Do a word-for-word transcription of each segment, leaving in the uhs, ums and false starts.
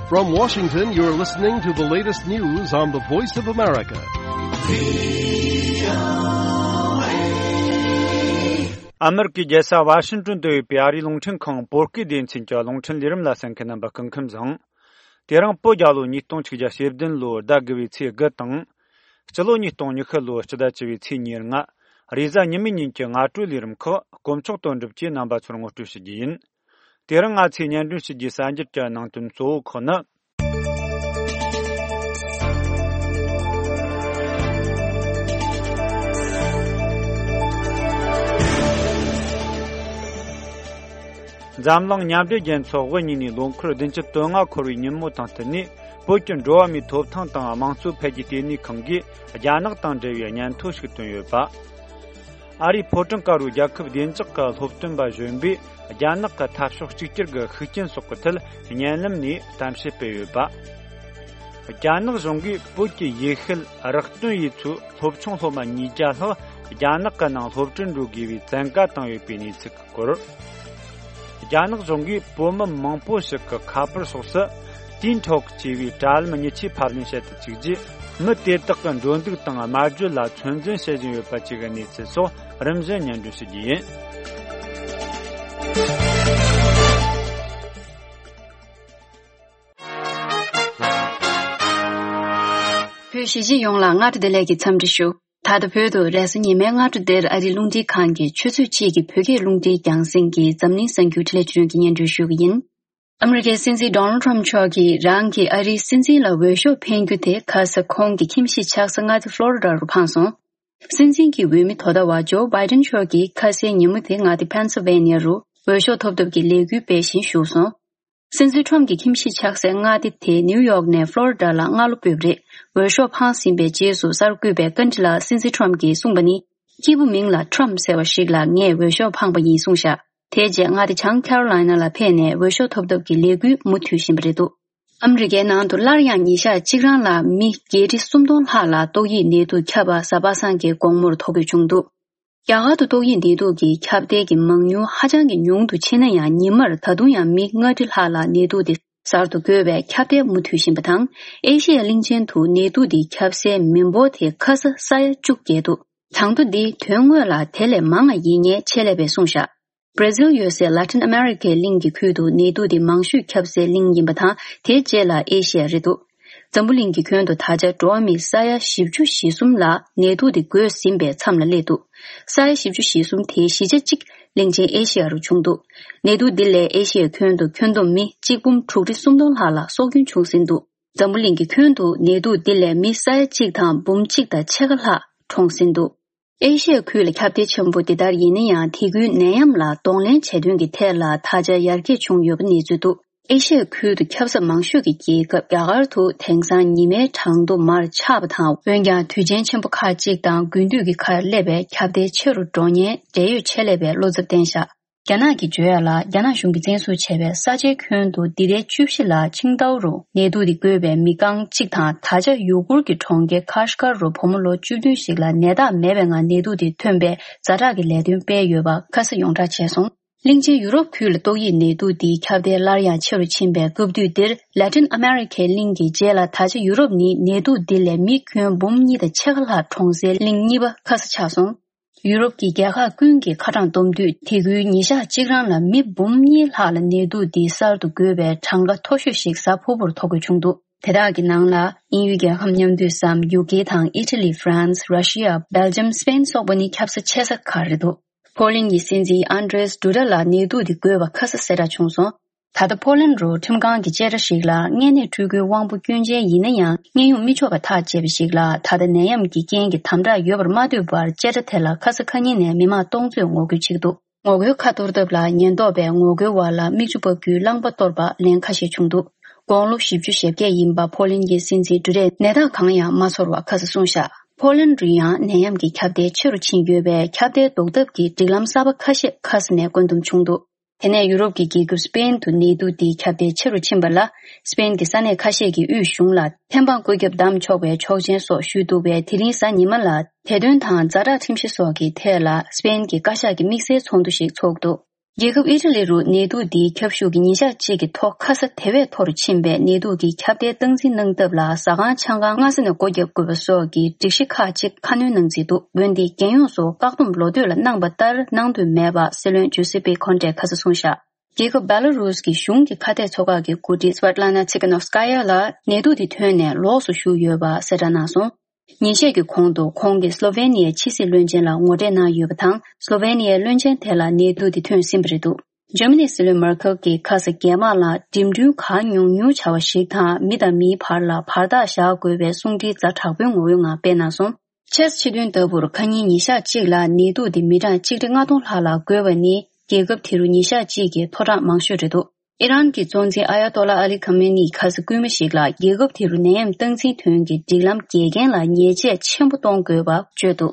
From Washington, you're listening to the latest news on the Voice of America. ཨ་མེ་རི་ཀའི་རྒྱལ་ས་ཝ་ཤིང་ཏོན་དུ་ཡོད་པའི་ཨ་རིའི་རླུང་འཕྲིན་ཁང་བོད་སྐད་སྡེ་ཚན་གྱི་རླུང་འཕྲིན་ལས་རིམ་ལ་གསན་མཁན་རྣམ་པ་སྐུ་ཁམས་བཟང་། དེ་རིང་བོད་རྒྱལ་ལོ་ཉིས་སྟོང་ཆིག་བརྒྱ་ཞེ་བདུན་ལོའི་ཟླ་དགུ་བའི་ཚེས་དགུ་དང་། སྤྱི་ལོ་ཉིས་སྟོང་ཉི་ཤུ་ལོའི་སྤྱི་ཟླ་བཅུ་བའི་ཚེས་ཉེར་ལྔ། རེས་གཟའ་ཉི་མའི་ཉིན་གྱི་སྔ་དྲོའི་ལས་རིམ་ཁག་དཀོན་མཆོག་དོན་གྲུབ་ཀྱིས་རྣམ་པ་ཚོར་ངོ་སྤྲོད་ཞུ་རྒྱུ་ཡིན། དེ་རིང་ང་ཚོས་སྙན་སྒྲོན་ཞུ་རྒྱུའི་གསར་འགྱུར་གྱི་ནང་དོན་གཙོ་བོ་ཁག་ནི། འཛམ་གླིང་མཉམ་འབྲེལ་རྒྱལ་ཚོགས་དབུ་བརྙེས་ནས་ལོ་འཁོར་བདུན་ཅུ་དོན་ལྔ་འཁོར་བའི་ཉིན་མོ་དང་བསྟུན་ནས། བོད་ཀྱི་འགྲོ་བ་མིའི་ཐོབ་ཐང་དང་དམངས་གཙོ་འཕེལ་རྒྱས་ལྟེ་གནས་ཁང་གིས་རྒྱ་ནག་དང་འབྲེལ་བའི་སྙན་ཐོ་ཞིག་བཏོན་ཡོད་པ། ཨ་རིའི་ཕོ་བྲང་དཀར་པོའི་རྒྱལ་ཁབ་བདེ་འཇགས་ཀྱི་སློབ་སྟོན་པ་གཞོན་པས་རྒྱ་ནག་གི་འཐབ་ཕྱོགས་གཅིག་གྱུར་གྱི་ཤུགས་རྐྱེན་སོགས་ཀྱི་ཐད་བརྙན་ལམ་ནས་གཏམ་བཤད་སྤེལ་ཡོད་པ། རྒྱ་ནག་གཞུང་གིས་བོད་ཀྱི་ཡེ་ཤུའི་རགས་སྟོན་ཡུལ་ཚོའི་སློབ་ཆུང་སློབ་མ་ཉིས་བརྒྱ་ལྷག་རྒྱ་ནག་གི་ནང་སློབ་ཁྲིད་འགྲོ་དགོས་པའི་བཙན་བཀའ་བཏང་ཡོད་པའི་གནས་ཚུལ་སྐོར། རྒྱ་ནག་གཞུང་གིས་བོད་མི་མང་པོ་ཞིག་གི་ཁ་པར་སོགས་སུ་ཏིན་ཐོག་ཅེས་པའི་དྲ་ལམ་མྱི་ཆེས་ཕབ་ལེན་བྱེད་དུ་བཅུག་རྗེས། མི་དེ་དག་གི་འགྲོ་འདུག་དང་སྨྲ་བརྗོད་ལ་ཚོད་འཛིན་བྱེད་བཞིན་ཡོད་པ་བཅས་ཀྱི་གནས་ཚུལ་སོགས་རིམ་བཞིན་སྙན་སྒྲོན་ཞུ་རྒྱུ་ཡིན། བོད་གཞིས་བྱེས་ཡོངས་ལ་སྔ་དྲོ་བདེ་ལེགས་ཀྱི་འཚམས་འདྲི་ཞུ། ད་ལྟ་བོད་དུ་རེས་གཟའ་ཉི་མའི་སྔ་དྲོ་འདིར་ཨ་རིའི་རླུང་འཕྲིན་ཁང་གི་ཆུ་ཚོད་གཅིག་གི་བོད་སྐད་རླུང་འཕྲིན་རྒྱང་སྲིང་གི་འཛམ་གླིང་གསར་འགྱུར་འཕྲིན་ལས་ཅུ་རེན་གྱིས་སྙན་སྒྲོན་ཞུ་གི་ཡིན། ཨ་མི་རི་ཀའི་སྲིད་འཛིན་ཌོ་ནལ་ཊམ་མཆོག་གིས་རང་གིས་ཨ་རིའི་སྲིད་འཛིན་ལ་འོས་ཤོག་འཕེན་རྒྱུ་དེ་ཁ་ས་ཁོང་གི་ཁྱིམ་གཞིས་ཆགས་ས་མངའ་སྡེ་ཕློ་རི་ཌ་རུ་འཕངས་སོང་། སྲིད་འཛིན་གྱི་འོས་མི་དོ་བདག་པ་ཇོ་བྷའི་ཌེན་མཆོག་གིས་ཁ་སའི་ཉིན་མོ་དེ་མངའ་སྡེ་ཕེན་སིལ་ཝེ་ནི་ཡ་རུ་འོས་ཤོག་ཐོབ་ཐབས་ཀྱི་ལས་འགུལ་སྤེལ་བཞིན་བཞུགས་སོང་། སྲིད་འཛིན་ཊམ་གྱི་ཁྱིམ་གཞིས་ཆགས་སའི་མངའ་སྡེ་དེ་ནིའུ་ཡོག་ནས་ཕློ་རི་ཌ་ལ་སྔ་ལོ་སྤོས་པ་རེད། འོས་ཤོག་འཕངས་ཟིན་པའི་རྗེས་སུ་གསར་བསྐོས་པའི་བཀའ་འདྲི་ལ་སྲིད་འཛིན་ཊམ་གྱིས་གསུངས་པ་ནི། སྐྱེས་བུ་མིང་ལ་ཊམ་ཟེར་བ་ཞིག་ལ་ངས་འོས་ཤོག་འཕངས་པ་ཡིན་གསུངས་ཤག་དེ་རྗེས་མངའ་སྡེ་བྱང་ཁེ་རོ་ལའི་ན་ལ་ཕེབས་ནས་འོས་ཤོག་ཐོབ་ཐབས་ཀྱི་ལས་འགུལ་མུ་མཐུད་བཞིན་པ་རེད་འདུག་ཨ་མི་རི་ཀའི་ནང་དུ་སླར་ཡང་ཉིན་ཞག་གཅིག་རང་ལ་མི་བརྒྱད་ཁྲི་སུམ་སྟོང་ལྷག་ལ་ཏོག་དབྱིབས་ནད་དུག་ཁྱབ་པ་གཟའ་པ་སངས་ཀྱི་དགོང་མོར་ཐོ་འགོད་བྱུང་འདུག་རྒྱ་གར་དུ་ཏོག་དབྱིབས་ནད་དུག་གི་ཁྱབ་གདལ་གྱི་མང་ཉུང་ཧ་ཅང་གི་ཉུང་དུ་ཕྱིན་ན་ཡང་ཉི་མར་ད་དུང་ཡང་མི་ལྔ་ཁྲི་ལྷག་ལ་ནད་དུག་དེ་གསར་དུ་འགོས་པའི་ཁྱབ་གདལ་མུ་མཐུད་བཞིན་པ་དང་། ཨེ་ཤི་ཡ་གླིང་ཆེན་དུ་ནད་དུག་འདི་ཁྱབ་སའི་མི་འབོར་དེ་ཁ་ས་ས་ཡ་བཅུ་བརྒལ་འདུག་གྲངས་ཐོ་འདི་དོན་དངོས་ལ་དེ་ལས་མང་བ་ཡིན་ངེས་ཆེད་ལས་པས་གསུངས་ཤག་བྷར་ཛིལ་ཡོད་སའི་ལ་ཏིན་ཨ་མེ་རི་ཁའི་གླིང་གི་ཁུལ་དུ་ནད་དུག་འདི་མང་ཤོས་ཁྱབ་སའི་གླིང་ཡིན་པ་དང་། དེའི་རྗེས་ལ་ཨེ་ཤི་ཡ་རེད་འདུག་འཛམ་བུ་གླིང་གི་ཁྱོན་དུ་ད་ཆ་འགྲོ་བ་མི་ས་ཡ་བཞི་བཅུ་ཞེ་གསུམ་ལ་ནད་དུག་དེ་འགོས་ཟིན་པའི་མཚམས་ལ་སླེབས་འདུག་ས་ཡ་བཞི་བཅུ་ཞེ་གསུམ་དེའི་བཞི་ཆ་གཅིག་གླིང་ཆེན་ཨེ་ཤི་ཡ་རུ་བྱུང་འདུག་ནད་དུག་འདི་ལས་ཨེ་ཤི་ཡའི་ཁྱོན་དུ་ཁྱོན་བསྡོམས་མི་གཅིག་འབུམ་དྲུག་ཁྲི་སུམ་སྟོང་ལྷག་ལ་སྲོག་སྐྱོན་བྱུང་ཟིན་འདུག་འཛམ་བུ་གླིང་གི་ཁྱོན་དུ་ནད་དུག་འདི་ལས་མི་ས་ཡ་གཅིག་དང་འབུམ་གཅིག་དང་ཕྱེད་ཀ་ལྷག་གྲོངས་ཟིན་འདུག་ཨེ་ཤི་ཡ་ཁུལ་ལ་ཁྱབ་གདལ་ཆེན་པོ་འདི་ལྟར་ཡིན་ན་ཡང་། དེ་ཁུལ་ནད་ཡམས་ལ་གདོང་ལེན་བྱེད་དོན་གྱི་ཐད་ལ་ད་ཆ་ཡར་རྒྱས་བྱུང་ཡོད་པ་གནས་ཚུལ་འདུག་ཨེ་ཤི་ཡ་ཁུལ་དུ་ཁྱབ་ས་མང་ཤོས་ཀྱི་རྒྱལ་ཁབ་རྒྱ་གར་དུ་དེང་སང་ཉི་མའི་གྲངས་ཐོ་མར་ཆག་པ་དང་། འོན་ཀྱང་དུས་ཆེན་ཆེན་པོ་ཁག་ཅིག་དང་དགུན་དུས་ཀྱི་ཁར་སླེབས་པའི་ཁྱབ་གདལ་ཆེ་རུ་འགྲོ་ཉེན་འབྲེལ་ཡོད་ཆེད་ལས་པས་བློ་འཚབ་བསྟན་བཞག་རྒྱ་ནག་གིས་བརྗོད་ཡ་ལ། རྒྱ་ནག་གཞུང་གིས་བཙན་བཟུང་བྱས་པའི་ས་ཆའི་ཁྱོན་དུ་འདི་ཟླའི་བཅུ་བཞི་ལ་ཆིང་ཏའོ་རུ་ནད་དུག་འདི་འགོས་པའི་མི་རྐང་གཅིག་དང་། ད་ཆ་ཡུ་གུར་གྱི་གྲོང་ཁྱེར་ཁ་ཤི་ཀར་རུ་བུ་མོ་ལོ་བཅུ་བདུན་ཞིག་ལ་ནད་རྟགས་མེད་པའི་ངང་ནད་དུག་འདི་ཐོན་པའི་ཛ་དྲག་གི་ལས་དོན་སྤེལ་ཡོད་པ་ཁ་གསལ་ཡོངས་གྲགས་བྱས་སོང་། གླིང་ཆེན་ཡུ་རོབ་ཁུལ་ལ་ཏོག་དབྱིབས་ནད་དུག་འདིའི་ཁྱབ་གདལ་སླར་ཡང་ཆེ་རུ་ཕྱིན་པའི་སྐབས་དུས་འདིར། ལ་ཏིན་ཨ་མེ་རི་ཁའི་གླིང་གི་རྗེས་ལ་ད་ཆ་ཡུ་རོབ་ནི་ནད་དུག་འདི་ལས་མི་ཁྱོན་འབུམ་གཉིས་དང་ཕྱེད་ཀ་ལྷག་གྲོངས་སའི་གླིང་གཉིས་པ་ཁ་ས་ཆགས་སོང་། ཡུ་རོབ་ཀྱི་རྒྱལ་ཁག་ཀུན་གྱིས་ཁ་གྲངས་བསྡོམས་དུས། དེ་ཁུལ་ཉིན་ཞག་གཅིག་རང་ལ་མི་འབུམ་གཉིས་ལྷག་ལ་ནད་དུག་འདིའི་གསར་དུ་འགོས་པའི་གྲངས་ཀ་མཐོ་ཤོས་ཤིག་གཟའ་ཕུར་བུར་ཐོ་འགོད་བྱུང་འདུག་དེ་དག་གི་ནང་ལ་དབྱིན་ཡུལ་རྒྱལ་ཁབ་མཉམ་འདུས་སམ། ཡུ་ཀེ་དང་ཨི་ཊ་ལི། ཧྥ་རན་སི། ར་ཤི་ཡ། སྦེལ་ཇམ། སི་པེན་སོགས་པ་ནི་ཁྱབ་ས་ཆེ་ས་ཁག་རེད་འདུག་ཕོ་ལན་གྱི་སྲིད་འཛིན་ཨན་ཌྲེས་ཌུ་ཌ་ལ་ནད་དུག་འདི་འགོས་པ་ཁ་གསལ་གསལ་བསྒྲགས་བྱུང་སོང་། ད་ལྟ་ཕོ་ལན་རུ་ཁྲིམས་ཁང་གི་བཅད་ཁྲ་ཞིག་ལ། མངལ་གནས་འཕྲུལ་འཁོར་དབང་པོ་སྐྱོན་ཅན་ཡིན་ན་ཡང་། མངལ་ཡོང་མི་ཆོག་པ་ཐག་བཅད་པ་ཞིག་ལ། ད་ལྟ་ནད་ཡམས་ཀྱི་རྐྱེན་གྱིས་དམ་དྲག་ཡོད་པར་མ་ལྟོས་པར། བཅད་ཁྲ་དེ་ལ་ཁ་ས་ཁ་ཉིན་ནས་མི་མང་སྟོང་ཚོས་ངོ་རྒོལ་བྱེད་ཀྱི་འདུག་ངོ་རྒོལ་ཁ་གཏོར་ཐབས་ལ་ཉེན་རྟོག་པས་ངོ་རྒོལ་བ་ལ་མིག་ཆུ་ཕབ་རྒྱུའི་རླངས་པ་གཏོར་པ་ལན་ཁ་ཤས་བྱུང་འདུག་དགུང་ལོ་བཞི་བཅུ་ཞེ་བརྒྱད་ཡིན་པ་ཕོ་ལན་གྱི་སྲིད་འཛིན་ཌུ་ཌས་ནད་རྟགས་གང་ཡང་མ་ཚོར་བ་ཁ་གསལ་གསུངས་བཞག་ཕོ་ལན་རུ་ཡང་ནད་ཡམས་ཀྱི་ཁྱབ་གདལ་ཆེ་རུ་ཕྱིན་ཡོད་པས། ཁྱབ་གདལ་ཟློག་ཐབས་ཀྱི་སྒྲིག་ལམ་གསར་པ་ཁ་ཤས་ཁ་ས་ནས་བཀོད་འདོམས་བྱུང་འདུག་དེ་ནས་ཡུ་རོབ་ཀྱི་རྒྱལ་ཁབ་སི་པེན་དུ་ནད་དུག་འདིའི་ཁྱབ་གདལ་ཆེ་རུ་ཕྱིན་པ་ལ། སི་པེན་གྱི་ས་གནས་ཁ་ཤས་ཀྱི་དབུས་གཞུང་ལ་ཐེམ་སྤང་བཀོད་ཁྱབ་བསྡམས་ཆོག་པའི་ཆོག་མཆན་སོགས་ཞུས་འདུག་པས། དེ་རིང་གཟའ་ཉི་མ་ལ་དེ་དོན་དང་ཛ་དྲག་ཁྲིམས་གཞི་སོགས་ཀྱི་ཐད་ལ་སི་པེན་གྱི་བཀའ་ཤག་གི་དམིགས་བསལ་ཚོགས་འདུ་ཞིག་ཚོགས་འདུག་རྒྱལ་ཁབ་ཨི་ཊ་ལི་རུ་ནད་དུག་འདིའི་ཁྱབ་ཤུགས་ཀྱིས་ཉིན་ཞག་གཅིག་གི་ཐོག་ཁ་ས་དེ་བས་མཐོ་རུ་ཕྱིན་པས། ནད་དུག་གི་ཁྱབ་གདལ་སྟངས་འཛིན་གནང་ཐབས་ལ་ཟ་ཁང་ཆང་ཁང་སྔ་ས་ནས་སྒོ་བརྒྱབ་དགོས་པ་སོགས་ཀྱི་སྒྲིག་གཞི་ཁག་ཅིག་ཁ་སྣོན་གནང་རྩིས་འདུག་འོན་ཏེ་རྒྱལ་ཡོངས་སུ་བཀག་སྡོམ་ལོ་སྟོད་ལ་གནང་པ་ལྟར་གནང་འདོད་མེད་པ་སྲིད་བློན་ཇུ་སེ་པེ་ཁོན་ཏེས་ཁ་སང་གསུངས་བཞག་རྒྱལ་ཁབ་བེ་ལ་རུས་ཀྱི་གཞུང་གི་ཁ་གཏད་ཚོགས་ཁག་གི་འགོ་ཁྲིད་སི་ཝེ་ཏི་ལ་ན་ཚི་ཁ་ནོབ་སི་ཀ་ཡ་ལགས་ནད་དུག་དེ་ཐོན་ནས་ལོགས་སུ་བཞུགས་ཡོད་པ་གསལ་བསྒྲགས་གནང་སོང་། ཉིན་ཤས་ཀྱི་གོང་དུ་ཁོང་གིས་སློ་ཝེ་ནི་ཡའི་ཕྱི་སྲིད་བློན་ཆེན་ལ་ངོ་འཕྲད་གནང་ཡོད་པ་དང་། སློ་ཝེ་ནི་ཡའི་བློན་ཆེན་དེ་ལ་ནད་དུག་དེ་ཐོན་ཟིན་པ་རེད་འདུག་འཇར་མ་ནིའི་སྲིད་བློན་མར་ཁེལ་གྱིས་ཁ་སང་རྒྱ་དམག་ལ་འགྲིམ་འགྲུལ་གང་ཉུང་ཉུང་བྱ་བ་ཞིག་དང་། མི་དང་མིའི་བར་ལ་བར་ཐག་བཞག་དགོས་པའི་གསུང་འཕྲིན་ཛ་དྲག་པོའི་ངོ་བོའི་ངང་སྤེལ་གནང་སོང་། ཆེས་སྤྱི་དོན་ལྟ་བུར་ཁ་ཉིན་ཉིན་ཞག་གཅིག་ལ་ནད་དུག་དེ་མི་གྲངས་ཆིག་ཁྲི་ལྔ་སྟོང་ལྷག་ལ་འགོས་པ་ནི་རྒྱལ་ཁབ་དེ་རུ་ཉིན་ཞག་གཅིག་གི་མཐོ་གྲངས་མང་ཤོས་རེད་འདུག་ཨི་རན་གྱི་གཙོ་འཛིན་ཨ་ཡ་ཏོ་ལ་ཨ་ལི་ཁ་མེ་ནིས་ཁ་སང་སྐུལ་མ་ཞིག་ལ། རྒྱལ་ཁབ་དེ་རུ་ནད་ཡམས་སྟངས་འཛིན་དོན་གྱི་སྒྲིག་ལམ་དགེ་རྒན་ལ་ཉེས་ཆད་ཆེན་པོ་གཏོང་དགོས་པ་བརྗོད་འདུག་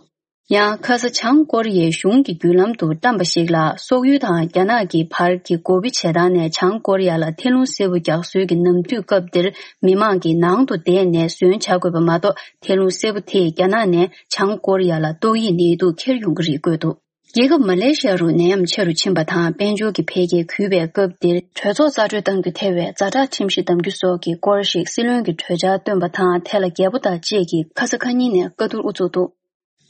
ཡང་ཁ་སང་བྱང་ཀོ་རི་ཡའི་གཞུང་གི་བརྒྱུད་ལམ་དུ་བཀྲམ་པ་ཞིག་ལ། སོག་ཡུལ་དང་རྒྱ་ནག་གི་བར་གྱི་འགོ་དཔེ་བྱེ་ཐང་ནས་བྱང་ཀོ་རི་ཡ་ལ་ཐལ་རླུང་སེར་པོ་རྒྱག་སྲོལ་གྱི་ནམ་དུས་སྐབས་འདིར་མི་མང་གིས་ནང་དུ་བསྡད་ནས་ཟོན་བྱ་དགོས་པ་མ་གཏོགས། ཐལ་རླུང་སེར་པོ་དེས་རྒྱ་ནག་ནས་བྱང་ཀོ་རི་ཡ་ལ་ཏོག་དབྱིབས་ནད་དུག་འཁྱེར་ཡོང་གི་རེད་བཀོད་འདུག་རྒྱལ་ཁབ་མ་ལེ་ཤི་ཡ་རུ་ནད་ཡམས་ཆེ་རུ་ཕྱིན་པ་དང་། དཔལ་འབྱོར་གྱི་འཕེལ་རྒྱས་གུད་པའི་སྐབས་འདིར། གྲོས་ཚོགས་རྩ་གྲོས་གཏང་རྒྱུ་ཐལ་བའི་ཛ་དྲག་ཁྲིམས་གཞི་བསྡམ་རྒྱུ་སོགས་ཀྱི་སྐོར་ཞིག་སྲིད་བློན་གྱི་གྲོས་འཆར་བཏོན་པ་དང་། དེ་ལ་རྒྱལ་པོ་དང་བཅས་ཀྱིས་ཁ་ས་ཁ་ཉིན་ནས་བཀའ་བསྡུར་དབུ་འཛུགས་འདུག་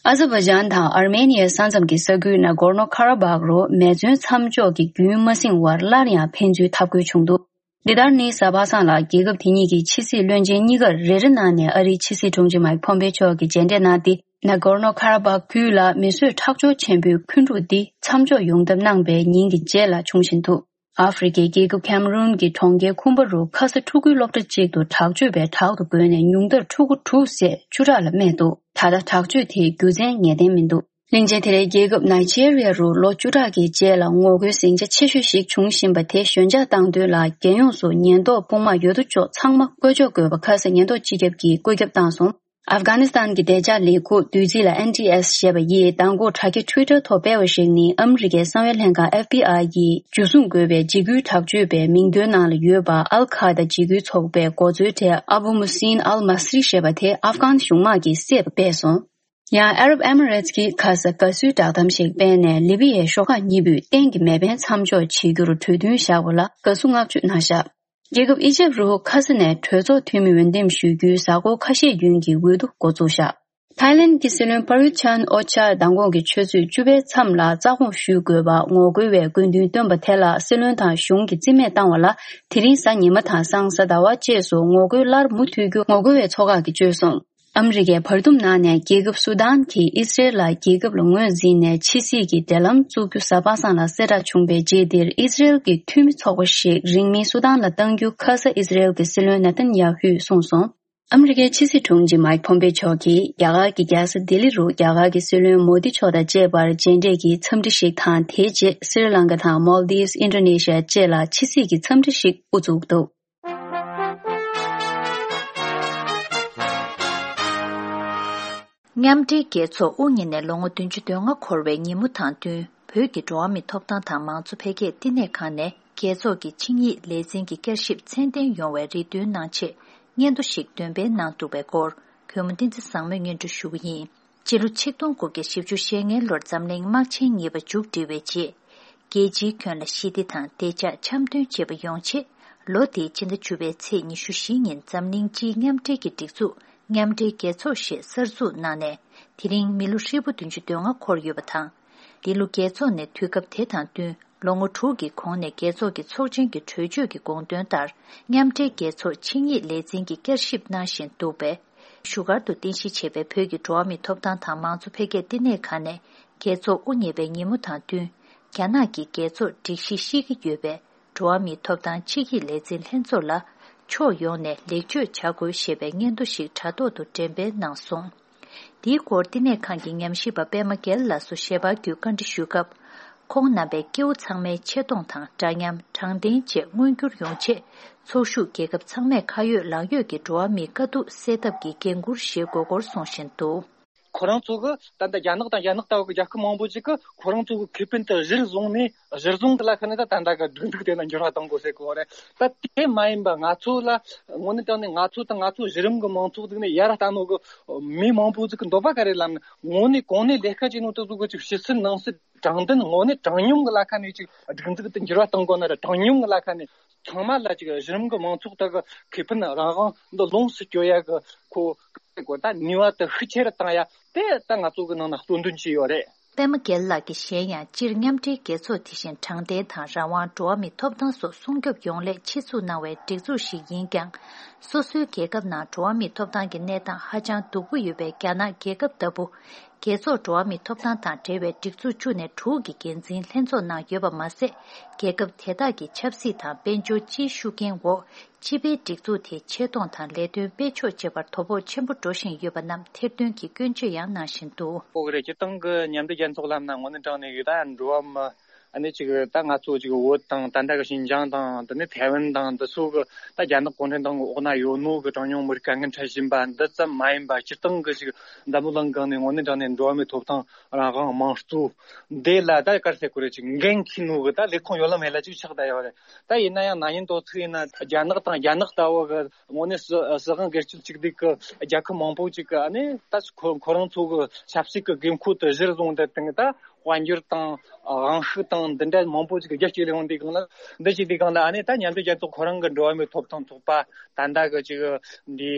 ཨ་ཛར་བྷ་ཇན་དང་ཨར་མེ་ནི་ཡའི་ས་མཚམས་ཀྱི་ས་ཁུལ་ན་གོར་ནོ་ཁ་ར་བྷག་རུ་མེ་མཚོན་མཚམས་འཇོག་གི་རྒྱུན་མ་བསྲིང་བར་སླར་ཡང་ཕན་ཚུན་འཐབ་རྒོལ་བྱུང་འདུག་འདི་ལྟར་ནི་གཟའ་པ་སངས་ལ་རྒྱལ་ཁབ་དེ་གཉིས་ཀྱི་ཕྱི་སྲིད་བློན་ཆེན་གཉིས་ཀར་རེ་རེ་གནང་ནས་ཨ་རིའི་ཕྱི་སྲིད་དྲུང་ཆེ་མའིག་ཕོམ་པེ་མཆོག་གིས་མཇལ་འཕྲད་གནང་སྟེ། ན་གོར་ནོ་ཁ་ར་བྷག་ཁུལ་ལ་མི་གསོད་ཁྲག་སྦྱོར་ཆེན་པོའི་འཁོན་འཁྲུག་འདི་མཚམས་འཇོག་ཡོང་ཐབས་གནང་པའི་ཉིན་གྱི་རྗེས་ལ་འབྱུང་བཞིན་འདུག་ཨ་ཧྥེ་རི་ཁའི་རྒྱལ་ཁབ་ཁེམ་རུན་གྱི་གྲོང་ཁྱེར་ཁུམ་པ་རུ་ཁ་ས་ཕྲུ་གུའི་སློབ་གྲྭ་གཅིག་ཏུ་དྲག་སྤྱོད་པས་དྲག་ཏུ་རྒོལ་ནས་ཉུང་མཐར་ཕྲུ་གུ་དྲུག་བསད་བཅུ་ཕྲག་ལ་རྨས་འདུག་ད་ལྟ་དྲག་སྤྱོད་དེའི་རྒྱུ་མཚན་ངེས་གཏན་མི་འདུག་གླིང་ཆེན་དེ་ལའི་རྒྱལ་ཁབ་ནཱི་ཇེ་རི་ཡ་རུ་ལོ་བཅུ་ཕྲག་གི་རྗེས་ལ་ངོ་རྒོལ་ཟིང་ཆ་ཆེ་ཤོས་ཤིག་འབྱུང་བཞིན་པ་དེ་ཞོད་འཇགས་བཏང་དོན་ལ། རྒྱལ་ཡོངས་སུ་ཉེན་རྟོག་དཔུང་དམག་ཡོད་དོ་ཅོག་ཚང་མ་བཀོད་ཕྱོགས་དགོས་པ་ཁ་སང་ཉེན་རྟོག་སྤྱི་ཁྱབ་ཀྱིས་བཀོད་ཁྱབ་བཏང་སོང་། ཨབ་གྷ་ནི་སི་ཐན་གྱི་བདེ་འཇགས་ལས་ཁུངས་བདུད་རྩི་ལ་ཨེན་ཊི་ཨེས་ཞེས་པ་ཡིས་མདང་དགོང་དྲ་རྒྱ་ཊུའི་ཊར་ཐོག་སྤེལ་བ་ཞིག་ནི། ཨ་མི་རི་ཀའི་གསང་བའི་ལྷན་ཁང་ཨེཕ་བི་ཨའི་ཡིས་འཇུ་བཟུང་དགོས་པའི་འཇིགས་སྐུལ་དྲག་སྤྱོད་པའི་མིང་ཐོའི་ནང་ལ་ཡོད་པ། ཨལ་ཁ་ཡེ་ད་འཇིགས་སྐུལ་ཚོགས་པའི་འགོ་གཙོའི་གྲས་ཨ་བུ་མུ་སིན་ཨལ་མ་སི་རི་ཞེས་པ་དེ་ཨབ་གྷན་གཞུང་དམག་གིས་བསད་པ་སྤེལ་སོང་། ཡང་ཨ་རབ་ཨེ་མི་རེ་ཊི་ཀྱིས་ཁ་ས་དགའ་བསུའི་བསྒྲགས་གཏམ་ཞིག་སྤེལ་ནས། ལི་བི་ཡའི་ཤོག་ཁག་གཉིས་པོས་གཏན་གྱི་མེ་འཕེན་མཚམས་འཇོག་བྱེད་རྒྱུར་གྲོས་མཐུན་བཞག་པ་ལ་དགའ་བསུ་བསྔགས་བརྗོད་གནང་བཞག་རྒྱལ་ཁབ་ཨི་ཇེབ་རུ་ཁ་ས་ནས་གྲོས་ཚོགས་འཐུས་མི་འོས་འདེམས་ཞུ་རྒྱུའི་གཟའ་འཁོར་ཁ་ཤས་རྒྱུན་གྱི་འོས་བསྡུ་འགོ་འཛུགས་བཞག་ཐའི་ལེན་གྱི་སྲིད་བློན་པ་རུ་ཆན་ཨོ་ཆ་མདང་དགོང་གི་ཆུ་ཚོད་བཅུ་པའི་མཚམས་ལ་རྩ་དགོངས་ཞུ་དགོས་པ་ངོ་རྒོལ་བས་དགོས་འདུན་བཏོན་པ་དེ་ལ་སྲིད་བློན་དང་གཞུང་གིས་རྩིས་མེད་བཏང་བ་ལ། དེ་རིང་གཟའ་ཉི་མ་དང་སང་གཟའ་ཟླ་བ་བཅས་སུ་ངོ་རྒོལ་སླར་མུ་མཐུད་རྒྱུ་ངོ་རྒོལ་བའི་ཚོགས་ཁག་གིས་བརྗོད་སོང་། ཨ་མི་རི་ཀའི་བར་འདུམ་ནང་ནས་རྒྱལ་ཁབ་སུ་དཱན་གྱིས་ཨི་སི་རེལ་ལ་རྒྱལ་ཁབ་ལ་ངོས་འཛིན་ནས་ཕྱི་སྲིད་ཀྱི་འབྲེལ་ལམ་བཙུགས་རྒྱུ་གཟའ་པ་སངས་ལ་གསལ་བསྒྲགས་བྱུང་བའི་རྗེས་འདིར། ཨི་སི་རེལ་གྱི་འཐུས་མི་ཚོགས་པ་ཞིག་རིང་མིན་སུ་དཱན་ལ་གཏང་རྒྱུ་ཁ་ས་ཨི་སི་རེལ་གྱི་སྲིད་བློན་ནེ་ཐན་ཡ་ཧུས་གསུངས་སོང་། ཨ་མི་རི་ཀའི་ཕྱི་སྲིད་དྲུང་ཆེ་མའིག་ཕོམ་པེ་མཆོག་གིས་རྒྱ་གར་གྱི་རྒྱལ་ས་ལྡི་ལི་རུ་རྒྱ་གར་གྱི་སྲིད་བློན་མོ་དི་མཆོག་དང་བཅས་པར་མཇལ་འཕྲད་ཀྱི་འཚམས་འདྲི་ཞིག་དང་། དེའི་རྗེས་སི་རི་ལང་ཀ་དང་མོལ་དིབ། ཨིན་ཌོ་ནེ་ཤི་ཡ་བཅས་ལ་ཕྱི་སྲིད་ཀྱི་འཚམས་འདྲི་ཞིག་དབུ་བཙུགས་འདུག་མཉམ་འབྲེལ་རྒྱལ་ཚོགས་དབུ་བརྙེས་ནས་ལོ་ངོ་བདུན་ཅུ་དོན་ལྔ་འཁོར་བའི་ཉིན་མོ་དང་བསྟུན། བོད་ཀྱི་འགྲོ་བ་མིའི་ཐོབ་ཐང་དང་མང་གཙོ་འཕེལ་རྒྱས་བསྟི་གནས་ཁང་ནས་རྒྱལ་ཚོགས་ཀྱི་ཆིངས་ཡིག་ལས་འཛིན་གྱི་བསྐྱར་ཞིབ་མཚན་འདོན་ཡོང་བའི་རེ་འདུན་གནང་ཆེད་སྙན་ཐོ་ཞིག་འདོན་སྤེལ་གནང་འདུག་པའི་སྐོར། གུས་མོ་བསྟན་འཛིན་བཟང་མོས་སྙན་སྒྲོན་ཞུ་གི་ཡིན། སྤྱི་ལོ་ཆིག་སྟོང་དགུ་བརྒྱ་བཞི་བཅུ་ཞེ་ལྔའི་ལོར་འཛམ་གླིང་དམག་ཆེན་གཉིས་པ་མཇུག་བསྒྲིལ་བའི་རྗེས། རྒྱལ་སྤྱིའི་ཁྱོན་ལ་ཞི་བདེ་དང་བདེ་འཇགས་འཆམ་མཐུན་བཅས་པ་ཡོང་ཆེད། ལོ་འདིའི་ཕྱི་ཟླ་བཅུ་པའི་ཚེས་ཉི་ཤུ་བཞི་ཉིན་འཛམ་གླིང་སྤྱིའི་མཉམ་འབྲེལ་གྱི་སྒྲིག་འཛུགས་མཉམ་འབྲེལ་རྒྱལ་ཚོགས་ཞེས་གསར་འཛུགས་གནང་ནས། དེ་རིང་མི་ལོ་ཧྲིལ་པོ་བདུན་ཅུ་དོན་ལྔ་འཁོར་ཡོད་པ་དང་། འདི་ལོ་རྒྱལ་ཚོགས་ནས་དུས་སྐབས་དེ་དང་བསྟུན། ལོ་ངོ་དྲུག་གི་གོང་ནས་རྒྱལ་ཚོགས་ཀྱི་ཚོགས་ཆེན་གྱི་གྲོས་ཆོད་ཀྱི་དགོངས་དོན་ལྟར། མཉམ་འབྲེལ་རྒྱལ་ཚོགས་ཆིངས་ཡིག་ལས་འཛིན་གྱིས་བསྐྱར་ཞིབ་གནང་བཞིན་འདུག་པས། བཞུགས་སྒར་དུ་རྟེན་གཞི་བྱས་པའི་བོད་ཀྱི་འགྲོ་བ་མིའི་ཐོབ་ཐང་དང་མང་གཙོ་འཕེལ་རྒྱས་བསྟི་གནས་ཁང་ནས། རྒྱལ་ཚོགས་དབུ་བརྙེས་པའི་ཉིན་མོ་དང་བསྟུན། རྒྱ་ནག་གིས་རྒྱལ་ཚོགས་སྒྲིག་གཞི་བཤིག་གི་ཡོད་པས། འགྲོ་བ་མིའི་ཐོབ་ཐང་ཆིངས་ཡིག་ལས་འཛིན་ལྷན་ཚོགས་ལ། ཕྱོགས་ཡོངས་ནས་ལེགས་བཅོས་བྱ་དགོས་ཞེས་པའི་སྙན་ཐོ་ཞིག་དྲ་ཐོག་ཏུ་འགྲེམས་སྤེལ་གནང་སོང་། འདིའི་སྐོར་བསྟི་གནས་ཁང་གི་ཉམས་ཞིབ་པ་པད་མ་རྒྱལ་ལགས་སུ་ཞལ་པར་བརྒྱུད་བཀའ་འདྲི་ཞུས་སྐབས། ཁོང་རྣམ་པས་སྐྱེ་བོ་ཚང་མའི་ཆེ་མཐོང་དང་འདྲ་མཉམ། དྲང་བདེན་བཅས་མངོན་འགྱུར་ཡོང་ཆེད། ཚོགས་ཞུགས་རྒྱལ་ཁབ་ཚང་མས་ཁ་ཡོད་ལག་ཡོད་ཀྱི་འགྲོ་བ་མིའི་དཀའ་སྡུག་སེལ་ཐབས་ཀྱི་འགན་འཁུར་བཞེས་དགོས་སྐོར་གསུང་བཞིན་འདུག། ཁོ་རང་ཚོ་གི་ད་ལྟ་རྒྱ་ནག་དང་རྒྱ་ནག་ལྟ་བུ་གི་རྒྱལ་ཁབ་མང་པོ་ཅིག་གི་ཁོ་རང་ཚོ་གི་ཁེ་ཕན་དེ་གཞིར་བཟུང་ནས། གཞིར་བཟུང་གི་ལ་ཁ་ནས་ད་ད་ལྟ་གི་སྒྲིག་འཛུགས་དེ་ལ་འགྱུར་བ་གཏོང་དགོས་ཟེར་གོ་རེད། ད་དེ་མ་ཡིན་པ་ང་ཚོ་ལ་དངོས་གནས་དྲང་གནས་ང་ཚོ་དང་ང་ཚོ་གཞི་རིམ་གི་མང་ཚོགས་ཟིག་ནས་ཡར་ལྟ་ནོ་གི་མི་མང་པོ་ཟིག་གི་འདོད་པ་ག་རེ་ལབ་ན། དངོས་གནས་གོང་ནས་ལས་ཀ་བྱེད་ནོ་དེ་ཚོ་གི་ཅིག་ཕྱི་སྲིད་ནང་སྲིད་དྲང་བདེན་དངོས་གནས་དྲང་སྙོམས་གི་ལ་ཁ་ནས་ཅིག་སྒྲིག་འཛུགས་དེ་འགྱུར་བ་གཏོང་དགོས་ན་ར། དྲང་སྙོམས་གི་ལ་ཁ་ནས་ཚང་མ་ལ་ཅིག་གཞི་རིམ་གི་མང་ཚོགས་དག་གི་ཁེ་ཕན་རང་དབང་འདི་ལོངས་སུ་སྤྱོད་ཡ་གི་ཁོ་གོ་ད་ནུས་པ་དེ་ཤུགས་ཆེ་རུ་བཏང་ཡ་དེ་ད་ང་ཚོ་གི་ནང་ན་གཙོ་འདོན་བྱས་ཡོད་རེད། པད་མ་རྒྱལ་ལགས་ཀྱིས་གཞན་ཡང་སྤྱིར་མཉམ་འབྲེལ་རྒྱལ་ཚོགས་དེ་བཞིན་དྲང་བདེན་དང་རང་དབང་། འགྲོ་བ་མིའི་ཐོབ་ཐང་སོགས་སྲུང་སྐྱོབ་ཡོང་སླད་ཆེད་འཛུགས་གནང་བའི་སྒྲིག་འཛུགས་ཤིག་ཡིན་ཀྱང་། སོ་སོའི་རྒྱལ་ཁབ་ནང་འགྲོ་བ་མིའི་ཐོབ་ཐང་གི་གནས་སྟངས་ཧ་ཅང་སྡུག་པོ་ཡོད་པའི་རྒྱ་ནག་རྒྱལ་ཁབ་ལྟ་བུ། རྒྱལ་ཚོགས་འགྲོ་བ་མིའི་ཐོབ་ཐང་དང་འབྲེལ་བའི་སྒྲིག་འཛུགས་བཅུ་ནས་དྲུག་གི་འགན་འཛིན་ལྷན་ཚོགས་ནང་ཡོད་པ་མ་ཟད། རྒྱལ་ཁབ་དེ་དག་གི་ཆབ་སྲིད་དང་དཔལ་འབྱོར་སྤྱིའི་ཤུགས་རྐྱེན་འོག་སྤྱི་པའི་སྒྲིག་འཛུགས་དེའི་ཆེ་མཐོང་དང་ལས་དོན་སྤེལ་ཕྱོགས་བཅས་པར་དོ་ཕོག་ཆེན་པོ་འགྲོ་བཞིན་ཡོད་པ་རྣམས་ཐེར་འདོན་གྱིས་སྐྱོན་བརྗོད་ཡང་གནང་བཞིན་འདུག། ཨོ་རེད། སྤྱིར་བཏང་གི་མཉམ་འབྲེལ་རྒྱལ་ཚོགས་ལབ་ན་དངོས་གནས་དྲང་གནས་ཀྱི་ད་འགྲོ་བ་མི་ཨ་ནི་ཅིག་ད་ང་ཚོ་ཅིག་བོད་དང་ད་ལྟ་གི་ཤིན་ཅང་དང་དེ་ནས་ཐའེ་ཝན་དང་འདི་ཚོ་གི་ད་རྒྱ་ནག་གུང་ཁྲན་ཏང་གི་འོག་ན་ཡོད་ནོ་གི་གྲངས་ཉུང་མི་རིགས་དཀའ་ངལ་འཕྲད་བཞིན་པ་འདི་ཙམ་མ་ཡིན་པ། སྤྱིར་བཏང་གི་ཅིག་འཛམ་བུ་གླིང་སྒང་ནས་དངོས་གནས་དྲང་གནས་འགྲོ་བ་མིའི་ཐོབ་ཐང་རང་དབང་དམངས་གཙོ་འདི་ལ་ད་ག་རེ་ཟེར་དགོས་རེད། ཅིག་འགན་འཁྱེར་ནོ་གི་ད་ལས་ཁུངས་ཡོད་ལ་མེད་ལ་ཅིག་ཆགས་བསྡད་ཡོད་རེད། ད་ཡིན་ན་ཡང་ན་ནིང་དོ་ཚིགས་ཡིན་ན་རྒྱ་ནག་དང་རྒྱ་ནག་ལྟ་བུ་གི་དངོས་གནས་སྲི་སྲིད་དབང་སྒེར་གཅོད་གཅིག་སྡུད་ཀྱི་རྒྱལ་ཁབ་མང་པོ་ཅིག་གི་ཨ་ནི་ད་ཁོ་ཁོ་རང་ཚོ་གི་ཆབ་སྲིད་ཀྱི་དགོས་མཁོ་དེ་གཞིར་བཟུང་དེ་དང་ད་དཔལ་འབྱོར་དང་དབང་ཤུགས་དང་འདི་འདྲ་མང་པོ་ཅིག་གི་རྒྱ་སྐྱེད་ལས་འོང་དུས་སྒང་ལ། འདི་བྱེད་དུས་སྒང་ལ་ཨ་ནི་ད་མཉམ་འབྲེལ་རྒྱལ་ཚོགས་ཁོ་རང་གི་འགྲོ་བ་མིའི་ཐོབ་ཐང་ཚོགས་པ་ད་ལྟ་གི་ཅིག་འདི་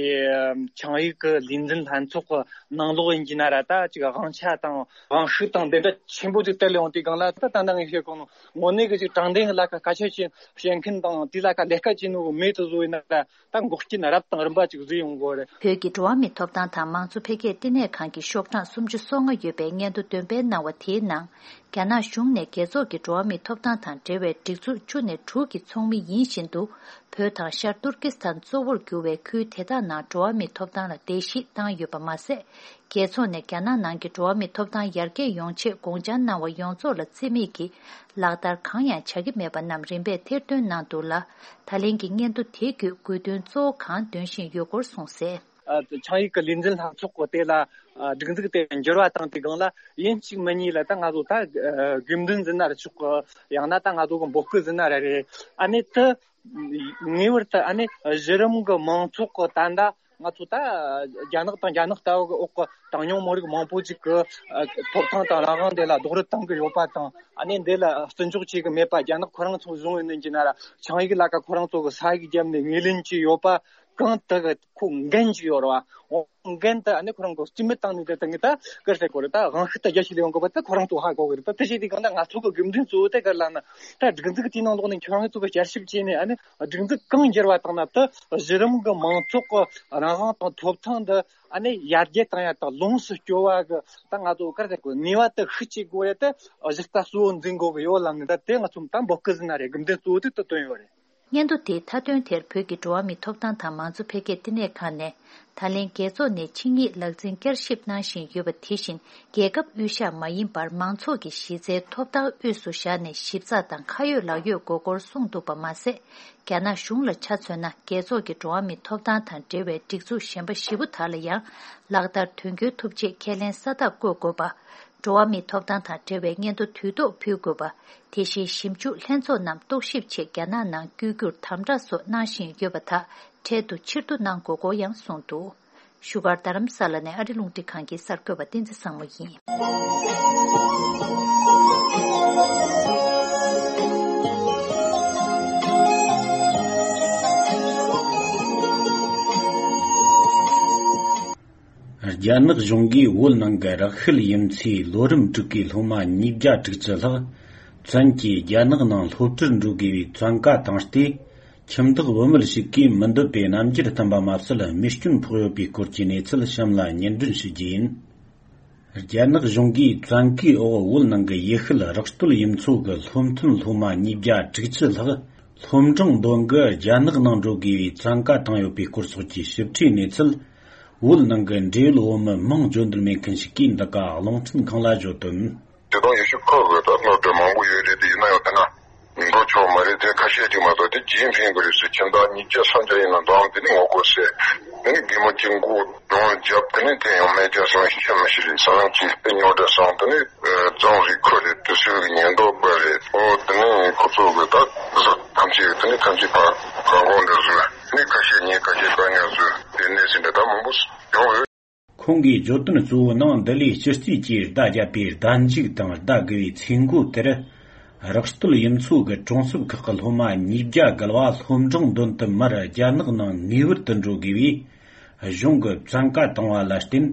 ཆིངས་ཡིག་གི་ལས་འཛིན་ལྷན་ཚོགས་ཀྱི་ནང་ལོགས་ཡིན་གྱི་ན་ར། ད་ཅིག་དབང་ཆ་དང་དབང་ཤུགས་དང་འདི་འདྲ་ཆེན་པོ་ཅིག་སྟེར་ལས་འོང་དུས་སྒང་ལ། ད་ད་ལྟ་ངས་བཤད་གོ་ནོ་དངོས་གནས་ཀྱི་ཅིག་དྲང་བདེན་གྱི་ལ་ཁ་སྐད་ཆ་བཤད་བཤད་མཁན་དང་དེ་ལ་ཁ་ལས་ཀ་བྱེད་ནོ་གི་མི་དེ་ཚོ་ཡིན་ན་ར། ད་འགོག་རྐྱེན་རབ་དང་རིམ་པ་ཅིག་བཟོས་ཡོང་གི་ཡོད་རེད། བོད་ཀྱི་འགྲོ་བ་མིའི་ཐོབ་ཐང་དང་མང་གཙོ་འཕེལ་རྒྱས་བསྟི་གནས་ཁང་གི་ཤོག་གྲངས་སུམ་ཅུ་སོ་ལྔ་ཡོད་པའི་སྙན་ཐོ་འདོན་སྤེལ་གནང་བ་དེའི་ནང་། རྒྱ་ནག་གཞུང་ནས་རྒྱལ་ཚོགས་ཀྱི་འགྲོ་བ་མིའི་ཐོབ་ཐང་དང་འབྲེལ་བའི་སྒྲིག་འཛུགས་བཅུ་ནས་དྲུག་གི་ཚོགས་མི་ཡིན་བཞིན་དུ། བོད་དང་ཤར་ཏུར་ཀི་སི་ཐན་གཙོ་བོར་གྱུར་བའི་ཁུལ་དེ་དག་ནང་འགྲོ་བ་མིའི་ཐོབ་ཐང་ལ་བརྡལ་བཤིག་བཏང་ཡོད་པ་མ་ཟད། རྒྱལ་ཚོགས་ནས་རྒྱ་ནག་ནང་གི་འགྲོ་བ་མིའི་ཐོབ་ཐང་ཡར་རྒྱས་ཡོང་ཆེད་དགོངས་འཆར་གནང་བ་ཡོངས་རྫོགས་ལ་བརྩི་མེད་ཀྱིས་ལག་བསྟར་གང་ཡང་བྱ་གི་མེད་པ་རྣམས་རིམ་པས་ཐེར་འདོན་གནང་འདུག་ལ། ད་ལན་གྱི་སྙན་ཐོ་དེ་བརྒྱུད་དགོས་འདུན་གཙོ་བོ་གང་འདོན་བཞིན་ཡོད་སྐོར་གསུངས་གསལ། ཨ། ཆིངས་ཡིག་གི་ལས་འཛིན་ལྷན་ཚོགས་ཀྱི་དེ་ལ་ཨ་སྒྲིག་འཛུགས་དེ་འགྱུར་བ་བཏང་དུས་སྒང་ལ་ཡིན་གཅིག་མིན་གཉིས་ལ་ད་ང་ཚོ་ད་ཨ་དགོས་འདུན་ཟེར་ན་ར་ཆོག་གི། ཡང་ན་ད་ང་ཚོ་གི་འབོད་སྐུལ་ཟེར་ན་ར་རེད། ཨ་ནི་དེ་ངེས་པར་དུ་ཨ་ནི་གཞི་རིམ་གྱི་མང་ཚོགས་ཀྱི་ད་ལྟ་ང་ཚོ་ད་རྒྱ་ནག་དང་རྒྱ་ནག་ལྟ་བུ་གི་འོག་གི་གྲངས་ཉུང་མི་རིགས་མང་པོ་ཅིག་གི་ཨ་ཐོབ་ཐང་དང་རང་དབང་དེ་ལ་རྡོག་རོལ་གཏོང་གི་ཡོད་པ་དང་། ཨ་ནི་འདི་ལ་བརྩི་འཇོག་བྱེད་ཀྱི་མེད་པ། རྒྱ་ནག་ཁོ་རང་ཚོ་བཟུང་ཡོད་ནི་ཡིན་གྱི་ན་ར། ཆིངས་ཡིག་ལ་ཁ་ཁོ་རང་ཚོ་གི་ས་ཡིག་བརྒྱབ་ནས་ངོས་ལེན་བྱས་ཡོད་པ་གང་དག་གི་ཁོ་འགན་ཅིག་ཡོད་རེད་བ། འོ། འགན་དེ་ཨ་ནི་ཁོ་རང་གི་རྩིས་མེད་བཏང་ནས་དེ་དང་གི་ད་གར་ཟེར་དགོས་རེད། ད་དབང་ཤུགས་ད་རྒྱ་ཆེ་ལས་ཡོང་དགོས་པ་ད་ཁོ་རང་ཚོ་ཧ་གོ་གི་རེད། ད་དེ་བྱས་དུས་གང་ད་ང་ཚོ་གི་དགོས་འདུན་གཙོ་བོ་དེ་ག་རེ་ལབ་ན། ད་སྒྲིག་འཛུགས་དེའི་ནང་ལོགས་ནས་ཁྱོད་རང་ཚོ་གི་བསྐྱར་ཞིབ་བྱས་ནས་ཨ་ནི་སྒྲིག་འཛུགས་གང་འགྱུར་བ་བཏང་ན། ད་གཞི་རིམ་གི་མང་ཚོགས་གི་རང་དབང་དང་ཐོབ་ཐང་འདི་ཨ་ནི་ཡར་རྒྱས་བཏང་ཡ་དང་ལོངས་སུ་སྤྱོད་པ་གི་ད་ང་ཚོ་གར་ཟེར་དགོས་ནུས་པ་དེ་ཤུགས་ཆེ་དགོས་རེད། ད་གཞི་རྩ་གཙོ་བོ་འཛིན་དགོས་གི་ཡོད་ལབ་ནས། ད་དེ་ང་ཚོ་ད་འབོད་སྐུལ་ཟེར་ན་རེད། དགོས་འདུན་གཙོ་བོ་དེ་ད་བཏོན་ཡོད་རེད། སྙན་ཐོ་དེའི་མཐའ་དོན་དེར་བོད་ཀྱི་འགྲོ་བ་མིའི་ཐོབ་ཐང་དང་མང་གཙོ་འཕེལ་རྒྱས་བསྟི་གནས་ཁང་ནས། ད་ལན་རྒྱལ་ཚོགས་ནས་ཆིངས་ཡིག་ལག་འཛིན་བསྐྱར་ཞིབ་གནང་བཞིན་ཡོད་པ་དེ་བཞིན། རྒྱལ་ཁབ་དབུས་གཞན་མ་ཡིན་པར་མང་ཚོགས་ཀྱི་གཞི་རྩའི་ཐོབ་ཐང་དབུས་སུ་བཞག་ནས་ཞིབ་ཚགས་དང་ཁ་ཡོད་ལག་ཡོད་དགོས་སྐོར་གསུངས་འདུག་པ་མ་ཟད། རྒྱ་ནག་གཞུང་ལ་ཆ་མཚོན་ན། རྒྱལ་ཚོགས་ཀྱི་འགྲོ་བ་མིའི་ཐོབ་ཐང་དང་འབྲེལ་བའི་སྒྲིག་འཛུགས་གཞན་པ་བཞི་པོ་དག་ལ་ཡང་ལག་བསྟར་དོན་འཁྱོལ་ཐུབ་ཆེད་ཁས་ལེན་ས་རྟགས་བཀོད་དགོས་པ། འགྲོ་བ་མིའི་ཐོབ་ཐང་དང་འབྲེལ་བའི་སྙན་ཐོ་དུས་ཐོག་ཕུལ་དགོས་པ། དེ་བཞིན་ཞིབ་འཇུག་ལྷན་ཚོགས་རྣམས་རྟོག་ཞིབ་ཆེད་རྒྱ་ནག་ནང་བསྐྱོད་རྒྱུར་དམ་དྲག་སོགས་གནང་བཞིན་ཡོད་པ་དག་འཕྲལ་དུ་ཕྱིར་བསྡུ་གནང་དགོས་སྐོར་ཡང་གསུངས་འདུག། བཞུགས་སྒར་རྡ་རམ་ས་ལ་ནས་ཨ་རི་རླུང་འཕྲིན་ཁང་གི་གསར་འགོད་པ་བསྟན་འཛིན་བཟང་མོ་ཡིན། རྒྱ་ནག་གཞུང་གིས་བོད་ནང་གི་རག་ཤུལ་ཡུལ་མཚོའི་ལོ་རིམ་དྲུག་གི་སློབ་མ་ཉིས་བརྒྱ་དྲུག་ཅུ་ལྷག་བཙན་གྱིས་རྒྱ་ནག་ནང་སློབ་གྲྭར་འགྲོ་དགོས་པའི་བཙན་བཀའ་བཏང་སྟེ། ཁྱིམ་བདག་བུད་མེད་ཞིག་གིས་མི་འདོད་པའི་རྣམ་འགྱུར་བསྟན་པ་མ་ཟད། རྨས་སྐྱོན་ཕོག་ཡོད་པའི་སྐོར་གྱི་གནས་ཚུལ་གཤམ་ལ་སྙན་སྒྲོན་ཞུ་རྒྱུ་ཡིན། རྒྱ་ནག་གཞུང་གིས་བཙན་བཀའི་འོག་བོད་ནང་གི་ཡུལ་ཤུལ་རག་སྟོད་ཡུལ་མཚོ་གི་སློབ་ཐོན་སློབ་མ་ཉིས་བརྒྱ་དྲུག་ཅུ་ལྷག་སློབ་འབྲིང་འདོན་གི་རྒྱ་ནག་ནང་འགྲོ་དགོས་པའི་བཙན་བཀའ་བཏང་ཡོད་པའི་སྐོར་སོགས་ཀྱི་ཞིབ་ཕྲའི་གནས་ཚུལ། བོད་ནང་གི་འབྲེལ་ཡོད་བོད་མི་མིང་བརྗོད་འདོད་མེད་མཁན་ཞིག་གིས་འདི་ག་རླུང་འཕྲིན་ཁང་ལ་བརྗོད་དོན། དེ་དང་ཡེ་ཤུ་ཁོ་གི་ད་སློབ་གྲྭ་མང་པོ་ཡོད་རེད། དེ་ཡིན་ན་ཡང་དེ་ན་འགྲོ་ཆོག་མ་རེད། དེ་ཁ་ཤས་ཅིག་མ་གཏོགས། དེ་ཇི་ཡིན་ཕིང་གི་རེད་ཟེར། ཁྱིམ་བདག་ཉིས་བརྒྱ་སུམ་བརྒྱ་ཡིན་ན་འདང་དེ་ནི་ངོ་རྒོལ་ཟེར། དེ་ནས་རྒན་མོ་གཅིག་མགོ་སྒྲོན་བརྒྱབ། དེ་ནས་དེ་ཡང་རྨས་སྐྱོན་སོང་། ཤི་མི་ཤི་རེད་ཟེར་ན། ཅིག་དེ་རྙོག་དྲ་སོང་། དེ་ནས་ཨ་རྫོང་རིགས་ཁུལ་རེད། དུས་ཚོད་ཀྱི་ཉེན་རྟོག་པ་རེད། ཨོ་དེ་ནས་ཁོ་ཚོ་གི་ད་བཟོ་ཐམས་ཅད་དེ་ནས་ཐམས་ཅད་ཕར་བཀག་འགོག་འདྲ་བཟོས། དེ་ནས་ཁ་ཤས་ཉེས་ཁ་ཤས་བཀག་ཉར་བཟོས། དེ་གནས་ཚུལ་འདྲ་ད་མང་པོ་ཡོང་ཡོད། ཁོང་གིས་བརྗོད་དོན་གཙོ་བོའི་ནང་འདི་ལས་སྤྱི་རྩིས་ཀྱིས་བརྡ་བརྒྱབ་པའི་བརྡ་འཇུག་དང་བརྡ་དགུ་བའི་ཚིག་མགོ་དེར། རག་སྟོད་ཡུལ་ཚོ་གི་གྲོང་གསེབ་ཁག་གི་སློབ་མ་ཉིས་བརྒྱ་བརྒལ་བ་སློབ་འབྲིང་འདོན་དུ་མར་རྒྱ་ནག་ནང་ངེས་པར་དུ་འགྲོ་དགོས་པའི་གཞུང་གི་བཙན་བཀའ་བཏང་བ་ལ་བརྟེན།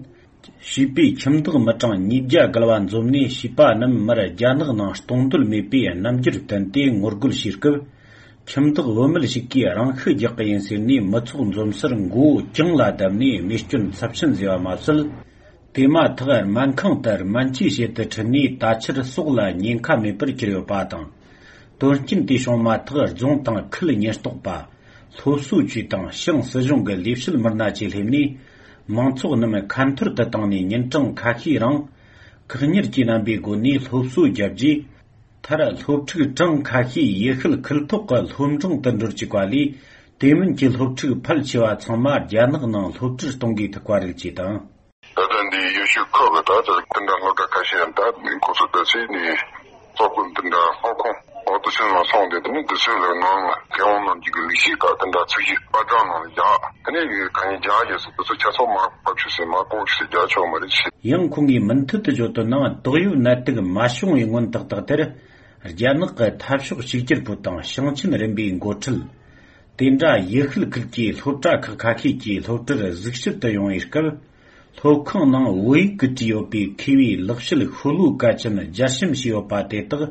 བྱིས་པའི་ཁྱིམ་བདག་མི་གྲངས་ཉིས་བརྒྱ་བརྒལ་བ་འཛོམས་ནས། བྱིས་པ་རྣམས་མར་རྒྱ་ནག་ནང་གཏོང་འདོད་མེད་པའི་རྣམ་འགྱུར་བསྟན་ཏེ་ངོ་རྒོལ་བྱས་སྐབས། ཁྱིམ་བདག་བུད་མེད་ཞིག་གིས་རང་ཤི་རྒྱག་གི་ཡིན་ཟེར་ནས་མི་ཚོགས་འཛོམས་སར་མགོ་བོ་གྱང་ལ་བརྡབས་ནས་རྨས་སྐྱོན་ཚབས་ཆེན་བཟོས་པ་མ་ཟད། དེ་མ་ཐག་སྨན་ཁང་དུ་སྨན་བཅོས་བྱེད་དུ་ཁྲིད་ནས་ད་ཆར་སྲོག་ལ་ཉེན་ཁ་མེད་པར་གྱུར་ཡོད་པ་དང་། དོན་རྐྱེན་དེ་བྱུང་མ་ཐག་རྫོང་དང་ཁུལ་ཉེན་རྟོག་པ། སློབ་གསོ་ཅུས་དང་ཞང་སྲིད་གཞུང་གི་ལས་བྱེད་མི་སྣ་བཅས་སླེབས་ནས། མང་ཚོགས་རྣམས་ཁ་འཐོར་དུ་བཏང་ནས་ཉིན་གྲངས་ཁ་ཤས་རིང་། བཀག་ཉར་གྱི་རྣམ་པའི་སྒོ་ནས་སློབ་གསོ་བརྒྱབ་རྗེས། མཐར་སློབ་ཕྲུག་གྲངས་ཁ་ཤས་ཡུལ་ཤུལ་ཁུལ་ཐོག་གི་སློབ་འབྲིང་དུ་འགྲོ་བཅུག་པ་ལས། དེ་མིན་གྱི་སློབ་ཕྲུག་ཕལ་ཆེ་བ་ཚང་མ་རྒྱ་ནག་ནང་སློབ་གྲྭར་གཏོང་དགོས་ཐུག་པ་རེད་ཅེས་དང་། ད་ལྟ་འདི་ཡུལ་ཤུལ་ཁུལ་གྱི་ད་ལྟ་དེ་འདྲ་སློབ་གྲྭ་ཁ་ཤས་ཡང་ད་ཁོ་ཚོ་ད་ཚེ་ནས་སློབ་དཔོན་དེ་འདྲ་སློབ་ཁང་འོག་ཏུ་ཕྱིན་ལ་སོང་སྟེ། དེ་ནས་དུས་ཚོད་ལ་ནང་ལ་མཁས་དབང་རྣམས་ཀྱི་ལས་གཞི་དག་དེ་འདྲ་ཚུགས་གཞི་པར་སྐྲུན་ནང་ལ་བཞག་དེ་ནས་གང་ཡིན་རྒྱག་ཡོད་ཟེར། དུས་ཚོད་ཆ་ཚང་མར་ཕབ་ཆོག་ཟེར། མར་ལྐོག་ཆོག་ཟེར། རྒྱག་ཆོག་མ་རེད་ཟེར། ཡང་ཁོང་གིས་མུ་མཐུད་དུ་བརྗོད་དོན་ནང་། དོགས་ཡོད་ནད་དུག་མ་བྱུང་བའི་སྔོན་ཏག་ཏག་དེར། རྒྱ་ནག་གི་འཐབ་ཕྱོགས་གཅིག་གྱུར་པུའུ་དང་ཞིང་ཆེན་རིམ་པའི་འགོ་ཁྲིད། དེ་འདྲ་ཡུལ་ཤུལ་ཁུལ་གྱི་སློབ་གྲྭ་ཁག་ཁ་ཤས་ཀྱི་སློབ་གྲྭར་གཟིགས་ཞིབ་ཏུ་ཡོང་བའི་སྐབས། སློབ་ཁང་ནང་བོད་ཡིག་གིས་བྲིས་ཡོད་པའི་མཁས་པའི་ལེགས་བཤད་ཤོ་ལོ་ཀ་ཅན་སྦྱར་ཞིབ་བྱས་ཡོད་པ་དེ་དག་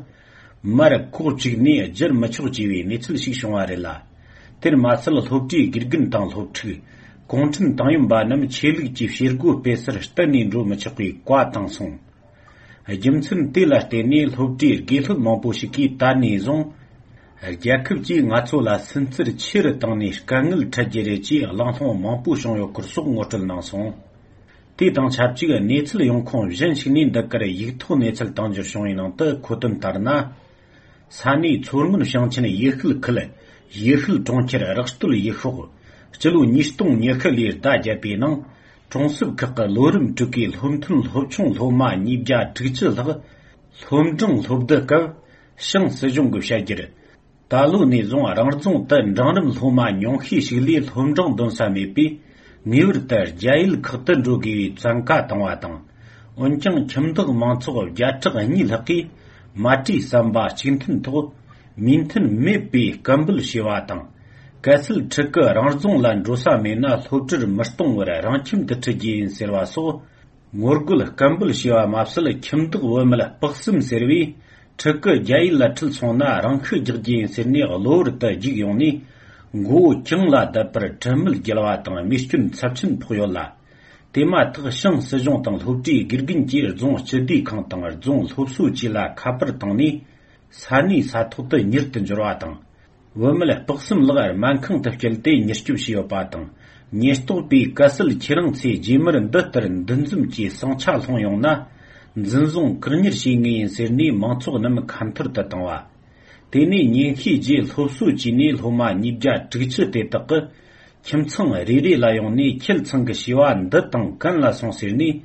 མར་ལྐོག་བཅུག་ནས་བསྒྱུར་མི་ཆོག་ཅེས་པའི་གནས་ཚུལ་ཞིག་བྱུང་བ་རེད་ལ། དེར་མ་ཟད། སློབ་གྲྭའི་དགེ་རྒན་དང་སློབ་ཕྲུག་གུང་ཁྲན་ཏང་ཡོན་པ་རྣམས་ཆོས་ལུགས་ཀྱི་བྱེད་སྒོ་སྤེལ་སར་གཏན་ནས་འགྲོ་མི་ཆོག་པའི་བཀའ་བཏང་སོང་། རྒྱུ་མཚན་དེ་ལ་བརྟེན་ནས། སློབ་གྲྭའི་དགེ་སློབ་མང་པོ་ཞིག་གིས་ད་ནས་བཟུང་རྒྱལ་ཁབ་ཀྱིས་ང་ཚོ་ལ་སུན་གཙེར་ཆེ་རུ་བཏང་ནས་དཀའ་ངལ་འཕྲད་རྒྱུ་རེད་ཅེས་གླེང་སློང་མང་པོ་བྱུང་ཡོད་སྐོར་སོགས་ངོ་སྤྲོད་གནང་སོང་། དེ་དང་ཆབས་ཅིག་གནས་ཚུལ་ཡོང་ཁུངས་གཞན་ཞིག་ནས་འདི་གར་ཡིག་ཐོག་གནས་ཚུལ་བཏང་འབྱོར་བྱུང་བའི་ནང་དུ་འཁོད་དོན་ལྟར་ན། ས་གནས་མཚོ་སྔོན་ཞིང་ཆེན་ཡུལ་ཤུལ་ཁུལ་ཡུལ་ཤུལ་གྲོང་ཁྱེར་རག་སྟོད་ཡུལ་ཤོག་སྤྱི་ལོ་ཉིས་སྟོང་ཉི་ཤུ་ལོའི་ཟླ་བརྒྱད་པའི་ནང་། གྲོང་གསེབ་ཁག་གི་ལོ་རིམ་དྲུག་གི་སློབ་ཐོན་སློབ་ཆུང་སློབ་མ་ཉིས་བརྒྱ་དྲུག་ཅུ་ལྷག་སློབ་འབྲིང་སློབ་བསྡུ་སྐབས། ཞང་སྲིད་གཞུང་གིས་བཤད་རྒྱུར། ད་ལོ་ནས་བཟུང་རང་རྫོང་དུ་འབྲིང་རིམ་སློབ་མ་ཉུང་ཤས་ཤིག་ལས་སློབ་འབྲིང་འདོན་ས་མེད་པས། ངེས་པར་དུ་རྒྱ་ཡུལ་ཁག་ཏུ་འགྲོ་དགོས་པའི་བཙན་བཀའ་བཏང་བ་དང་། འོན་ཀྱང་ཁྱིམ་བདག་མང་ཚོགས་བརྒྱ་ཕྲག་གཉིས་ལྷག་གིས་མ་གྲོས་བསམ་པ་གཅིག་མཐུན་ཐོག་མོས་མཐུན་མེད་པའི་སྐད་འབོད་བྱས་པ་དང་། གལ་སྲིད་ཕྲུ་གུ་རང་རྫོང་ལ་འགྲོ་ས་མེད་ན། སློབ་གྲྭར་མི་གཏོང་བར་རང་ཁྱིམ་དུ་ཁྲིད་རྒྱུ་ཡིན་ཟེར་བ་སོགས། ངོ་རྒོལ་སྐད་འབོད་བྱས་པ་མ་ཟད། ཁྱིམ་བདག་བུད་མེད་སྤག་གསུམ་ཟེར་བས། ཕྲུ་གུ་རྒྱ་ཡུལ་ལ་ཁྲིད་སོང་ན་རང་ཤི་རྒྱག་རྒྱུ་ཡིན་ཟེར་ནས་གློ་བུར་དུ་རྒྱུགས་ཡོང་ནས། མགོ་བོ་གྱང་ལ་བརྡབས་པར་དྲི་མེད་རྒྱལ་བ་དང་རྨས་སྐྱོན་ཚབས་ཆེན་ཕོག་ཡོད་ལ། དེ་མ་ཐག་ཞང་སྲིད་གཞུང་དང་སློབ་གྲྭའི་དགེ་རྒན་གྱིས་རྫོང་སྤྱི་བདེ་ཁང་དང་རྫོང་སློབ་གསོ་བཅས་ལ་ཁ་པར་བཏང་ནས། ས་གནས་ས་ཐོག་ཏུ་མྱུར་དུ་འབྱོར་བ་དང་། བུད་མེད་སྤག་གསུམ་ལགས་སྨན་ཁང་དུ་བསྐྱལ་ཏེ་མྱུར་སྐྱོབ་བྱས་ཡོད་པ་དང་། ཉེན་རྟོག་པས་གལ་སྲིད་ཁྱེད་རང་ཚོས་རྗེས་མར་འདི་ལྟར་འདུ་འཛོམས་ཀྱི་ཟིང་ཆ་སློང་ཡོང་ན། འཛིན་བཟུང་བཀག་ཉར་བྱེད་ངེས་ཡིན་ཟེར་ནས་མང་ཚོགས་རྣམས་ཁ་འཐོར་དུ་བཏང་བ། དེ་ནས་ཉེན་བཤད་རྗེས་སློབ་གསོ་བཅས་ནས་སློབ་མ་ཉིས་བརྒྱ་དྲུག་ཅུ་དེ་དག་གིས་ཁྱིམ་ཚང་རེ་རེ་ལ་ཡོང་ནས། ཁྱེད་ཚང་གི་བྱིས་པ་འདི་དང་གན་ལ་སོང་ཟེར་ནས།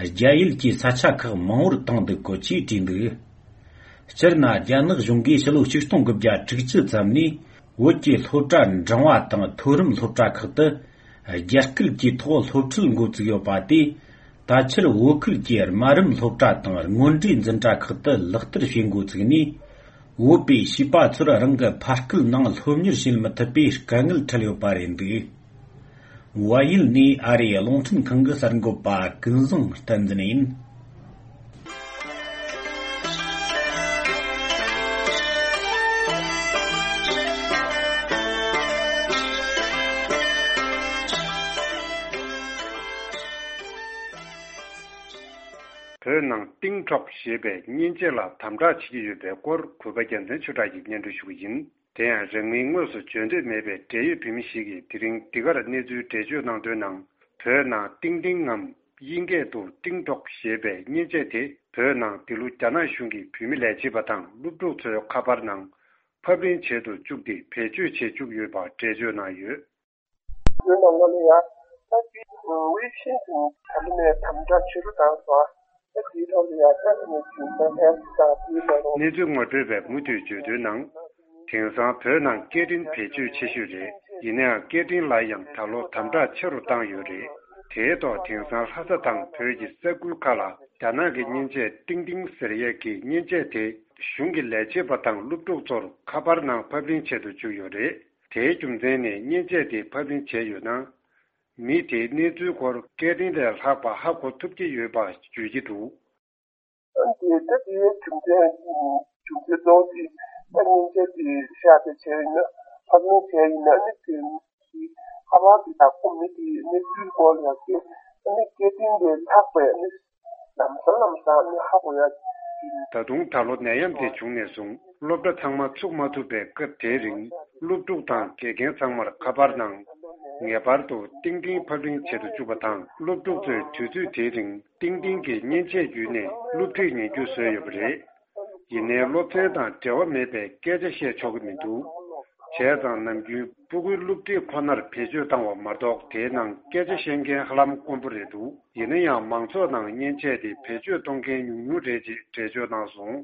རྒྱ་ཡུལ་གྱི་ས་ཆ་ཁག་མང་བོར་བཏང་འདུག་གོ་ཅེས་བྲིས་འདུག་སྤྱིར་ན། རྒྱ་ནག་གཞུང་གིས་ཕྱི་ལོ་ཆིག་སྟོང་དགུ་བརྒྱ་དྲུག་ཅུ་ཙམ་ནས་བོད་ཀྱི་སློབ་གྲྭ་འབྲིང་བ་དང་མཐོ་རིམ་སློབ་གྲྭ་ཁག་ཏུ་རྒྱ་སྐད་ཀྱི་ཐོག་སློབ་ཁྲིད་འགོ་བཙུགས་ཡོད་པ་དེས། ད་ཆར་བོད་ཁུལ་གྱི་དམའ་རིམ་སློབ་གྲྭ་དང་སྔོན་འགྲོའི་འཛིན་གྲྭ་ཁག་ཏུ་ལག་བསྟར་བྱེད་འགོ་བཙུགས་ནས། བོད་པའི་བྱིས་པ་ཚོར་རང་གི་ཕ་སྐད་ནང་སློབ་གཉེར་བྱེད་མི་ཐུབ་པའི་དཀའ་ངལ་འཕྲད་ཡོད་པ་རེད་འདུག་བལ་ཡུལ་ནས་ཨ་རིའི་རླུང་འཕྲིན་ཁང་གི་གསར་འགོད་པ་ཀུན་བཟང་བསྟན་འཛིན་ཡིན། བོད་ནང་ཏིང་ཀྲོག་ཞེས་པའི་མཉེན་ཆས་ལ་དམ་དྲག་བྱེད་ཀྱི་ཡོད་པའི་སྐོར་གུས་པ་རྒྱལ་མཚན་ཆོས་གྲགས་ཀྱིས་སྙན་སྒྲོན་ཞུ་གི་ཡིན། དེ་ཡང་རིང་མིན་དངོས་སུ་བརྗོད་འདོད་མེད་པའི་འབྲེལ་ཡོད་བོད་མི་ཞིག་གིས་དེ་རིང་འདི་གར་གནས་ཚུལ་འགྲེལ་བརྗོད་གནང་དོན་ནང་། བོད་ནང་ཏིང་ཏིང་ངམ་དབྱིན་སྐད་དུ་ཏིང་ཀྲོག་ཞེས་པའི་མཉེན་ཆས་དེ་བོད་ནང་འདི་ལོ་རྒྱ་ནག་གཞུང་གི་བོད་མི་ལས་བྱེད་པ་དང་སློབ་ཕྲུག་ཚོའི་ཁ་པར་ནང་ཕབ་ལེན་བྱེད་དུ་བཅུག་སྟེ་བེད་སྤྱོད་བྱེད་བཅུག་ཡོད་པ་འགྲེལ་བརྗོད་གནང་ཡོད། བོད་ནང་ལོ་ལ་ཡ། ད་དེ་ཝེ་ཤིན་ཏོན་ད་ལོ་ནས་དམ་དྲག་ཆེ་རུ་བཏང་སོང་། ད་དེའི་ཐོག་ལ་ཡང་ད་ནས་ཇུན་ཏ་ཧེལ་ཐི་དང་དེའི་ནང་། གནས་ཚུལ་ངོ་སྤྲོད་པས་མུ་མཐུད་བརྗོད་དོན་ནང་། དེང་སང་བོད་ནང་སྐད་འཕྲིན་བེད་སྤྱོད་ཆེ་ཤོས་རེད། ཡིན་ནའང་སྐད་འཕྲིན་ལ་ཡང་ད་ལོ་དམ་དྲག་ཆེ་རུ་བཏང་ཡོད་རེད། དེའི་ཐོག་དེང་སང་ལྷ་ས་དང་བོད་ཀྱི་ས་ཁུལ་ཁག་ལ་རྒྱ་ནག་གི་མཉེན་ཆས་ཏིང་ཏིང་ཟེར་ཡས་ཀྱི་མཉེན་ཆས་དེ་གཞུང་གི་ལས་བྱེད་པ་དང་སློབ་ཕྲུག་ཚོར་ཁ་པར་ནང་ཕབ་ལེན་བྱེད་དུ་བཅུག་ཡོད་རེད། དེའི་རྒྱུ་མཚན་ནི་མཉེན་ཆས་དེ་ཕབ་ལེན་བྱས་ཡོད་ན། མི་དེའི་གནས་ཚུལ་སྐོར་སྐད་འཕྲིན་ལས་ལྷག་པ་ཧ་གོ་ཐུབ་ཀྱི་ཡོད་པ་བརྗོད་ཀྱི་འདུག། འདི་ལྟ་དེའི་རྒྱུ་མཚན་རྒྱུ་མཚན་གཙོ་བོ་དེ་ད་མཉེན་ཆས་དེ་ཤར་དེ་བྱས་ཡིན་ན་ཕབ་ལེན་བྱས་ཡིན་ན་ནི་དེ་ཁ་པར་དེ་དག་ཁོ་མི་དེའི་གནས་ཚུལ་སྐོར་ལ་ཡང་སྐད་ནི་སྐད་འཕྲིན་ལས་ལྷག་པའི་ནི་ལམ་སང་ལམ་སང་ནི་ཧ་གོ་ཡ་ཡིན། ད་དུང་ད་ལོ་ནད་ཡམས་དེ་བྱུང་ནས་བཟུང་སློབ་གྲྭ་ཚང་མ་ཚུགས་མ་ཐུབ་པའི་སྐབས་དེའི་རིང་སློབ་ཕྲུག་དང་དགེ་རྒན་ཚང་མར་ཁ་པར་ནང་ངེས་པར་དུ་ཏིང་ཏིང་ཕབ་ལེན་བྱེད་དུ་བཅུག་པ་དང་སློབ་ཕྲུག་ཚོས་དུས་ཚོད་དེའི་རིང་ཏིང་ཏིང་གི་མཉེན་ཆས་བརྒྱུད་ནས་སློབ་ཁྲིད་ཉན་རྒྱུ་བཟོས་ཡོད་པ་རེད། ཡིན་ནའི་སློབ་ཚན་དང་འབྲེལ་བ་མེད་པའི་སྐད་ཆ་བཤད་ཆོག་གི་མི་འདུག། བྱས་ཙང་ནམ་རྒྱུན་སྤུ་གུའི་སློབ་ཁྲིད་ཁོ་ནར་བེད་སྤྱོད་བཏང་བ་མ་གཏོགས་དེའི་ནང་སྐད་ཆ་བཤད་མཁན་ཧ་ལམ་དཀོན་པོ་རེད་འདུག། ཡིན་ན་ཡང་མང་ཚོགས་ནང་མཉེན་ཆས་དེ་བེད་སྤྱོད་གཏོང་མཁན་ཉུང་ཉུང་རེད་ཅེས་འགྲེལ་བརྗོད་གནང་སོང་།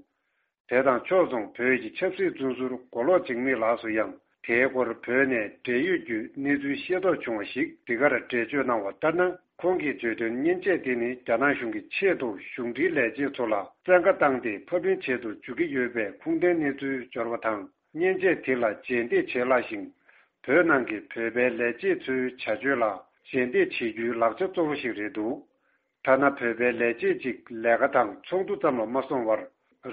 དེ་དང་ཕྱོགས་མཚུངས་བོད་ཀྱི་ཆབ་སྲིད་བཙོན་ཟུར་མགོ་ལོག་འཇིགས་མེད་ལགས་སུ་ཡང་དེའི་སྐོར་བོད་ནས་འབྲེལ་ཡོད་བརྒྱུད་གནས་ཚུལ་ཤེས་རྟོགས་བྱུང་བ་ཞིག་འདི་གར་འགྲེལ་བརྗོད་གནང་བ་ལྟར་ན། ཁོང་གིས་བརྗོད་དོན་མཉེན་ཆས་དེ་ནི་རྒྱ་ནག་གཞུང་གི་ཆེད་དུ་གཞུང་འབྲེལ་ལས་བྱེད་ཚོ་ལ་བཙན་བཀའ་བཏང་སྟེ་ཕབ་ལེན་བྱེད་དུ་འཇུག་གི་ཡོད་པའི་ཁུངས་ལྡན་གནས་ཚུལ་འབྱོར་བ་དང་། མཉེན་ཆས་དེ་ལ་རྗེས་འདེད་བྱེད་སླ་ཞིང་། བོད་ནང་གི་བོད་པའི་ལས་བྱེད་ཚོའི་བྱ་སྤྱོད་ལ་རྗེས་འདེད་བྱེད་རྒྱུའི་ལག་ཆ་གཙོ་བོ་ཞིག་རེད་འདུག། ཐ་ན་བོད་པའི་ལས་བྱེད་ཅིག་ལས་ཀ་དང་ཚོགས་འདུ་ཙམ་ལ་མ་སོང་བར།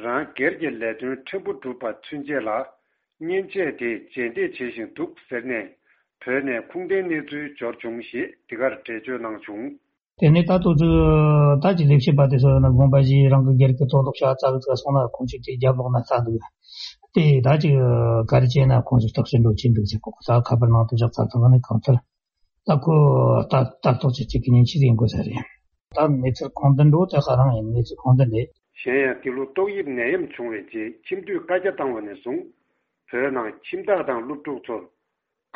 རང་སྒེར་གྱི་ལས་དོན་ཕྲན་བུ་སྒྲུབ་པ་ཚུན་ཆད་ལ། མཉེན་ཆས་དེ་རྗེས་འདེད་བྱེད་བཞིན་འདུག་ཟེར་ནས། བོད་ནས་ཁུངས་ལྡན་གནས་ཚུལ་འབྱོར་བྱུང་ཞེས་འདི་གར་འགྲེལ་བརྗོད་གནང་བྱུང་། དེ་ནས་ད་ལྟ་ཚོད་ད་ཀྱི་ལས་བྱེད་པ་དེ་ཚོ་ཡང་ན་དགོངས་པ་བཞེས་རང་གི་སྒེར་གྱི་དོན་དག་ཤ་ཚ་གི་ཚ་སོང་ན་ཁོང་ཚོས་དེ་རྒྱབ་ལོག་ན་ཚ་འདུག། དེ་ད་ཅིག་ག་རེ་བྱས་ན་ཁོང་ཚོས་རྟགས་ཞིབ་འགྲོ་ཆེན་འདུག་ཟེར་གོ་ད་ཁ་པར་ནང་དུ་བཞག་ཚ་ཚང་ནས་གང་ལྟར། ད་ཁོ་ལྟ་ལྟ་རྟོག་བྱེད་ཅིག་གི་ཉིན་ཕྱེད་ཡིན་དགོས་ས་རེད། ད་གནས་ཚུལ་གང་འདི་འགྲོ་དེ་ཧ་རང་ཡིན། གནས་ཚུལ་གང་འདི་འདི། གཞན་ཡང་འདི་ལོ་ཏོག་དབྱིབས་ནད་ཡམས་བྱུང་བའི་རྗེས་ཁྱིམ་སྡོད་བཀའ་རྒྱ་བཏང་བ་ནས་བཟུང་། བོད་ནང་ཁྱིམ་བདག་དང་སློབ་ཕྲུག་ཚོར་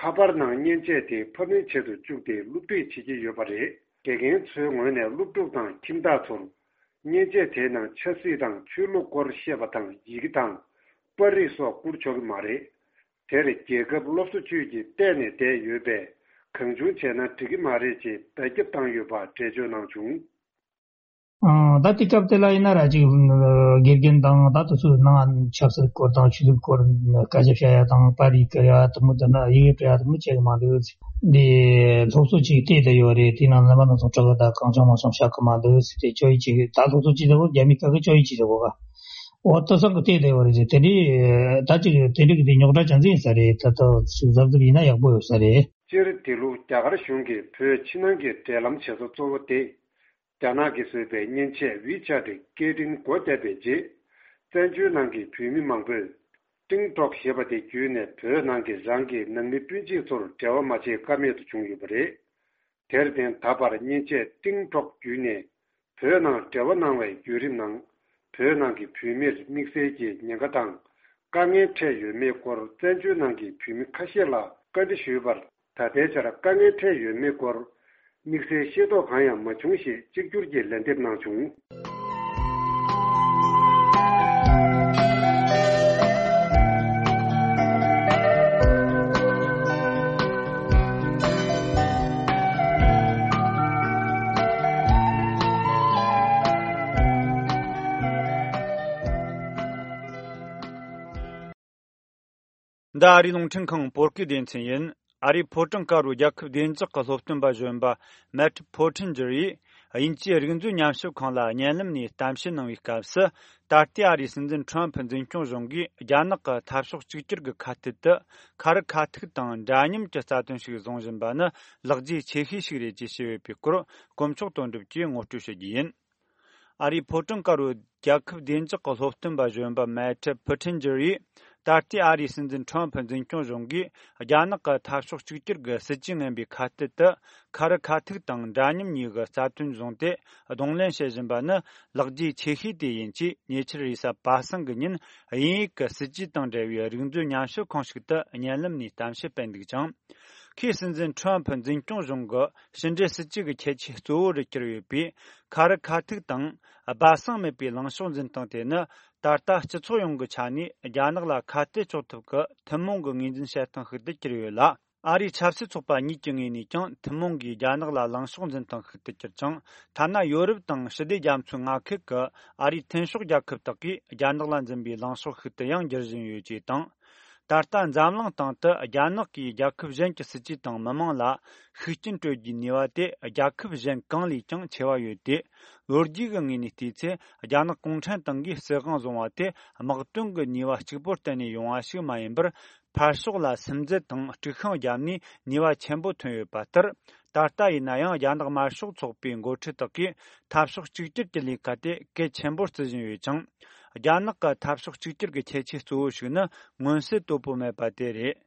ཁ་པར་ནང་མཉེན་ཆས་དེ་ཕབ་ལེན་བྱེད་དུ་བཅུག་སྟེ་སློབ་ཁྲིད་བྱེད་ཀྱི་ཡོད་པ་རེད། དགེ་རྒན་ཚོའི་ངོས་ནས་སློབ་ཕྲུག་དང་ཁྱིམ་བདག་ཚོར་མཉེན་ཆས་དེའི་ནང་ཆབ་སྲིད་དང་ཆོས་ལུགས་སྐོར་བཤད་པ་དང་ཡི་གེ་དང་པར་རིས་སོགས་བསྐུར་ཆོག་གི་མ་རེད། དེར་རྒྱལ་ཁབ་སློབ་གསོ་ཅུས་ཀྱིས་བལྟས་ནས་བསྡད་ཡོད་པས་གང་བྱུང་བྱས་ན་འགྲིག་གི་མ་རེད་ཅེས་བརྡ་ཁྱབ་བཏང་ཡོད་པ་འགྲེལ་བརྗོད་གནང་བྱུང་། ཨང་། ད་དེ་སྐབས་དེ་ལ་ཡིན་ན་ར་ཅིག་དགེ་རྒན་དང་ད་དུ་ཚོའི་ནང་ཆབ་སྲིད་སྐོར་དང་ཆོས་ལུགས་སྐོར་སྐད་ཆ་བཤད་ཡ་དང་པར་རིས་བསྐུར་ཡ་དུ་མོ་དེ་ན་ཡི་གེ་སྤྲད་ཡ་དུ་མོ་བྱེད་གི་མ་འདུག། འདི་སློབ་གསོ་ཅིག་བལྟས་བསྡད་ཡོད་རེད། དེ་ནང་ལ་མ་ནང་ཚོ་དྲག་གི་ད་གང་བྱུང་མང་བྱུང་བཤད་གི་མ་འདུག་ཟེར་ཏེ་བཅོ་ཡི་ཅིག་ད་སློབ་གསོ་ཅིག་དེ་བོ་རྒྱ་མི་སྐད་གི་བཅོ་ཡི་ཅིག་དེ་བོ་ག་འོ་ལྟ་ས་གི་བལྟས་བསྡད་ཡོད་རེད་ཟེར། དེ་འདྲའི་ད་ཅིག་དེ་འདྲའི་གི་དེ་རྙོག་དྲ་ཅན་ཟིག་ཡིན་ས་རེད། ད་ལྟ་ཅིག་གཟབ་གཟབ་ཡིན་ན་ཡག་པོ་ཡོད་ས་རེད། སྤྱིར་དེ་ལོ་རྒྱ་གར་གཞུང་གིས་བོད་ཕྱི་ནང་གི་འབྲེལ་ལམ་བྱེད་ས་གཙོ་བོ་དེ། རྒྱ་ནག་གིས་བཟོས་པའི་མཉེན་ཆས་ཝི་ཆ་ཊི་སྐད་འཕྲིན་སྒོ་བརྒྱབ་པའི་རྗེས། བཙན་བྱོལ་ནང་གི་བོད་མི་མང་པོས་ཀྲིང་ཀྲོག་ཞེས་པ་དེ་བརྒྱུད་ནས་བོད་ནང་གི་རང་གི་ནང་མི་སྤུན་མཆེད་ཚོར་འབྲེལ་བ་མ་བྱེད་ཀ་མེད་དུ་བྱུང་ཡོད་པ་རེད། དེར་བརྟེན་ད་བར་མཉེན་ཆས་ཀྲིང་ཀྲོག་བརྒྱུད་ནས་བོད་ནང་འབྲེལ་བ་གནང་བའི་བརྒྱུད་རིམ་ནང་། བོད་ནང་གི་བོད་མིར་དམིགས་བསལ་གྱི་ཉེན་ཁ་དང་དཀའ་ངལ་འཕྲད་ཡོད་མེད་སྐོར་བཙན་བྱོལ་ནང་གི་བོད་མི་ཁ་ཤས་ལ་བཀའ་འདྲི་ཞུས་པར། ད་ལྟའི་ཆར་དཀའ་ངལ་འཕྲད་ཡོད་མེད་སྐོར་དམིགས་བསལ་ཤེས་རྟོགས་གང་ཡང་མ་བྱུང་ཞེས་གཅིག་གྱུར་གྱིས་ལན་འདེབས་གནང་བྱུང་། འདི་ཨ་རིའི་རླུང་འཕྲིན་ཁང་བོད་སྐད་སྡེ་ཚན་ཡིན། ཨ་རིའི་ཕོ་བྲང་དཀར་པོའི་རྒྱལ་ཁབ་བདེ་འཇགས་ཀྱི་སློབ་སྟོན་པ་གཞོན་པ་མེ་ཊི་ཕོ་ཊིན་ཇར་ཡིས་དབྱིན་ཇིའི་རིག་མཛོད་ཉམས་ཞིབ་ཁང་ལ་བརྙན་ལམ་ནས་གཏམ་བཤད་གནང་བའི་སྐབས་སུ། ད་ལྟའི་ཨ་རིའི་སྲིད་འཛིན་ཁྲོམ་ཕུ་འཛིན་སྐྱོང་གཞུང་གིས་རྒྱ་ནག་གི་འཐབ་ཕྱོགས་གཅིག་གྱུར་གྱི་ཁ་གཏད་དུ་ཁ་རི་ཁ་ཐུག་དང་འདྲ་མཉམ་གྱི་རྩ་དོན་ཞིག་བཟུང་བཞིན་པ་ནི་ལེགས་རྗེས་ཆེ་ཤོས་ཤིག་རེད་ཅེས་བཤད་ཡོད་པའི་སྐོར་དཀོན་མཆོག་དོན་གྲུབ་ཀྱིས་ངོ་སྤྲོད་ཞུ་རྒྱུ་ཡིན། ཨ་རིའི་ཕོ་བྲང་དཀར་པོའི་རྒྱལ་ཁབ་བདེ་འཇགས་ཀྱི་སློབ་སྟོན་པ་གཞོན་པ་མེ་ཊི་ཕུ་ཊིན་ཇར་ཡིས། ད་ལྟའི་ཨ་རིའི་སྲིད་འཛིན་ཁྲོམ་ཕུ་འཛིན་སྐྱོང་གཞུང་གིས་རྒྱ་ནག་གི་འཐབ་ཕྱོགས་གཅིག་གྱུར་གྱི་སྲིད་ཇུས་ངན་པའི་ཁ་གཏད་དུ་ཁ་རི་ཁ་ཐུག་དང་འདྲ་མཉམ་གཉིས་ཀྱི་རྩ་དོན་བཟུང་སྟེ་གདོང་ལེན་བྱེད་བཞིན་པ་ནི་ལེགས་རྗེས་ཆེ་ཤོས་དེ་ཡིན་ཅེས་ཉེ་ཆར་རེས་གཟའ་པ་སངས་ཀྱི་ཉིན་དབྱིན་ཡིག་གི་སྲིད་ཇུས་དང་འབྲེལ་བའི་རིག་མཛོད་ཉམས་ཞིབ་ཁང་ཞིག་ཏུ་བརྙན་ལམ་ནས་གཏམ་བཤད་སྤེལ་འདུག་ཅིང་། ཁོས་སྲིད་འཛིན་ཁྲོམ་ཕུ་འཛིན་སྐྱོང་གཞུང་གི་ཕྱི་འབྲེལ་སྲིད་ཇུས་ཀྱི་ཁྱད་ཆོས་གཙོ་བོ་རུ་གྱུར་ཡོད་པའི་ཁ་རི་ཁ་ཐུག་དང་སྦ་གསང་མེད་པའི་ལངས་ཕྱོགས་འཛིན་སྟངས་དེ་ནི། ད་ལྟ་སྤྱི་ཚོགས་ཡོངས་ཀྱི་ཆ་ནས་རྒྱ་ནག་ལ་ཁ་གཏད་གཅོག་ཐབས་ཀྱི་ཐུན་མོང་གི་ངོས་འཛིན་བྱེད་སྟངས་ཤིག་ཏུ་གྱུར་ཡོད་ལ། ཨ་རིའི་ཆབ་སྲིད་ཚོགས་པ་གཉིས་ཀྱི་ངོས་ནས་ཀྱང་ཐུན་མོང་གིས་རྒྱ་ནག་ལ་ལངས་ཕྱོགས་འཛིན་སྟངས་ཤིག་ཏུ་གྱུར་ཅིང་། ཐ་ན་ཡོ་རོབ་དང་ཞི་བདེ་རྒྱ་མཚོའི་མངའ་ཁུལ་གྱི་ཨ་རིའི་མཐུན་ཕྱོགས་རྒྱལ་ཁབ་དག་གིས་རྒྱ་ནག་ལ་འཛིན་པའི་ལངས་ཕྱོགས་ཤིག་ཏུ་ཡང་འགྱུར་བཞིན་ཡོད་ཅེས་དང་། ད་ལྟ་འཛམ་གླིང་སྟེང་དུ་རྒྱ་ནག་གིས་རྒྱལ་ཁབ་གཞན་གྱི་སྲིད་ཇུས་དང་མི་དམངས་ལ་ཤུགས་རྐྱེན་སྤྲོད་རྒྱུའི་ནུས་པ་དེ་རྒྱལ་ཁབ་གཞན་གང་ལས་ཀྱང་ཆེ་བ་ཡོད་དེ། ལོ་རྒྱུས་ཀྱི་ངོས་ནས་བལྟས་ཚེ། རྒྱ་ནག་གུང་ཁྲན་ཏང་གིས་སྲིད་དབང་བཟུང་བ་དེ་དམག་དོན་གྱི་ནུས་པ་གཅིག་པུར་བརྟེན་ནས་ཡོང་བ་ཞིག་མ་ཡིན་པར། ཕར་ཕྱོགས་ལ་སིམ་འཛུལ་དང་དཀྲུག་ཤིང་བརྒྱབ་ནས་ནུས་པ་ཆེན་པོ་ཐོན་ཡོད་པ་ལྟར། ད་ལྟ་ཡིན་ན་ཡང་རྒྱ་ནག་དམར་ཤོག་ཚོགས་པའི་འགོ་ཁྲིད་དག་གིས་འཐབ་ཕྱོགས་གཅིག་གྱུར་གྱི་ལས་ཀ་དེ་གལ་ཆེན་པོར་བརྩི་བཞིན་ཡོད་ཅིང་། རྒྱ་ནག་གི་འཐབ་ཕྱོགས་གཅིག་གྱུར་གྱི་ཁྱད་ཆོས་གཙོ་བོ་ཞིག་ནི་མངོན་གསལ་དོད་པོ་མེད་པ་དེ་རེད།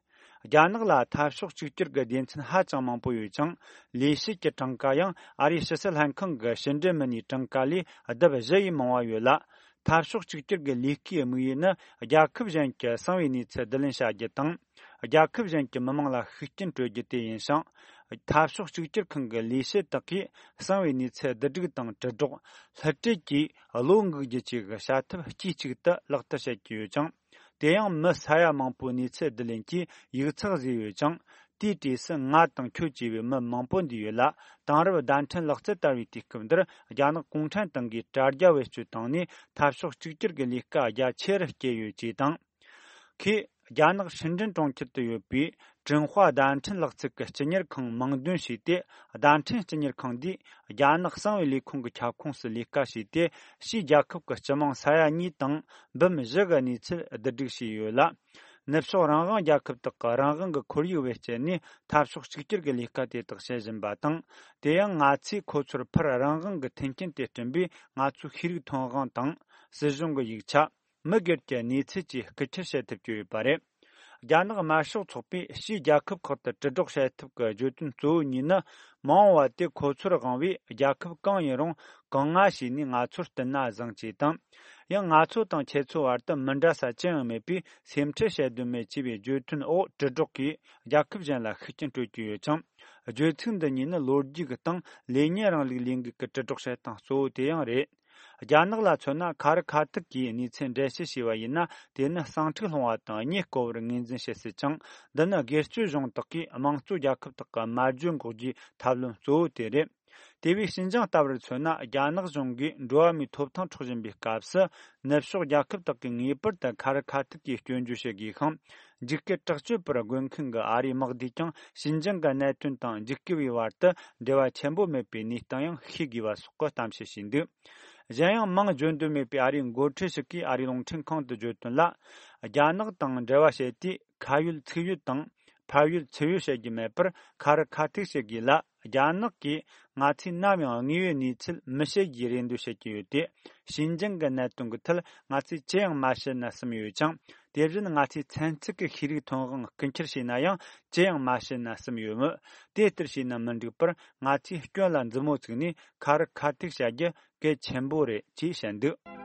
རྒྱ་ནག་ལ་འཐབ་ཕྱོགས་གཅིག་གྱུར་གྱི་སྡེ་ཚན་ཧ་ཅང་མང་པོ་ཡོད་ཅིང་། ལས་བྱེད་ཀྱི་གྲངས་ཀ་ཡང་ཨ་རིའི་ཕྱི་སྲིད་ལྷན་ཁང་གི་ཕྱི་འབྲེལ་མི་སྣའི་གྲངས་ཀ་ལས་ལྡབ་བཞི་ཡིས་མང་བ་ཡོད་ལ། འཐབ་ཕྱོགས་གཅིག་གྱུར་གྱི་ལས་ཀའི་དམིགས་ཡུལ་ནི་རྒྱལ་ཁབ་གཞན་གྱི་གསང་བའི་གནས་ཚུལ་བསྡུ་ལེན་བྱ་རྒྱུ་དང་། རྒྱལ་ཁབ་གཞན་གྱི་མི་དམངས་ལ་ཤུགས་རྐྱེན་སྤྲོད་རྒྱུ་དེ་ཡིན་ཞིང་། འཐབ་ཕྱོགས་གཅིག་གྱུར་ཁང་གི་ལས་བྱེད་དག་གིས་གསང་བའི་གནས་ཚུལ་བསྡུ་སྒྲིག་དང་དྲིལ་སྒྲོག་སླུ་བྲིད་བཅས་བློ་འགུག་རྒྱུ་བཅས་ཀྱི་བྱ་ཐབས་དཀྱུས་གཅིག་ཏུ་ལག་བསྟར་བྱེད་ཀྱི་ཡོད་ཅིང་། དེ་ཡང་མི་ས་ཡ་མང་པོའི་གནས་ཚུལ་བསྡུ་ལེན་གྱིས་ཡིག་ཚགས་བཟོས་ཡོད་ཅིང་། དེའི་གྲས་སུ་ང་དང་ཁྱོད་བཅས་པའི་མི་མང་པོ་འདུས་ཡོད་ལ། དེང་རབས་བརྡ་འཕྲིན་ལག་རྩལ་དར་བའི་དུས་སྐབས་འདིར་རྒྱ་ནག་གུང་ཁྲན་ཏང་གིས་དྲ་རྒྱ་བེད་སྤྱོད་བཏང་ནས་འཐབ་ཕྱོགས་གཅིག་གྱུར་གྱི་ལས་ཀ་རྒྱ་ཆེ་རུ་བསྐྱེད་ཡོད་ཅེས་དང་། ཁོས་རྒྱ་ནག་ཧྲིན་ཀྲིན་གྲོང་ཁྱེར་དུ་ཡོད་པའི་ཀྲིན་ཧྭ་བརྡ་འཕྲིན་ལག་རྩལ་གྱི་སྤྱི་གཉེར་ཁང་མིང་འདོན་བྱས་ཏེ། བརྡ་འཕྲིན་སྤྱི་གཉེར་ཁང་འདིས་རྒྱ་ནག་གསང་བའི་ལས་ཁུངས་ཀྱི་ཁྱབ་ཁོངས་སུ་ལས་ཀ་བྱས་ཏེ། ཕྱིའི་རྒྱལ་ཁབ་ཀྱི་སྤྱི་དམངས་ས་ཡ་གཉིས་དང་འབུམ་བཞི་གི་གནས་ཚུལ་བསྡུ་སྒྲིག་བྱས་ཡོད་ལ། ནུབ་ཕྱོགས་རང་དབང་རྒྱལ་ཁབ་དག་གི་རང་དབང་གི་ཁོར་ཡུག་བེད་སྤྱད་ནས་འཐབ་ཕྱོགས་གཅིག་གྱུར་གྱི་ལས་ཀ་དེ་དག་བྱེད་བཞིན་པ་དང་། དེ་ཡང་ང་ཚོས་ཁོ་ཚོར་ཕར་རང་དབང་གི་མཐུན་རྐྱེན་དེ་བསྐྲུན་པས། ང་ཚོའི་ཤེས་རིག་ཐོན་དབང་དང་། སྲིད་གཞུང་གི་ཡིག་ཆ། མི་སྒེར་གྱི་གནས་ཚུལ་བཅས་རྐུ་འཁྱེར་བྱེད་ཐུབ་ཀྱི་ཡོད་པ་རེད། རྒྱ་ནག་དམར་ཤོག་ཚོགས་པས་ཕྱིའི་རྒྱལ་ཁབ་ཁག་ཏུ་དྲིལ་སྒྲོག་བྱེད་ཐབས་ཀྱི་བརྗོད་དོན་གཙོ་བོ་གཉིས་ནི། མ་འོངས་པ་དེ་ཁོ་ཚོར་དབང་བའི་རྒྱལ་ཁབ་གང་ཡིན་རུང་། གང་ང་བྱས་ནས་ང་ཚོར་བསྟུན་ན་བཟང་ཅེས་དང་། ཡང་ང་ཚོ་དང་ཁྱེད་ཚོའི་བར་དུ་མི་འདྲ་ས་ཅི་ཡང་མེད་པས། སེམས་ཁྲལ་བྱེད་དོན་མེད་ཅེས་པའི་བརྗོད་དོན་འོག་དྲིལ་སྒྲོག་གིས་རྒྱལ་ཁབ་གཞན་ལ་ཤུགས་རྐྱེན་སྤྲོད་ཀྱི་ཡོད་ཅིང་། བརྗོད་ཚིག་འདི་གཉིས་ནི་ལོ་རྒྱུས་ཀྱི་སྟེང་ལས་གཉེར་རིང་ལུགས་ལས་འགུལ་གྱི་དྲིལ་སྒྲོག་བྱེད་སྟངས་གཙོ་བོ་དེ་ཡང་རེད། རྒྱ་ནག་ལ་མཚོན་ན། ཁ་རི་ཁ་ཐུག་གིས་གནས་ཚུལ་འགྲེལ་བཤད་བྱས་པ་ཡིན་ན། དེ་ནི་ཟིང་འཁྲུག་སློང་བ་དང་། གཉེན་བསྐོ་བར་ངོས་འཛིན་བྱེད་སྲིད་ཅིང་། འདི་ནི་སྒེར་གཅོད་གཞུང་དག་གིས་དམངས་གཙོ་རྒྱལ་ཁབ་དག་གི་སྨྲ་བརྗོད་འགོག་རྒྱུའི་ཐབས་ལམ་གཙོ་བོ་དེ་རེད། དེ་བས་ཞིན་ཅང་ལྟ་བུར་མཚོན་ན། རྒྱ་ནག་གཞུང་གིས་འགྲོ་བ་མིའི་ཐོབ་ཐང་འཕྲོག་བཞིན་པའི་སྐབས་སུ། ནུབ་ཕྱོགས་རྒྱལ་ཁབ་དག་གིས་ངེས་པར་དུ་ཁ་རི་ཁ་ཐུག་གིས་སྐྱོན་བརྗོད་བྱེད་དགོས་ཤིང་། འཇིགས་སྐུལ་དྲག་སྤྱོད་པར་རྒོལ་མཁན་གྱི་ཨ་རིའི་དམག་སྡེས་ཀྱང་ཞིན་ཅང་གི་གནད་དོན་དང་འཇིགས་སྐུལ་བའི་བར་དུ་འབྲེལ་བ་ཆེན་པོ་མེད་པའི་གནས་སྟངས་ཡང་ཤེས་དགོས་པ་སོགས་ཀྱི་གཏམ་བཤད་བྱས་འདུག་གཞན་ཡང་། མིང་བརྗོད་འདོད་མེད་པའི་ཨ་རིའི་འགོ་ཁྲིད་ཞིག་གིས་ཨ་རིའི་རླུང་འཕྲིན་ཁང་དུ་བརྗོད་དོན་ལ། རྒྱ་ནག་དང་འབྲེལ་བ་བྱེད་དུས། ཁ་ཡོད་ཚིག་ཡོད་དང་། ཕ་ཡོད་ཚུར་ཡོད་བཤད་རྒྱུ་མེད་པར། ཁ་རི་ཁ་ཐུག་བཤད་དགོས་ལ། རྒྱ་ནག་གིས་ང་ཚོས་ནམ་ཡང་དངོས་ཡོད་གནས་ཚུལ་མི་བཤད་རྒྱུའི་རེ་འདོད་བྱེད་ཀྱི་ཡོད་དེ། ཞིན་ཅང་གི་གནད་དོན་གྱི་ཐད་ང་ཚོས་ཅི་ཡང་མ་བཤད་ན་བསམ་ཡོད་ཅིང་། དེ་བཞིན་ང་ཚོས་ཚན་རྩལ་གྱི་ཤེས་རིག་ཐོན་དབང་རྐུ་འཁྱེར་བྱས་ན་ཡང་ཅི་ཡང་མ་བཤད་ན་བསམ་ཡོད་མོད། དེ་ལྟར་བྱས་ན་མི་འགྲིག་པར། ང་ཚོས་སྐྱོན་ལ་མཛུབ་མོ་བཙུགས་ནས་ཁ་རི་ཁ་ཐུག་བྱ་རྒྱུ་གལ་ཆེན་པོ་རེད་ཅེས་བཤད་འདུག་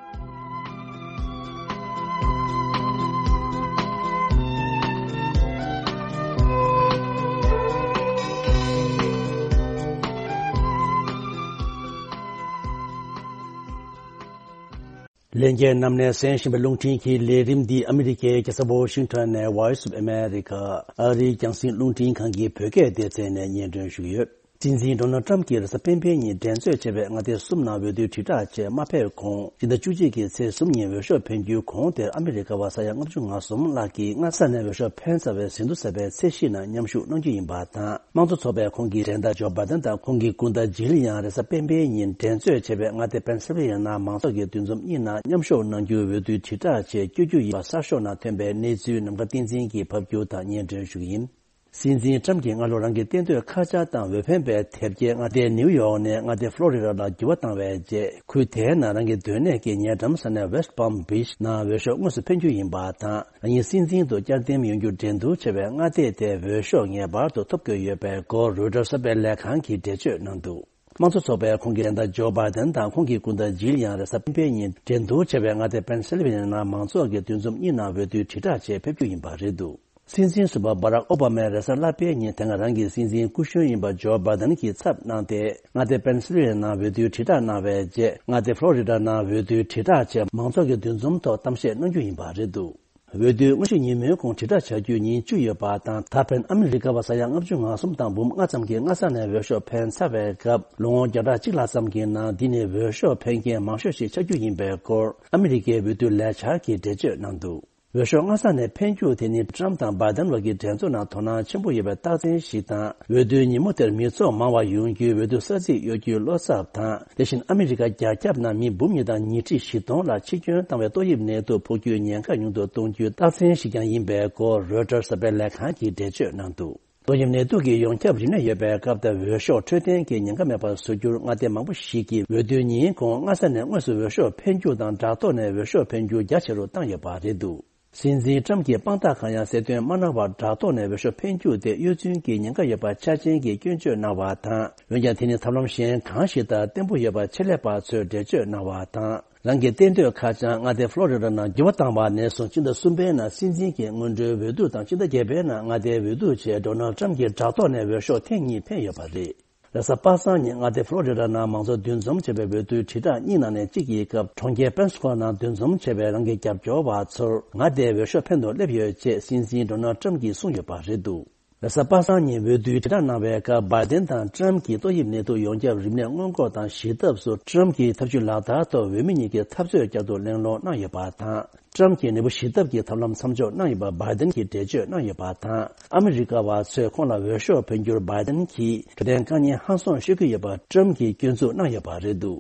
ལྷན་རྒྱས་རྣམས་ནས་གསན་བཞིན་པའི་རླུང་འཕྲིན་གྱི་ལས་རིམ་འདི་ཨ་མི་རི་ཀའི་རྒྱལ་ས་ཝ་ཤིང་ཊོན་ནས་Voice of America ཨ་རིའི་རྒྱང་སྲིང་རླུང་འཕྲིན་ཁང་གི་བོད་སྐད་སྡེ་ཚན་ནས་སྙན་སྒྲོན་ཞུ་གི་ཡོད། སྲིད་འཛིན་ཌོ་ནལ་ཊམ་གྱིས་རེས་གཟའ་སྤེན་པའི་ཉིན་འགྲན་རྩོད་བྱས་པའི་མངའ་སྡེ་གསུམ་ནང་འོས་བསྡུའི་དྲིལ་བསྒྲགས་ཆེད་མ་ཕེབས་གོང་། སྤྱི་ཟླ་བཅུ་གཅིག་གི་ཚེས་གསུམ་ཉིན་འོས་ཤོག་འཕེན་རྒྱུའི་གོང་དེར་ཨ་མི་རི་ཀ་བ་ས་ཡ་ལྔ་བཅུ་ང་གསུམ་ལྷག་གིས་སྔ་ས་ནས་འོས་ཤོག་འཕེན་ཚར་བའི་ཟིན་ཐོ་གསལ་བའི་ཚད་གཞི་ནང་མཉམ་ཞུགས་གནང་རྒྱུ་ཡིན་པ་དང་། དམངས་གཙོ་ཚོགས་པས་ཁོང་གི་འགྲན་ཟླ་ཇོ་བྷའི་ཌེན་དང་ཁོང་གི་སྐུ་ཟླ་ཇིལ་ཡང་རེས་གཟའ་སྤེན་པའི་ཉིན་འགྲན་རྩོད་བྱས་པའི་མངའ་སྡེ་པེན་སིལ་ཝེ་ནི་ཡ་མང་ཚོགས་ཀྱི་འདུ་འཛོམས་གཉིས་ནང་མཉམ་ཞུགས་གནང་རྒྱུའི་འོས་བསྡུའི་དྲིལ་བསྒྲགས་ཆེད་བསྐྱོད་རྒྱུ་ཡིན་པ་གསར་ཤོག་ནང་ཐོན་པའི་གནས་ཚུལ་ནམ་མཁའ་བསྟན་འཛིན་གྱིས་ཕབ་སྒྱུར་དང་སྙན་སྒྲོན་ཞུ་གི་ཡིན། སྲིད་འཛིན་ཊམ་གྱིས་སྔ་ལོ་རང་གི་གཏན་སྡོད་ཁ་ཆག་དང་འོས་འཕེན་པའི་དེབ་སྐྱེལ་མངའ་སྡེ་ནིའུ་ཡོག་ནས་མངའ་སྡེ་ཕློ་རི་ཌ་ལ་འགྱུར་བ་བཏང་བའི་རྗེས། ཁུལ་དེའི་ནང་རང་གི་སྡོད་གནས་ཀྱི་ཉེ་འགྲམ་ས་གནས་West Palm Beach ནང་འོས་ཤོག་དངོས་སུ་འཕེན་རྒྱུ་ཡིན་པ་དང་། རང་ཉིད་སྲིད་འཛིན་དུ་བསྐྱར་འདེམས་ཡོང་རྒྱུ་འགྲན་བསྡུར་བྱས་པའི་མངའ་སྡེ་དེའི་འོས་ཤོག་ངེས་པར་དུ་ཐོབ་དགོས་ཡོད་པའི་སྐོར་རོའི་ཊར་གསར་པའི་ལས་ཁང་གིས་འགྲེལ་བརྗོད་གནང་འདུག་དམངས་གཙོ་ཚོགས་པའི་ཁོངས་ཀྱི་འགྲན་ཟླ་ཇོ་བྷའི་ཌེན་དང་ཁོང་གི་སྐུ་ཟླ་ཇིལ་ཡང་རེས་གཟའ་སྤེན་པའི་ཉིན་འགྲན་བསྡུར་བྱས་པའི་མངའ་སྡེ་པེན་སིལ་ཝེ་ནི་ཡ་ནང་མང་ཚོགས་ཀྱི་འདུ་འཛོམས་གཉིས་ནང་འོས་བསྡུའི་དྲིལ་བསྒྲགས་ཆེད་ཕེབས་རྒྱུ་ཡིན་པ་རེད་འདུག་སྲིད་འཛིན་ཟུར་པ་སྦ་རག་ཨོ་བྷ་མས་རེས་གཟའ་ལྷག་པའི་ཉིན་དེ་སྔ་རང་གི་སྲིད་འཛིན་སྐུ་གཞོན་ཡིན་པ་ཇོ་བྷ་དན་གྱི་ཚབ་གནང་སྟེ། མངའ་སྡེ་པེན་སིལ་ཝེ་ནི་ཡའི་ནང་འོས་བསྡུའི་དྲིལ་བསྒྲགས་གནང་བའི་རྗེས། མངའ་སྡེ་ཕློ་རི་ཌ་ནང་འོས་བསྡུའི་དྲིལ་བསྒྲགས་ཆེད་མང་ཚོགས་ཀྱི་འདུ་འཛོམས་ཐོག་གཏམ་བཤད་གནང་རྒྱུ་ཡིན་པ་རེད་འདུག་འོས་བསྡུའི་སྔ་ཕྱི་ཉིན་མོའི་གོང་དྲིལ་བསྒྲགས་བྱ་རྒྱུའི་ཉིན་བཅུ་ཡོད་པ་དང་། ད་ཕན་ཨ་མི་རི་ཀ་བ་ས་ཡ་ལྔ་བཅུ་ང་གསུམ་དང་འབུམ་ལྔ་ཙམ་གྱིས་སྔ་ས་ནས་འོས་ཤོག་འཕེན་ཚར་བའི་སྐབས། ལོ་ངོ་བརྒྱ་ཕྲག་གཅིག་ལྷག་ཙམ་གྱི་ནང་འདི་ནི་འོས་ཤོག་འཕེན་མཁན་མང་ཤོས་ཤིག་ཆགས་རྒྱུ་ཡིན་པའི་སྐོར་ཨ་མི་རི་ཀའི་འོས་བསྡུ་ལས་འཆར་གྱིས་འགྲེལ་བརྗོད་གནང་འདུག་འོས་ཤོག་སྔ་ས་ནས་འཕེན་རྒྱུ་དེ་ནི་ཏྲམ་དང་བྷའི་ཌེན་བར་གྱི་འགྲན་རྩོད་ནང་དོ་སྣང་ཆེན་པོ་ཡོད་པའི་རྟགས་མཚན་ཞིག་དང་། འོས་བསྡུའི་ཉིན་མོ་དེར་མི་ཚོགས་མང་བ་ཡོང་རྒྱུའི་འོས་བསྡུ་ས་ཚིགས་གཡོ་སྒྱུའི་བློ་འཚབ་དང་། དེ་བཞིན་ཨ་མི་རི་ཀ་རྒྱ་ཁྱབ་ནང་མི་འབུམ་གཉིས་དང་ཉིས་ཁྲི་བཞི་སྟོང་ལ་འཆི་སྐྱོན་བཏང་བའི་ཏོག་དབྱིབས་ནད་དུག་ཕོག་རྒྱུའི་ཉེན་ཁ་ཉུང་དུ་གཏོང་རྒྱུའི་རྟགས་མཚན་ཞིག་ཀྱང་ཡིན་པའི་སྐོར་རོའི་ཊར་གསར་པའི་ལས་ཁང་གིས་འགྲེལ་བརྗོད་གནང་འདུག་ཏོག་དབྱིབས་ནད་དུག་གི་ཡོངས་ཁྱབ་རིམས་ནད་ཡོད་པའི་སྐབས་དེར་འོས་ཤོག་འཕྲོད་བསྟེན་གྱི་ཉེན་ཁ་མེད་པར་བཟོ་རྒྱུར་མངའ་སྡེ་མང་པོ་ཞིག་གིས་འོས་བསྡུའི་ཉིན་གོང་སྔ་ས་ནས་དངོས་སུ་འོས་ཤོག་འཕེན་རྒྱུ་དང་དྲ་ཐོག་ནས་འོས་ཤོག་འཕེན་རྒྱུ་རྒྱ་ཆེ་རུ་བཏང་ཡོད་པ་རེད་འདུག་སྲིད་འཛིན་ཏྲམ་གྱིས་དཔང་རྟགས་གང་ཡང་གསལ་སྟོན་མ་གནང་བར་དྲ་ཐོག་ནས་འོས་ཤོག་འཕེན་རྒྱུ་དེ་གཡོ་རྫུན་གྱི་ཉེན་ཁ་ཡོད་པ་ཆ་ཅན་གྱིས་སྐྱོན་བརྗོད་གནང་བ་དང་། འོན་ཀྱང་དེ་ནི་ཐབས་ལམ་གཞན་གང་ཞིག་ལྟར་བརྟན་པོ་ཡོད་པ་ཆེད་ལས་པ་ཚོས་འགྲེལ་བརྗོད་གནང་བ་དང་། རང་གི་གཏན་སྡོད་ཁ་བྱང་མངའ་སྡེ་ཕློ་རི་ཌ་ནང་འགྱུར་བ་བཏང་བ་ནས་བཟུང་ཕྱི་ཟླ་གསུམ་པའི་ནང་སྲིད་འཛིན་གྱི་སྔོན་འགྲོའི་འོས་བསྡུ་དང་ཕྱི་ཟླ་བརྒྱད་པའི་ནང་མངའ་སྡེའི་འོས་བསྡུ་ཆེད་ཌོ་ནལ་ཏྲམ་གྱིས་དྲ་ཐོག་ནས་འོས་ཤོག་ཐེངས་གཉིས་འཕེན་ཡོད་པ་རེད། རེས་གཟའ་པ་སངས་ཉིན་མངའ་སྡེ་ཕློ་རི་ཌ་ནང་མང་ཚོགས་འདུ་འཛོམས་བྱས་པའི་འོས་བསྡུའི་དྲིལ་བསྒྲགས་གཉིས་ནང་ནས་གཅིག་ཡིན་སྐབས། གྲོང་ཁྱེར་པེན་སི་ཀོ་ནང་འདུ་འཛོམས་བྱས་པའི་རང་གི་རྒྱབ་སྐྱོར་བ་ཚོར་མངའ་སྡེའི་འོས་ཤོག་འཕེན་དུ་སླེབས་ཡོད་ཅེས་སྲིད་འཛིན་ཌོ་ནལ་ཏྲམ་གྱིས་གསུངས་ཡོད་པ་རེད་འདུག་རེས་གཟའ་པ་སངས་ཉིན་འོས་བསྡུའི་དྲིལ་བསྒྲགས་གནང་བའི་སྐབས། བྷའི་ཌེན་དང་ཏྲམ་གྱིས་ཏོག་དབྱིབས་ནད་དུག་ཡོངས་ཁྱབ་རིམས་ནད་སྔོན་འགོག་དང་ཞི་ཐབས་སུ་ཏྲམ་གྱི་ཐབས་ཇུས་ལག་བསྟར་ཐོག་འོས་མི་གཉིས་ཀྱི་འཐབ་རྩོད་བསྐྱར་དུ་གླེང་སློང་གནང་ཡོད་པ་དང་། ཏྲམ་གྱིས་ནད་འབུ་ཞི་ཐབས་ཀྱི་ཐབས་ལམ་མཚམས་འཇོག་གནང་ཡོད་པ་བྷའི་ཌེན་གྱིས་འགྲེལ་བརྗོད་གནང་ཡོད་པ་དང་། ཨ་མི་རི་ཀ་བ་ཚོས་ཁོང་ལ་འོས་ཤོག་འཕེན་རྒྱུར་བྷའི་ཌེན་གྱིས་འཕྲོད་བསྟེན་དཀའ་ངལ་ཧང་སང་ཤོད་ཀྱི་ཡོད་པ་ཏྲམ་གྱིས་སྐྱོན་འཛུགས་གནང་ཡོད་པ་རེད་འདུག་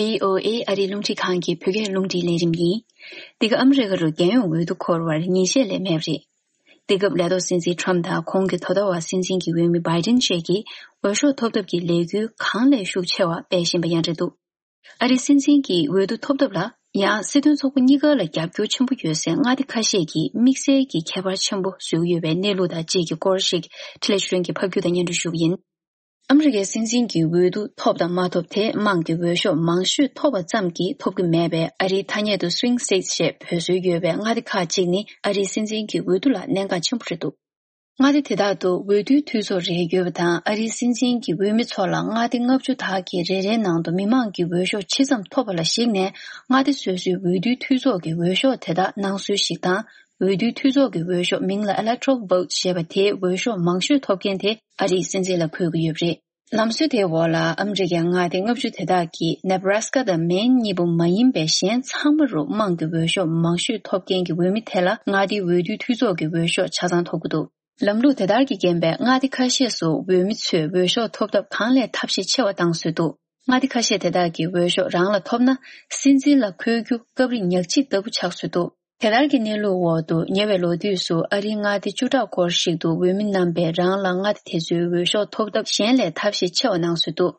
བྷི་ཨོ་ཨེ་ཨ་རིའི་རླུང་འཕྲིན་ཁང་གི་བོད་སྐད་རླུང་འཕྲིན་ལས་རིམ་ཡིན། འདི་ག་ཨ་མི་རི་ཀ་རུ་རྒྱལ་ཡོངས་འོས་བསྡུ་འཁོར་བར་ཉིན་ཤས་ལས་མེད་པ་རེད། འདི་སྐབས་ལས་ཐོག་སྲིད་འཛིན་ཁྲོམ་དང་ཁོང་གི་དོ་ཟླ་བ་སྲིད་འཛིན་གྱི་འོས་མི་བྷའི་ཌེན་བཅས་ཀྱིས་འོས་ཤོག་ཐོབ་ཐབས་ཀྱི་ལས་འགུལ་གང་ལས་ཤུགས་ཆེ་བ་སྤེལ་བཞིན་པ་ཡང་རེད་འདུག་ཨ་རིའི་སྲིད་འཛིན་གྱི་འོས་བསྡུ་ཐོབ་ཐབས་ལ་ཡང་སྲིད་དོན་ཚོགས་པ་གཉིས་ཀ་ལ་རྒྱབ་སྐྱོར་ཆེན་པོ་ཡོད་སའི་མངའ་སྡེ་ཁ་ཤས་ཀྱིས་དམིགས་བསལ་གྱི་ཁྱད་པར་ཆེན་པོ་བཟོས་ཡོད་པའི་གནས་ལུགས་དང་བཅས་ཀྱི་སྐོར་ཞིག་འཕྲིན་ལས་ཆོས་སྒྲོན་གྱིས་ཕབ་སྒྱུར་དང་སྙན་སྒྲོན་ཞུ་གི་ཡིན། ཨ་མི་རི་ཀའི་སྲིད་འཛིན་གྱི་འོས་བསྡུ་ཐོབ་དང་མ་ཐོབ་དེ་དམངས་ཀྱི་འོས་ཤོག་མང་ཤོས་ཐོབ་པ་ཙམ་གྱིས་ཐོབ་ཀྱི་མེད་པས། ཨ་རིའི་ཐ་སྙད་དུ་Swing States ཞེས་འབོད་སྲོལ་ཡོད་པའི་མངའ་སྡེ་ཁག་ཅིག་ནི་ཨ་རིའི་སྲིད་འཛིན་གྱི་འོས་བསྡུ་ལ་གནད་འགག་ཆེན་པོ་རེད་འདུག་མངའ་སྡེ་དེ་དག་ཏུ་འོས་བསྡུའི་འཐུས་ཚོགས་རེ་ཡོད་པ་དང་། ཨ་རིའི་སྲིད་འཛིན་གྱི་འོས་མི་ཚོ་ལ་མངའ་སྡེ་ལྔ་བཅུ་དག་གི་རེ་རེའི་ནང་དུ་མི་མང་གི་འོས་ཤོག་ཇི་ཙམ་ཐོབ་པ་ལ་གཞིགས་ནས། མངའ་སྡེ་སོ་སོའི་འོས་བསྡུའི་འཐུས་ཚོགས་ཀྱི་འོས་ཤོག་དེ་དག་གནང་སྲོལ་ཞིག་དང་། འོས་བསྡུའི་འཐུས་ཚོགས་ཀྱི་འོས་ཤོག་མིང་ལ་Electoral Vote ཞེས་པ་དེའི་འོས་ཤོག་མང་ཤོས་ཐོབ་མཁན་དེ་ཨ་རིའི་སྲིད་འཛིན་ལ་འཁོད་ཀྱི་ཡོད་པ་རེད། ལམ་སྲོལ་དེའི་འོག་ལ་ཨ་མི་རི་ཀའི་མངའ་སྡེ་ལྔ་བཅུ་དེ་དག་གིས་Nebraska དང་Maine གཉིས་པོ་མ་ཡིན་པའི་གཞན་ཚང་མ་རུ་དམངས་ཀྱི་འོས་ཤོག་མང་ཤོས་ཐོབ་མཁན་གྱི་འོས་མི་དེ་ལ་མངའ་སྡེའི་འོས་བསྡུའི་འཐུས་ཚོགས་ཀྱི་འོས་ཤོག་ཆ་ཚང་ཐོབ་ཀྱི་འདུག་ལམ་ལུགས་དེ་ལྟར་གྱི་རྐྱེན་པས། མངའ་སྡེ་ཁ་ཤས་སུ་འོས་མི་ཚོས་འོས་ཤོག་ཐོབ་ཐབས་གང་ལས་ཐབས་ཤེས་ཆེ་བ་བཏང་སྲོལ་འདུག་མངའ་སྡེ་ཁ་ཤས་དེ་དག་གི་འོས་ཤོག་རང་ལ་ཐོབ་ན། སྲིད་འཛིན་ལ་འཁོད་རྒྱུ་སྐབས་རེ་ཉག་གཅིག་ལྟ་བུ་ཆགས་སྲོལ་འདུག་དེ་ལྟར་གྱི་གནས་ལུགས་འོག་ཏུ། ཉེ་བའི་ལོ་དུས་སུ་ཨ་རིའི་མངའ་སྡེ་བཅུ་ཕྲག་སྐོར་ཞིག་ཏུ་འོས་མི་རྣམ་པས་རང་ལ་མངའ་སྡེ་དེ་ཚོའི་འོས་ཤོག་ཐོབ་ཐབས་གཞན་ལས་ཐབས་ཤེས་ཆེ་བ་གནང་སྲོལ་འདུག་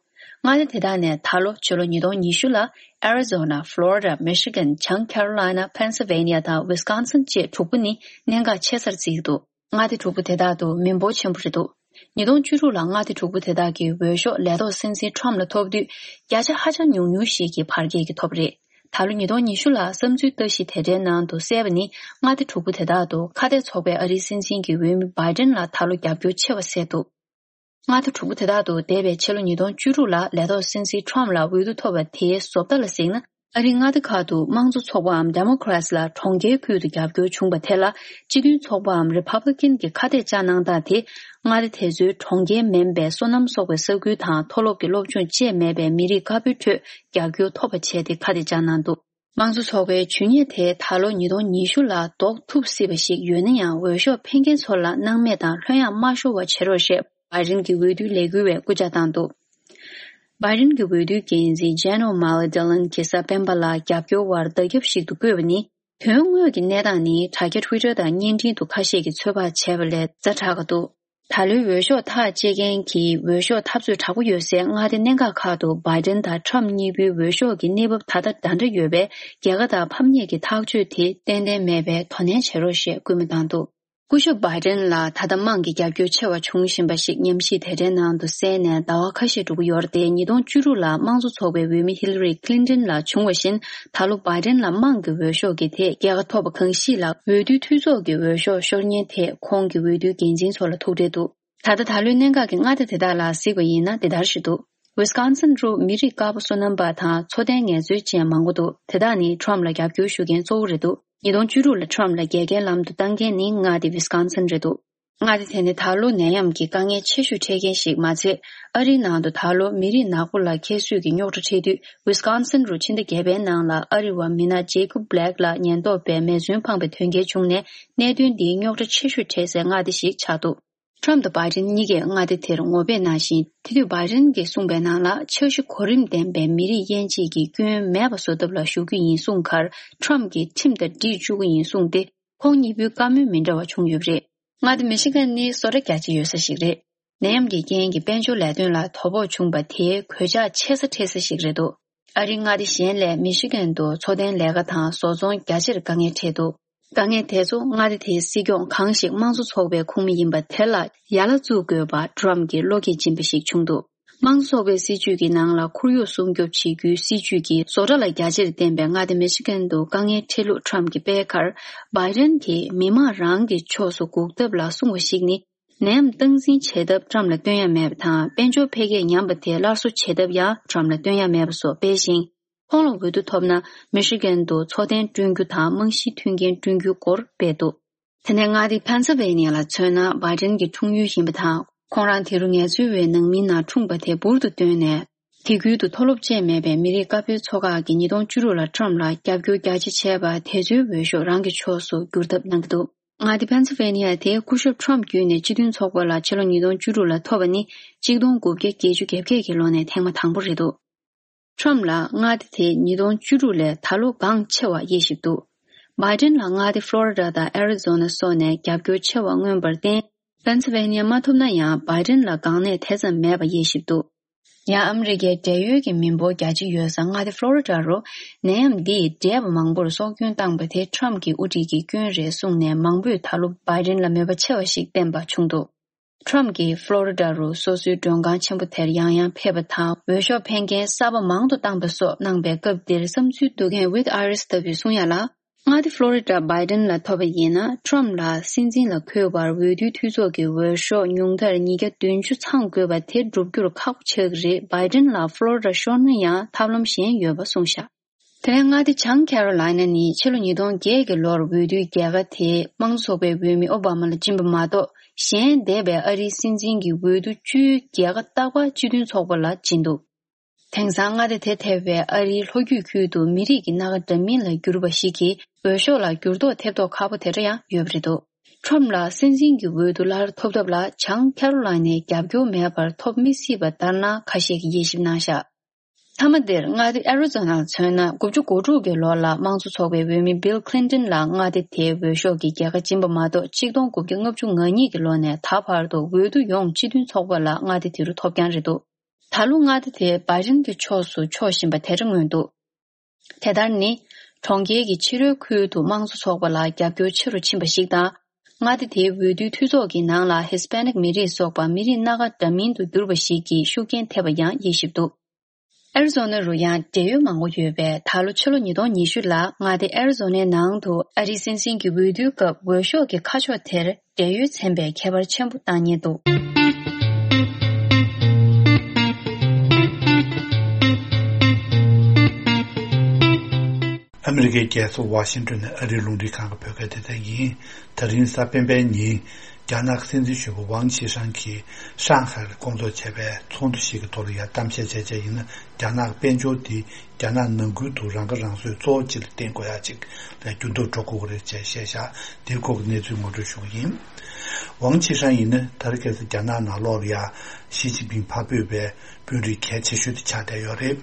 མངའ་སྡེ་དེ་དག་ནས་ད་ལོ་ཕྱི་ལོ་ཉིས་སྟོང་ཉི་ཤུ་ལ་Arizona, Florida, Michigan, བྱང་Carolina, Pennsylvania དང་Wisconsin བཅས་དྲུག་པོ་ནི་གནད་འགག་ཆེ་སར་བརྩི་གི་འདུག་མངའ་སྡེ་དྲུག་པོ་དེ་དག་ཏུ་མི་འབོར་ཆེན་པོ་རེད་འདུག་ཉིས་སྟོང་བཅུ་དྲུག་ལ་མངའ་སྡེ་དྲུག་པོ་དེ་དག་གི་འོས་ཤོག་ལས་ཐོག་སྲིད་འཛིན་ཁྲོམ་ལ་ཐོབ་དུས། བརྒྱ་ཆ་ཧ་ཅང་ཉུང་ཉུང་ཞིག་གི་བར་བརྒལ་གྱིས་ཐོབ་པ་རེད། ད་ལོ་ཉིས་སྟོང་ཉི་ཤུ་ལ་བསམ་ཚུལ་ལྟ་ཞིབ་དེ་འདྲའི་ནང་དུ་གསལ་བ་ནི། མངའ་སྡེ་དྲུག་པོ་དེ་དག་ཏུ་ཁ་གཏད་ཚོགས་པའི་ཨ་རིའི་སྲིད་འཛིན་གྱི་འོས་མི་བྷའི་ཌེན་ལ་ད་ལོ་རྒྱབ་སྐྱོར་ཆེ་བ་གསལ་འདུག་མངའ་སྡེ་དྲུག་པོ་དེ་དག་ཏུ་འདས་པའི་ཕྱི་ལོ་ཉིས་སྟོང་བཅུ་དྲུག་ལ་ལས་ཐོག་སྲིད་འཛིན་ཁྲོམ་ལ་འོས་བསྡུ་ཐོབ་པ་དེའི་བཟོ་ལྟ་ལ་གཟིགས་ན། ཨ་རིའི་མངའ་སྡེ་ཁག་ཏུ་དམངས་གཙོ་ཚོགས་པའམ་Democrats ལ་གྲོང་ཁྱེར་ཁུལ་དུ་རྒྱབ་སྐྱོར་བྱུང་བ་དེ་ལ། སྤྱི་མཐུན་ཚོགས་པའམ་Republican གྱི་ཁ་གཏད་བཅའ་གནང་སྟངས་དེ། མངའ་སྡེ་དེ་ཚོའི་གྲོང་ཁྱེར་མིན་པའི་སོ་ནམ་སོགས་པའི་ས་ཁུལ་དང་མཐོ་སློབ་ཀྱི་སློབ་སྦྱོང་བཅས་མེད་པའི་མི་རིགས་དཀར་པོའི་ཁྲོད་རྒྱབ་སྐྱོར་ཐོབ་པ་བྱས་ཏེ་ཁ་གཏད་བཅའ་གནང་འདུག་དམངས་གཙོ་ཚོགས་པའི་ཇུས་ཉེས་དེ་ད་ལོ་ཉིས་སྟོང་ཉི་ཤུ་ལ་ཟློག་ཐུབ་སྲིད་པ་ཞིག་ཡོད་ན་ཡང་། འོས་ཤོག་འཕེན་མཁན་ཚོ་ལ་སྣང་མེད་དང་ལྷོད་ཡངས་མ་ཤོར་བ་བྱེད་རོགས་ཞེས་བྷའི་ཌེན་གྱི་འོས་བསྡུའི་ལས་འགུལ་བས་སྐུལ་ལྕག་བཏང་འདུག་བྷའི་ཌེན་གྱི་འོས་བསྡུའི་འགན་འཛིན་Jen O'Malley Dillon གྱིས་གཟའ་སྤེན་པ་ལ་རྒྱབ་སྐྱོར་བར་བརྡ་ཁྱབ་ཞིག་ཏུ་བཀོད་པ་ནི། དོན་དངོས་ཀྱི་གནས་སྟངས་ནི་དྲ་རྒྱ་Twitter དང་བརྙན་འཕྲིན་དུ་ཁ་ཤས་ཀྱིས་ཚོད་དཔག་བྱས་པ་ལས་ཛ་དྲག་ག་འདུག་ད་ལོའི་འོས་ཤོག་ཐག་བཅད་མཁན་གྱི་འོས་ཤོག་འཐབ་རྩོད་དྲག་པོ་ཡོད་སའི་མངའ་སྡེ་གནད་འགག་ཁག་ཏུ་བྷའི་ཌེན་དང་ཁྲམ་གཉིས་པོའི་འོས་ཤོག་གི་གནས་བབ་ད་ལྟ་འདྲ་འདྲ་ཡོད་པས། རྒྱལ་ཁ་དང་ཕམ་ཉེས་ཀྱི་ཐག་གཅོད་དེ་ཏན་ཏན་མེད་པའི་དོ་ནན་བྱེད་རོགས་ཞེས་སྐུལ་མ་བཏང་འདུག་སྐུ་ཞབས་བྷའི་ཌེན་ལ་ད་ལྟ་དམངས་ཀྱི་རྒྱབ་སྐྱོར་ཆེ་བ་བྱུང་བཞིན་པ་ཞིག་ཉམས་ཞིབ་དེ་འདྲའི་ནང་དུ་གསལ་ནས་ཟླ་བ་ཁ་ཤས་འགྲོ་གི་ཡོད་རེད་དེ། ཉིས་སྟོང་བཅུ་དྲུག་ལ་དམངས་གཙོ་ཚོགས་པའི་འོས་མི་ཧི་ལ་རི་ཀླིན་ཏོན་ལ་བྱུང་བ་བཞིན། ད་ལོ་བྷའི་ཌེན་ལ་དམངས་ཀྱི་འོས་ཤོག་གི་ཐད་རྒྱལ་ཁ་ཐོབ་པ་གང་ཞིག་ལ་འོས་བསྡུའི་འཐུས་ཚོགས་ཀྱི་འོས་ཤོག་ཤོར་ཉེན་ཐད་ཁོང་གི་འོས་བསྡུའི་འགན་འཛིན་ཚོ་ལ་ཐུག་འཕྲད་འདུག་ད་ལྟ་ད་ལོའི་གནད་འགག་གི་མངའ་སྡེ་དེ་དག་ལ་གཟིགས་པ་ཡིན་ན་འདི་ལྟར་ཞིག་འདུག་ཝི་སི་ཀོན་སིན་རུ་མི་རིགས་དཀར་པོ་བསོད་ནམས་པ་དང་འཚོ་རྟེན་ངལ་རྩོལ་ཅན་མང་པོ་འདུག་དེ་དག་ནི་ཁྲོམ་ལ་རྒྱབ་སྐྱོར་ཞུ་མཁན་གཙོ་བོ་རེད་འདུག་ཉིས་སྟོང་བཅུ་དྲུག་ལ་ཁྲོམ་ལ་རྒྱལ་ཁའི་ལམ་དུ་བཏང་མཁན་ནི་མངའ་སྡེ་ཝི་སི་ཀོན་སིན་རེད་འདུག་མངའ་སྡེ་དེ་ནི་ད་ལོ་ནད་ཡམས་ཀྱི་དཀའ་ངལ་ཆེ་ཤོས་འཕྲད་མཁན་ཞིག་མ་ཚད། ཨ་རིའི་ནང་དུ་ད་ལོ་མི་རིགས་ནག་པོ་ལ་ཁྱད་གསོད་ཀྱི་རྙོག་དྲ་འཕྲད་དུས། ཝི་སི་ཀོན་སིན་རུ་ཕྱི་ཟླ་བརྒྱད་པའི་ནང་ལ་ཨ་རི་བ་མི་སྣ་ཇེ་ཀོབ་བྷི་ལེག་ལ་ཉེན་རྟོག་པས་མེ་མཚོན་འཕངས་པའི་དོན་རྐྱེན་བྱུང་ནས། གནད་དོན་འདིའི་རྙོག་དྲ་ཆེ་ཤོས་འཕྲད་སའི་མངའ་སྡེ་ཞིག་ཆགས་འདུག་ཁྲོམ་དང་བྷའི་ཌེན་གཉིས་ཀས་མངའ་སྡེ་དེར་ངོ་དཔེ་གནང་ཞིང་། དེ་དུས་བྷའི་ཌེན་གྱིས་གསུངས་པའི་ནང་ལ། འཆར་གཞི་གོ་རིམ་ལྡན་པའི་མི་རིགས་དབྱེ་འབྱེད་ཀྱི་སྐྱོན་མེད་པ་བཟོ་ཐབས་ལ་ཞུགས་རྒྱུ་ཡིན་གསུངས་ཁར། ཁྲོམ་གྱིས་ཁྲིམས་དང་འགྲིག་བཅུག་གི་ཡིན་གསུངས་ཏེ། ཁོང་གཉིས་པོའི་བཀའ་མོལ་མི་འདྲ་བ་བྱུང་ཡོད་པ་རེད། མངའ་སྡེ་མི་ཤི་གན་ནི་བཟོ་གྲྭ་རྒྱ་ཆེ་ཡོད་ས་ཞིག་རེད། ནད་ཡམས་ཀྱི་རྐྱེན་གྱིས་དཔལ་འབྱོར་ལས་དོན་ལ་དོ་ཕོག་བྱུང་པ་དེས་གོད་ཆག་ཆེ་ས་འཕྲད་ས་ཞིག་རེད་འདུག་ཨ་རིའི་མངའ་སྡེ་གཞན་ལས་མི་ཤི་གན་དུ་འཚོ་རྟེན་ལས་ཀ་དང་བཟོ་ཚོང་རྒྱ་ཆེར་དཀའ་ངལ་འཕྲད་འདུག་དཀའ་ངལ་དེ་ཚོ་མངའ་སྡེ་དེའི་སྲིད་སྐྱོང་གང་ཞིག་དམངས་གཙོ་ཚོགས་པའི་ཁོངས་མི་ཡིན་པ་དེ་ལ་ཡ་ལ་བཙུགས་དགོས་པ་ཊམ་གྱིས་བློ་འགེལ་སྦྱིན་པ་ཞིག་བྱུང་འདུག་དམངས་གཙོ་ཚོགས་པའི་སྲིད་ཇུས་ཀྱི་ནང་ལ་ཁོར་ཡུག་སྲུང་སྐྱོབ་བྱེད་རྒྱུའི་སྲིད་ཇུས་ཀྱིས་བཟོ་གྲྭ་ལ་རྒྱ་ཆེར་བརྟེན་པའི་མངའ་སྡེ་མི་ཤི་གན་དུ་དཀའ་ངལ་འཕྲད་ལུགས་ཊམ་གྱིས་སྤེལ་ཁར། བྷའི་ཌེན་གྱིས་མི་དམངས་རང་གི་ཕྱོགས་སུ་འགུག་ཐབས་ལ་གསུངས་པ་ཞིག་ནི། ནད་ཡམས་སྟངས་འཛིན་བྱེད་ཐབས་ཊམ་ལ་སྟོན་ཡ་མེད་པ་དང་། དཔལ་འབྱོར་འཕེལ་རྒྱས་ཉམས་པ་དེ་སླར་གསོ་བྱེད་ཐབས་ཡང་ཊམ་ལ་སྟོན་ཡ་མེད་པ་སོགས་སྤེལ་ཞིང་། ཁོང་ལ་འོས་བསྡུ་ཐོབ་ན་མི་ཤི་གན་དུ་འཚོ་རྟེན་བསྐྲུན་རྒྱུ་དང་རྨང་གཞིའི་མཐུན་རྐྱེན་བསྐྲུན་རྒྱུའི་སྐོར་སྤེལ་འདུག་དེ་ནས་མངའ་སྡེ་ཕེན་སིལ་ཝེ་ནི་ཡ་ལ་མཚོན་ན། བྷའི་ཌེན་གྱི་འཁྲུངས་ཡུལ་ཡིན་པ་དང་། ཁོང་རང་དེ་རུ་ངལ་རྩོལ་བའི་ནང་མིའི་ནང་འཁྲུངས་པ་དེ་འབུར་དུ་བཏོན་ནས། དེ་ཁུལ་དུ་མཐོ་སློབ་བཅས་མེད་པའི་མི་རིགས་དཀར་པོའི་ཚོགས་ཁག་གིས་ཉིས་སྟོང་བཅུ་དྲུག་ལ་ཊམ་ལ་རྒྱབ་སྐྱོར་རྒྱ་ཆེ་བྱས་པ་དེ་ཚོའི་འོས་ཤོག་རང་གི་ཕྱོགས་སུ་བསྒྱུར་ཐབས་གནང་གི་འདུག་མངའ་སྡེ་ཕེན་སིལ་ཝེ་ནི་ཡ་དེ་སྐུ་ཞབས་ཊམ་བརྒྱུད་ནས་སྤྱི་མཐུན་ཚོགས་པ་ལ་ཕྱི་ལོ་ཉིས་སྟོང་བཅུ་དྲུག་ལ་ཐོབ་པ་ནི་གཅིག་སྟོང་དགུ་བརྒྱ་བརྒྱད་ཅུ་གྱ་བརྒྱད་ཀྱི་ལོ་ནས་ཐེངས་མ་དང་པོ་རེད་འདུག་ཊམ་ལ་མངའ་སྡེ་དེ་ཉིས་སྟོང་བཅུ་དྲུག་ལས་ད་ལོ་འགངས་ཆེ་བ་དབྱེ་ཞིབ་འདུག་བྷའི་ཌེན་ལ་མངའ་སྡེ་ཕློ་རི་ཌ་དང་ཨེ་རི་ཛོ་ན་སོགས་ནས་རྒྱབ་སྐྱོར་ཆེ་བ་མངོན་པར་བརྟེན། ཕེན་སིལ་ཝེ་ནི་ཡ་མ་ཐོབ་ན་ཡང་བྷའི་ཌེན་ལ་འགངས་གནད་དེ་ཙམ་མེད་པ་དབྱེ་ཞིབ་འདུག་ཡང་ཨ་མི་རི་ཀའི་བགྲེས་ཡོལ་གྱི་མི་འབོར་རྒྱ་ཆེ་ཡོད་ས་མངའ་སྡེ་ཕློ་རི་ཌ་རུ་ནད་ཡམས་འདིས་བགྲེས་པ་མང་པོར་སྲོག་སྐྱོན་བཏང་པ་དེ་ཊམ་གྱི་དབུ་ཁྲིད་ཀྱི་སྐྱོན་རེད་གསུངས་ནས། མང་པོས་ད་ལོ་བྷའི་ཌེན་ལ་མོས་པ་ཆེ་བ་ཞིག་བསྟན་པ་བྱུང་འདུག་ཊམ་གྱིས་ཕློ་རི་ཌ་རུ་སོ་སོའི་མགྲོན་ཁང་ཆེན་པོ་དེར་ཡང་ཡང་ཕེབས་པ་དང་། འོས་ཤོག་འཕེན་མཁན་གསར་པ་མང་དུ་བཏང་པ་སོགས་གནང་པའི་སྐབས་འདིར་བསམ་ཚུལ་བསྡུ་མཁན་ཝིད་ཨ་རིས་ལྟ་བུས་གསུང་ཡ་ལ། མངའ་སྡེ་ཕློ་རི་ཌ་བྷའི་ཌེན་ལ་ཐོབ་པ་ཡིན་ན། ཊམ་ལ་སྲིད་འཛིན་ལ་འཁོད་པར་འོས་བསྡུའི་འཐུས་ཚོགས་ཀྱི་འོས་ཤོག་ཉུང་མཐར་ཉིས་བརྒྱ་བདུན་ཅུ་ཚང་དགོས་པ་དེ་བསྒྲུབ་རྒྱུར་ཁག་པོ་ཆགས་ཀྱི་རེད། བྷའི་ཌེན་ལ་ཕློ་རི་ཌ་ཤོར་ན་ཡང་ཐབས་ལམ་གཞན་ཡོད་པ་གསུངས་བཞག་དེ་ནས་མངའ་སྡེ་བྱང་ཁེ་རོ་ལའི་ན་ནི་ཕྱི་ལོ་ཉིས་སྟོང་བརྒྱད་ཀྱི་ལོར་འོས་བསྡུའི་རྒྱལ་ཁ་དེ་དམངས་གཙོ་ཚོགས་པའི་འོས་མི་ཨོ་བྷ་མ་ལ་སྦྱིན་པ་མ་གཏོགས། གཞན་འདས་པའི་ཨ་རིའི་སྲིད་འཛིན་གྱི་འོས་བསྡུ་བཅུའི་རྒྱལ་ཁ་རྟག་པར་སྤྱི་མཐུན་ཚོགས་པ་ལ་སྦྱིན་འདུག་དེང་སང་མངའ་སྡེ་དེ་ཐེ་བའི་ཨ་རིའི་ལྷོ་རྒྱུད་ཁུལ་དུ་མི་རིགས་ཀྱི་སྣ་ཁ་འདྲ་མིན་ལ་གྱུར་པ་ཞིག་གིས་འོས་ཤོག་ལ་འགྱུར་ལྡོག་ཐེབས་མདོག་ཁ་པོ་དེ་འདྲ་ཡང་ཡོད་པ་རེད་འདུག་ཊམ་ལ་སྲིད་འཛིན་གྱི་འོས་བསྡུ་སླར་ཐོབ་ཐབས་ལ་བྱང་ཁེ་རོ་ལའི་ནའི་རྒྱབ་སྐྱོར་མེད་པར་ཐོབ་མི་སྲིད་པ་ལྟར་སྣང་ཁ་ཤས་ཀྱིས་དབྱེ་ཞིབ་གནང་བཞག་མཐའ་མ་འདིར་མངའ་སྡེ་ཨེ་རི་ཛོ་ན་ལ་མཚོན་ན། དགུ་བཅུ་གོ་དྲུག་གི་ལོ་ལ་དམངས་གཙོ་ཚོགས་པའི་འོས་མི་བྷིལ་ཁི་ལིན་ཏོན་ལ་མངའ་སྡེ་དེའི་འོས་ཤོག་གི་རྒྱལ་ཁ་སྦྱིན་པ་མ་གཏོགས། གཅིག་སྟོང་དགུ་བརྒྱ་ལྔ་བཅུ་ང་གཉིས་ཀྱི་ལོ་ནས་ད་བར་དུ་འོས་བསྡུ་ཡོངས་སྤྱི་མཐུན་ཚོགས་པ་ལ་མངའ་སྡེ་དེ་རུ་ཐོབ་རྐྱང་རེད་འདུག་ད་ལོ་མངའ་སྡེ་དེ་བྷའི་ཌེན་གྱི་ཕྱོགས་སུ་ཕྱོགས་བཞིན་པ་དེ་འདྲ་མངོན་འདུག་དེ་ལྟར་ནི། གྲོང་ཁྱེར་གྱི་ཕྱི་རོལ་ཁུལ་དུ་དམངས་གཙོ་ཚོགས་པ་ལ་རྒྱབ་སྐྱོར་ཆེ་རུ་ཕྱིན་པ་ཞིག་དང་། མངའ་སྡེ་དེའི་འོས་བསྡུའི་འཐུས་ཚོགས་ཀྱི་ནང་ལ་ཧི་སི་པེ་ནིག་མི་རིགས་སོགས་པ་མི་རིགས་སྣ་ཁ་འདྲ་མིན་དུ་གྱུར་པ་ཞིག་གིས་ཤུགས་རྐྱེན་ཐེབས་པ་ཡང་དབྱེ་ཞིབ་འདུག་ཨེ་རི་ཛོ་ན་རུ་ཡང་འབྲེལ་ཡོད་མང་པོ་ཡོད་པས། ད་ལོ་ཕྱི་ལོ་ཉིས་སྟོང་ཉི་ཤུ་ལ་མངའ་སྡེ་ཨེ་རི་ཛོ་ནའི་ནང་དུ་ཨ་རིའི་སྲིད་འཛིན་གྱི་འོས་བསྡུའི་སྐབས་འོས་ཤོག་གི་ཁ་ཕྱོགས་དེར་འབྲེལ་ཡོད་ཚན་པས་ཁྱད་པར་ཆེན་པོ་བཏང་ཉེན་འདུག་ཨ་མི་རི་ཀའི་རྒྱལ་ས་ཝ་ཤིང་ཏོན་ནས་ཨ་རིའི་རླུང་འཕྲིན་ཁང་གི་བོད་སྐད་སྡེ་ཚན་ཡིན། ད་རིང་གཟའ་སྤེན་པའི་ཉིན། རྒྱ་ནག་གི་སྲིད་འཛིན་གཞོན་པ་ཝང་ཆི་ཧྲན་གྱིས་ཧྲང་ཧའེ་ལ་སྐོང་ཚོགས་བྱས་པའི་ཚོགས་འདུ་ཞིག་གི་ཐོག་ལ་ཡང་གཏམ་བཤད་བྱས་བྱས་ཡིན་ན། རྒྱ་ནག་གི་དཔལ་འབྱོར་འདི་རྒྱ་ནག་ནང་ཁུལ་དུ་རང་ཁ་རང་གསོའི་གཙོ་བོ་གཅིག་ལ་བརྟེན་དགོས་ཡ་གཅིག་ལ་འགྱུར་ལྡོག་འགྲོ་དགོས་ཀྱི་རེད་ཅེས་བཤད་བཞག་འདིའི་སྐོར་གྱི་གནས་ཚུལ་ངོ་སྤྲོད་ཞུ་གི་ཡིན། ཝང་ཆི་ཧྲན་ཡིན་ན་ད་རེས་ཁ་སང་རྒྱ་ནག་ནང་ལོགས་ལ་ཡ་ཞི་ཅིན་ཕིང་ཕར་འབོད་པའི་དཔོན་རིགས་གལ་ཆེ་ཤོས་དེ་ཆགས་བསྡད་ཡོད་རེད།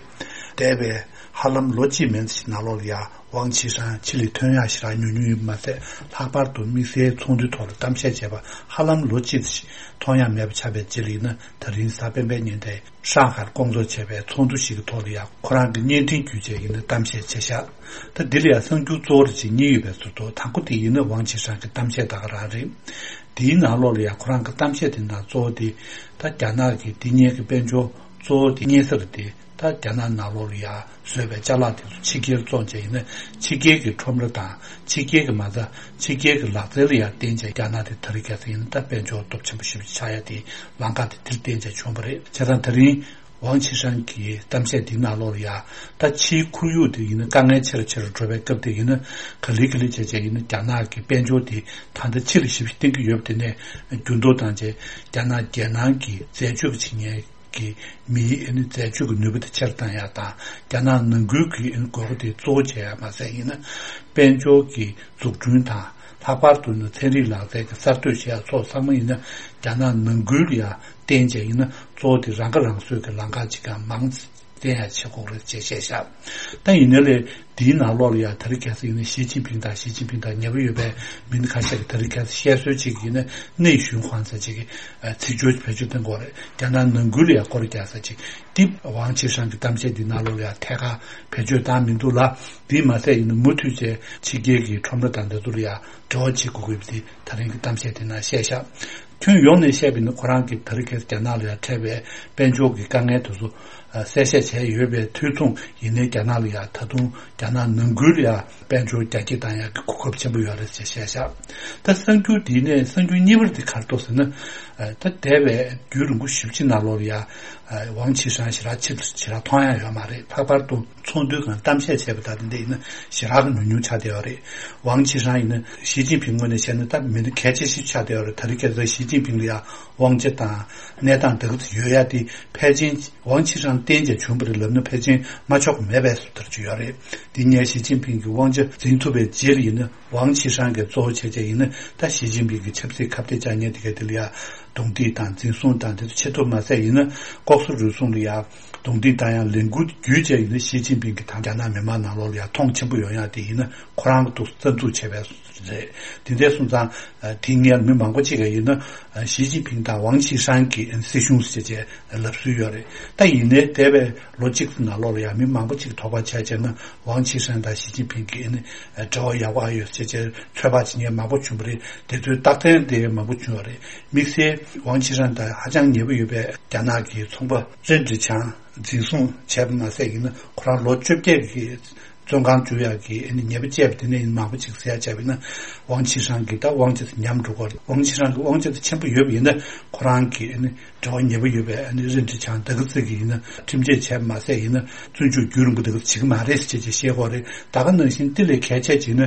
འདས་པའི་ཧ་ལམ་ལོ་གཅིག་མན་ཙམ་ཞིག་ནང་ལོགས་ལ་ཡ་ ཝང་ཆི་ཧྲན་ཕྱི་ལ་ཐོན་ཡག་ཞེ་དྲག་ཉུང་ཉུང་ཡིན་པ་མ་ཟད། ལྷག་པར་དུ་དམིགས་བསལ་ཚོགས་འདུའི་ཐོག་ལ་གཏམ་བཤད་བྱས་པ་ཧ་ལམ་ལོ་གཅིག་ཙམ་ཞིག་མཐོང་ཡག་མེད་པ་ཆགས་པའི་རྗེས་ལ་ཡིན་ན། ད་རིང་གཟའ་སྤེན་པའི་ཉིན་དེ་ཧྲང་ཧའེར་བསྐོང་ཚོགས་བྱས་པའི་ཚོགས་འདུ་ཞིག་གི་ཐོག་ལ་ཡང་ཁོ་རང་གི་བརྙན་འཕྲིན་བརྒྱུད་བྱས་ཡིན་ན་གཏམ་བཤད་བྱས་ཤག་ད་འདི་ལ་ཡང་གསར་འགྱུར་གཙོ་བོ་རེ་ཅིག་གཉིས་ཡོད་པའི་ཟུར་དུ། དང་པོ་དེ་ཡིན་ན་ཝང་ཆི་ཧྲན་གྱི་གཏམ་བཤད་ད་ག་རང་རེད། དེའི་ནང་ལོགས་ལ་ཡང་ཁོ་རང་གི་གཏམ་བཤད་དེ་ནང་གཙོ་བོ་དེ། ད་རྒྱ་ནག་གི་འདི་སྔོན་གྱི་དཔལ་འབྱོར་གཙོ་བོ་དེ་སྔོན་གསར་དེ། ད་རྒྱ་ནག་ནང་ལོགས་ལ་ཡང་བཟོས་པའི་ཅ་ལག་དེ་ཚོ་ཕྱི་རྒྱལ་བཙོང་བྱས་ཡིན་ན། ཕྱི་རྒྱལ་གྱི་ཁྲོམ་ར་དང་ཕྱི་རྒྱལ་གྱི་མ་རྩ། ཕྱི་རྒྱལ་གྱི་ལག་རྩལ་ལ་ཡང་བརྟེན་བྱས་རྒྱ་ནག་དེ་ད་རེས་ཁ་སང་ཡིན་ན་ད་དཔལ་འབྱོར་སྟོབས་ཆེན་པོ་ཞེ་པོ་ཅིག་ཆགས་ཡ་དེ་ལམ་ཁ་དེ་དེར་བརྟེན་བྱས་བྱུང་བ་རེད། བྱས་ཙང་ད་རིང་ཝང་ཆི་ཧྲན་གྱི་གཏམ་བཤད་དེའི་ནང་ལོགས་ལ་ཡང་། ད་ཕྱིའི་ཁོར་ཡུག་དེ་ཡིན་ན་དཀའ་ངལ་ཆེ་རུ་ཆེ་རུ་འགྲོ་བའི་སྐབས་དེ་ཡིན་ན། ག་ལེ་ག་ལེ་བྱས་བྱས་ཡིན་ན་རྒྱ་ནག་གི་དཔལ་འབྱོར་དེ་ད་ལྟ་ཕྱི་ལ་ཞེ་པོ་ཅིག་བརྟེན་གྱི་ཡོད་པ་དེ་ནས་འགྱུར་ལྡོག་བཏང་བྱས། རྒྱ་ནག་རྒྱལ་ནང་གི་འཛད་སྤྱོད་ཀྱི་བྱེད་མཁན་གྱི་མིའི་ཨ་ནི་འཛད་སྤྱོད་ཀྱི་ནུས་པ་དེ་ཆེ་རུ་བཏང་ཡག་དང་། རྒྱ་ནག་ནང་ཁུལ་གྱི་ཨ་ནི་དགོས་མཁོ་དེ་གཙོ་བོ་བྱས་ཡག་མ་ཟད་ཡིན་ན། དཔལ་འབྱོར་གྱི་འཛུགས་སྐྲུན་དང་། ལྷག་པར་དུ་ནི་ཚན་རིག་ལག་རྩལ་གྱི་གསར་གཏོད་བྱེད་ཡག་སོགས་ཚང་མ་ཡིན་ན། རྒྱ་ནག་ནང་ཁུལ་ལ་ཡང་བརྟེན་བྱས་ཡིན་ན། གཙོ་བོ་དེ་རང་ཁ་རང་གསོའི་གི་ལམ་ཁ་ཅིག་ཀྱང་མང་ཙམ་བསྟན་ཡག་བྱེད་དགོས་རེད་ཅེས་བཤད་ཤག་ད་ཡིན་ནའི་ལས་འདིའི་ནང་ལོགས་ལ་ཡང་ད་རེས་ཁ་སང་ཡིན་ན་ཞི་ཅིན་ཕིང་དང་། ཞི་ཅིན་ཕིང་དང་ཉེ་པོ་ཡོད་པའི་མི་སྣ་ཁ་ཤས་ཀྱིས་ད་རེས་ཁ་སང་བཤད་སྲོལ་ཅིག་ཡིན་ན། 内循环ཟེར་ཅིག་གི་ཚིག་སྦྱོར་བེད་སྤྱོད་གཏོང་དགོས་རེད། རྒྱ་ནག་ནང་ཁུལ་ལ་ཡང་སྐོར་རྒྱག་ས་ཅིག་དེ་ཝང་ཆི་ཧྲན་གྱི་གཏམ་བཤད་འདི་ནང་ལོགས་ལ་ཡང་ཐད་ཀར་བེད་སྤྱོད་བཏང་མི་འདུག་ལ། དེས་མ་ཟད་ཡིན་ན་མུ་མཐུད་བྱས་ཕྱི་རྒྱལ་གྱི་ཁྲོམ་ར་དང་འདི་ཚོ་ལ་ཡང་འབྲེལ་བ་བྱེད་དགོས་ཀྱི་ཡོད་པ་དེ་ད་རིང་གི་གཏམ་བཤད་དེ་ནང་བཤད་ཤག་ཁྱོན་ཡོངས་ནས་བཤད་པ་ཡིན་ན། ཁོ་རང་གིས་ད་རེས་ཁ་སང་རྒྱ་ནག་ལ་ཡང་འཕྲད་པའི་དཔལ་འབྱོར་གྱི་དཀའ་ངལ་དེ་ཚོ་གསལ་བཤད་བྱས་ཡོད་པའི་དུས་མཚུངས་ཡིན་ནའི། རྒྱ་ནག་ལ་ཡང་ད་དུང་རྒྱ་ནག་ནང་ཁུལ་ལ་ཡང་དཔལ་འབྱོར་རྒྱ་སྐྱེད་བཏང་ཡག་གི་གོ་སྐབས་ཆེན་པོ་ཡོད་རེད་ཅེས་བཤད་ཤག་ད་གསར་འགྱུར་འདིའི་ནས་གསར་འགྱུར་གཉིས་པ་དེ་ག་རེ་འདུག་ཟེར་ན། ད་འདས་པའི་རྒྱུན་རིང་པོ་ཞེ་པོ་ཅིག་ནང་ལོགས་ལ་ཡང་ཝང་ཆི་ཧྲན་ཞེ་དྲག་ཕྱིར་ཞེ་དྲག་མཐོང་ཡག་ཡོད་མ་རེད། ལྷག་པར་དུ་ཚོགས་འདུའི་སྒང་གཏམ་བཤད་བྱས་པ་དང་དེ་འདྲ་ཡིན་ན་ཞེ་དྲག་གི་ཉུང་ཉུང་ཆགས་བསྡད་ཡོད་རེད། ཝང་ཆི་ཧྲན་ཡིན་ན་ཞི་ཅིན་ཕིང་ངོས་ནས་བཤད་ན་ད་མི་སྣ་གལ་ཆེ་ཞིག་ཆགས་བསྡད་ཡོད་རེད། ད་རེས་ཁ་སང་ཞི་ཅིན་ཕིང་ལ་ཡང་དབང་ཆ་དང་གནས་སྟངས་དེ་ག་ཚོད་ཡོད་ཡ་དེ་ཕལ་ཆེར་ཝང་ཆི་ཧྲན་བརྟེན་བྱས་བྱུང་བ་རེད་ལབ་ན་ཕལ་ཆེར་མ་ཆོག་གི་མེད་པའི་བཟོ་ལྟ་ཅིག་ཡོད་རེད། དེ་སྔོན་ཞི་ཅིན་ཕིང་གིས་དབང་ཆ་འཛིན་ཐུབ་པའི་རྗེས་ལ་ཡིན་ན། ཝང་ཆི་ཧྲན་གྱི་གཙོ་བོ་བྱས་བྱས་ཡིན་ན། ད་ཞི་ཅིན་ཕིང་གི་ཆབ་སྲིད་ཁ་གཏད་བཅག་མཁན་དེ་ག་དེ་ལ་ཡང་རྡུང་རྡེག་དང་འཛིན་བཟུང་དང་དེ་ཚོ་བྱེད་ཐུབ་མ་ཟད་ཡིན་ན། ལྐོག་ཟ་རུལ་སུངས་ལ་ཡང་རྡུང་རྡེག་བཏང་ཡག་ལས་འགུལ་བརྒྱུད་བྱས་ཡིན་ན། ཞི་ཅིན་ཕིང་གི་ད་རྒྱ་ནག་མི་མང་ནང་ལོགས་ལ་ཡང་མཐོང་ཆེན་པོ་ཡོང་ཡག་དེ་ཡིན་ན། ཁོ་རང་གི་ཐུགས་རྩ་འཛུགས་བྱས་པའི་རེད། དེ་འདྲ་སོང་ཙང་དེ་སྔོན་མི་མང་པོ་ཅིག་གིས་ཡིན་ན། ཞི་ཅིན་ཕིང་དང་ཝང་ཆི་ཧྲན་གྱི་སྲིད་གཞུང་ཟེར་བྱས་ལབ་སྲོལ་ཡོད་རེད། ད་ཡིན་ནའི་འདས་པའི་ལོ་གཅིག་ཙམ་ནང་ལོགས་ལ་ཡང་མི་མང་པོ་ཅིག་དོགས་པ་བྱས་བྱས་ན། ཝང་ཆི་ཧྲན་དང་ཞི་ཅིན་ཕིང་གི་ཨ་ནི་འབྲེལ་བ་ཡག་པོ་ཡོད་ཟེར་བྱས་ཚོད་དཔག་བྱེད་མཁན་མང་པོ་བྱུང་བ་རེད། དེ་ཚོའི་རྟགས་མཚན་དེ་མང་པོ་བྱུང་བ་རེད། དམིགས་བསལ་ཝང་ཆི་ཧྲན་དང་ཧ་ཅང་ཉེ་པོ་ཡོད་པའི་རྒྱ་ནག་གི་ཚོང་པ་རིན་ཀྲི་ཆང་འཛིན་བཟུང་བྱས་པ་མ་ཟད་ཡིན་ན། ཁོ་རང་ལོ་བཅོ་བརྒྱད་ཀྱི་བཙོན་ཁང་བཅུག་ཡག་གི་ཨ་ནི་ཉེས་པ་བཅད་པ་དེ་ནས་ཡིན་མང་པོ་ཅིག་ཟེར་ཡག་བྱས་པ་ཡིན་ན། ཝང་ཆི་ཧྲན་གྱི་ད་དབང་ཆ་དེ་ཉམས་འགྲོ་གི་རེད། ཝང་ཆི་ཧྲན་གྱི་དབང་ཆ་དེ་ཆེན་པོ་ཡོད་པ་ཡིན་ན། ཁོ་རང་གི་ཨ་ནི་འབྲེལ་བ་ཉེ་པོ་ཡོད་པའི་ཨ་ནི་རིན་ཀྲི་ཆང་དེ་ག་ཚོད་ཀྱིས་ཡིན་ན་ཁྲིམས་ཆད་བྱས་པ་མ་ཟད་ཡིན་ན། བཙོན་འཇུག་རྒྱུན་རིང་པོ་དེ་ག་ཚོད་བྱེད་ཀྱི་མ་རེད་ཟེར་བྱས་བཤད་ཀྱི་ཡོད་རེད། ད་ག་ནང་བཞིན་དེ་ལས་གལ་ཆེ་ཅིག་ནི།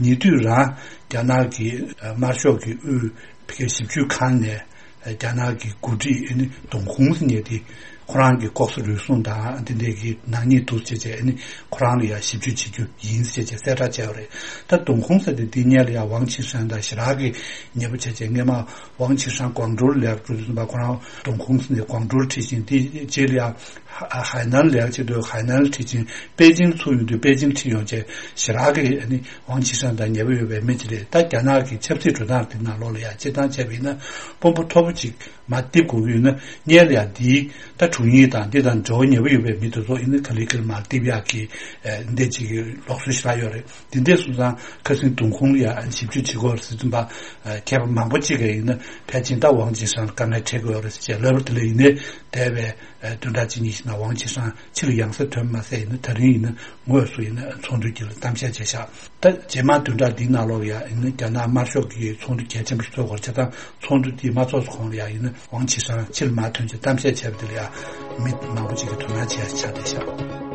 ཉེ་དུས་རང་རྒྱ་ནག་གི་དམར་ཤོག་གི་དབུས་ཕ་གིའི་ཞིབ་འཇུག་ཁང་ནས་རྒྱ་ནག་གི་འགོ་ཁྲིད་ཨ་ནི་ཏུང་ཧུང་ཟེར་མཁན་དེ་ཁོ་རང་གི་ལྐོག་ཟ་རུལ་སུངས་དང་དེ་འདྲའི་གི་ནག་ཉེས་འདུག་ཟེར་བྱས་ཨ་ནི་ཁོ་རང་ལ་ཡང་ཞིབ་འཇུག་བྱེད་རྒྱུ་ཡིན་ཟེར་བྱས་གསལ་བསྒྲགས་བྱས་པ་རེད། ད་ཏུང་ཧུང་ཟེར་དེ་འདི་སྔོན་ལ་ཡང་ཝང་ཆི་ཧྲན་དང་ཞེ་དྲག་གི་ཉེ་པོ་བྱས་བྱས། སྔོན་མ་ཝང་ཆི་ཧྲན་ཀོང་ཀྲོའུ་ལ་ལས་ཀ་བྱེད་དུས་ཙམ་པ་ཁོ་རང་ཏུང་ཧུང་ཟེར་ནས་ཀོང་ཀྲོའུ་ཁྲིད་ཅིང་། དེ་རྗེས་ལ་ཡང་ཧ་ཧའེ་ནན་ལ་ལས་ཀ་བྱེད་དུས་ཧའེ་ནན་ཁྲིད་ཅིང་། པེ་ཅིང་ཚུར་ཡོང་དུས་པེ་ཅིང་ཁྲིད་ཡོང་བྱས་ཞེ་དྲག་གི་ཨ་ནི་ཝང་ཆི་ཧྲན་དང་ཉེ་པོ་ཡོད་པའི་མི་ཅིག་རེད། ད་རྒྱ་ནག་གི་ཆབ་སྲིད་འགྲོ་སྟངས་དེ་ནང་ལོགས་ལ་ཡང་སྤྱིར་བཏང་བྱས་པ་ཡིན་ན་དཔོན་པོ་མཐོ་པོ་ཅིག་མར་འདེབས་དགོས་ཀྱི་ཡོད་ན། སྔོན་ལ་ཡང་འདིའི་ད་དྲུང་ཡིག་དང་འདི་དང་འབྲེལ་བ་ཉེ་པོ་ཡོད་པའི་མི་དེ་ཚོ་ཡིན་ན་ག་ལེ་ག་ལེ་མར་འདེབས་ཡག་གི་ཨ་འདི་ཅིག་གི་ལུགས་སྲོལ་ཞེ་དྲག་ཡོད་རེད། དེ་འདྲ་སོང་ཙང་ཁ་སང་ཏུང་ཧུང་ལ་ཡང་ཞིབ་འཇུག་བྱེད་དགོས་རེད་ཟེར་དུས་ཙམ་པ། མཁས་པ་མང་པོ་ཅིག་གིས་ཡིན་ན་ཕལ་ཆེར་ད་ཝང་ཆི་ཧྲན་ལ་དཀའ་ངལ་འཕྲད་ཀྱི་ཡོད་རེད་ཟེར་བྱས་ལབ་པ་དེ་ལ་ཡིན་ནའི། འདས་པའི་ཨ་བདུན་ཕྲག་གཅིག་གཉིས་ཤིག་ནང་ཝང་ཆི་ཧྲན་ཕྱི་ལ་ཡང་སེ་ཐོན་མ་ཟད་ཡིན་ན། ད་རིང་ཡིན་ན་དངོས་སུ་ཡིན་ན་ཚོགས་འདུའི་དཀྱིལ་ལ་གཏམ་བཤད་བྱས་ཤག་ད་རྗེས་མ་བདུན་ཕྲག་འདིའི་ནང་ལོགས་ལ་ཡང་ཡིན་ན་རྒྱ་ནག་དམར་ཤོག་གི་ཚོགས་འདུ་གལ་ཆེན་པོ་ཞིག་ཚོགས་དགོས་རེད། བྱས་ཙང་ཚོགས་འདུ་དེ་མ་ཚོགས་གོང་ལ་ཡང་ཡིན་ན་ཝང་ཆི་ཧྲན་ཕྱི་ལ་མར་ཐོན་བྱས་གཏམ་བཤད་བྱས་པ་དེ་ལ་ཡང་མི་མང་པོ་ཅིག་གིས་དོ་སྣང་བྱས་ཆགས་བསྡད་ཤག་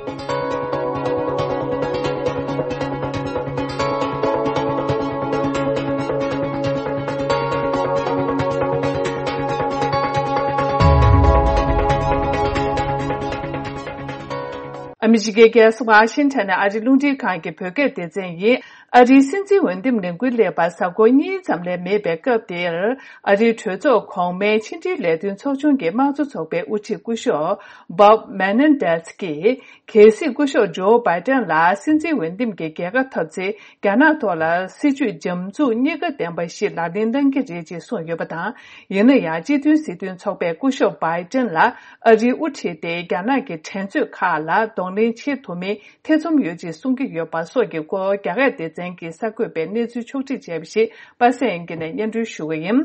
ཨ་མི་རི་ཀའི་རྒྱལ་ས་ཝ་ཤིང་ཊོན་ནས་ཨ་རི་རླུང་འཕྲིན་ཁང་གི་བོད་སྐད་སྡེ་ཚན་ཡིན། ཨ་རིའི་སྲིད་འཛིན་འོས་འདེམས་ལས་འགུལ་སླེབས་པར་གཟའ་འཁོར་གཉིས་ཙམ་ལས་མེད་པའི་སྐབས་དེར། ཨ་རིའི་གྲོས་ཚོགས་གོང་མའི་ཕྱི་འབྲེལ་ལས་དོན་ཚོགས་ཆུང་གི་དམངས་གཙོ་ཚོགས་པའི་དབུ་ཁྲིད་སྐུ་ཞབས་Bob Menendez་གྱིས། གལ་སྲིད་སྐུ་ཞབས་ཇོ་བྷའི་ཏན་ལ་སྲིད་འཛིན་འོས་འདེམས་ཀྱི་རྒྱལ་ཁ་ཐོབ་ཚེ། རྒྱ་ནག་ཐོག་ལ་སྲིད་ཇུས་འཇམ་རྩུབ་གཉིས་ཀ་ལྡན་པ་ཞིག་ལག་ལེན་གནང་གི་རེད་ཅེས་གསུངས་ཡོད་པ་དང་། ཡིན་ན་ཡང་སྤྱི་མཐུན་སྲིད་དོན་ཚོགས་པས་སྐུ་ཞབས་བྷའི་ཏན་ལ་ཨ་རིའི་དབུ་ཁྲིད་དེ་རྒྱ་ནག་གི་འགྲན་རྩོད་ཁག་ལ་གདོང་ལེན་བྱེད་ཐུབ་མིན་ཐེ་ཚོམ་ཡོད་ཅེས་གསུང་གི་ཡོད་པ་སོགས་ཀྱི་སྐོར། རྒྱ་གར་སྡེ་ཚན་གྱི་གསར་འགོད་པས་གནས་ཚུལ་ཕྱོགས་སྒྲིག་བྱས་པ་ཞིག་པ་སངས་དབྱངས་སྐྱིད་ནས་སྙན་སྒྲོན་ཞུ་གི་ཡིན།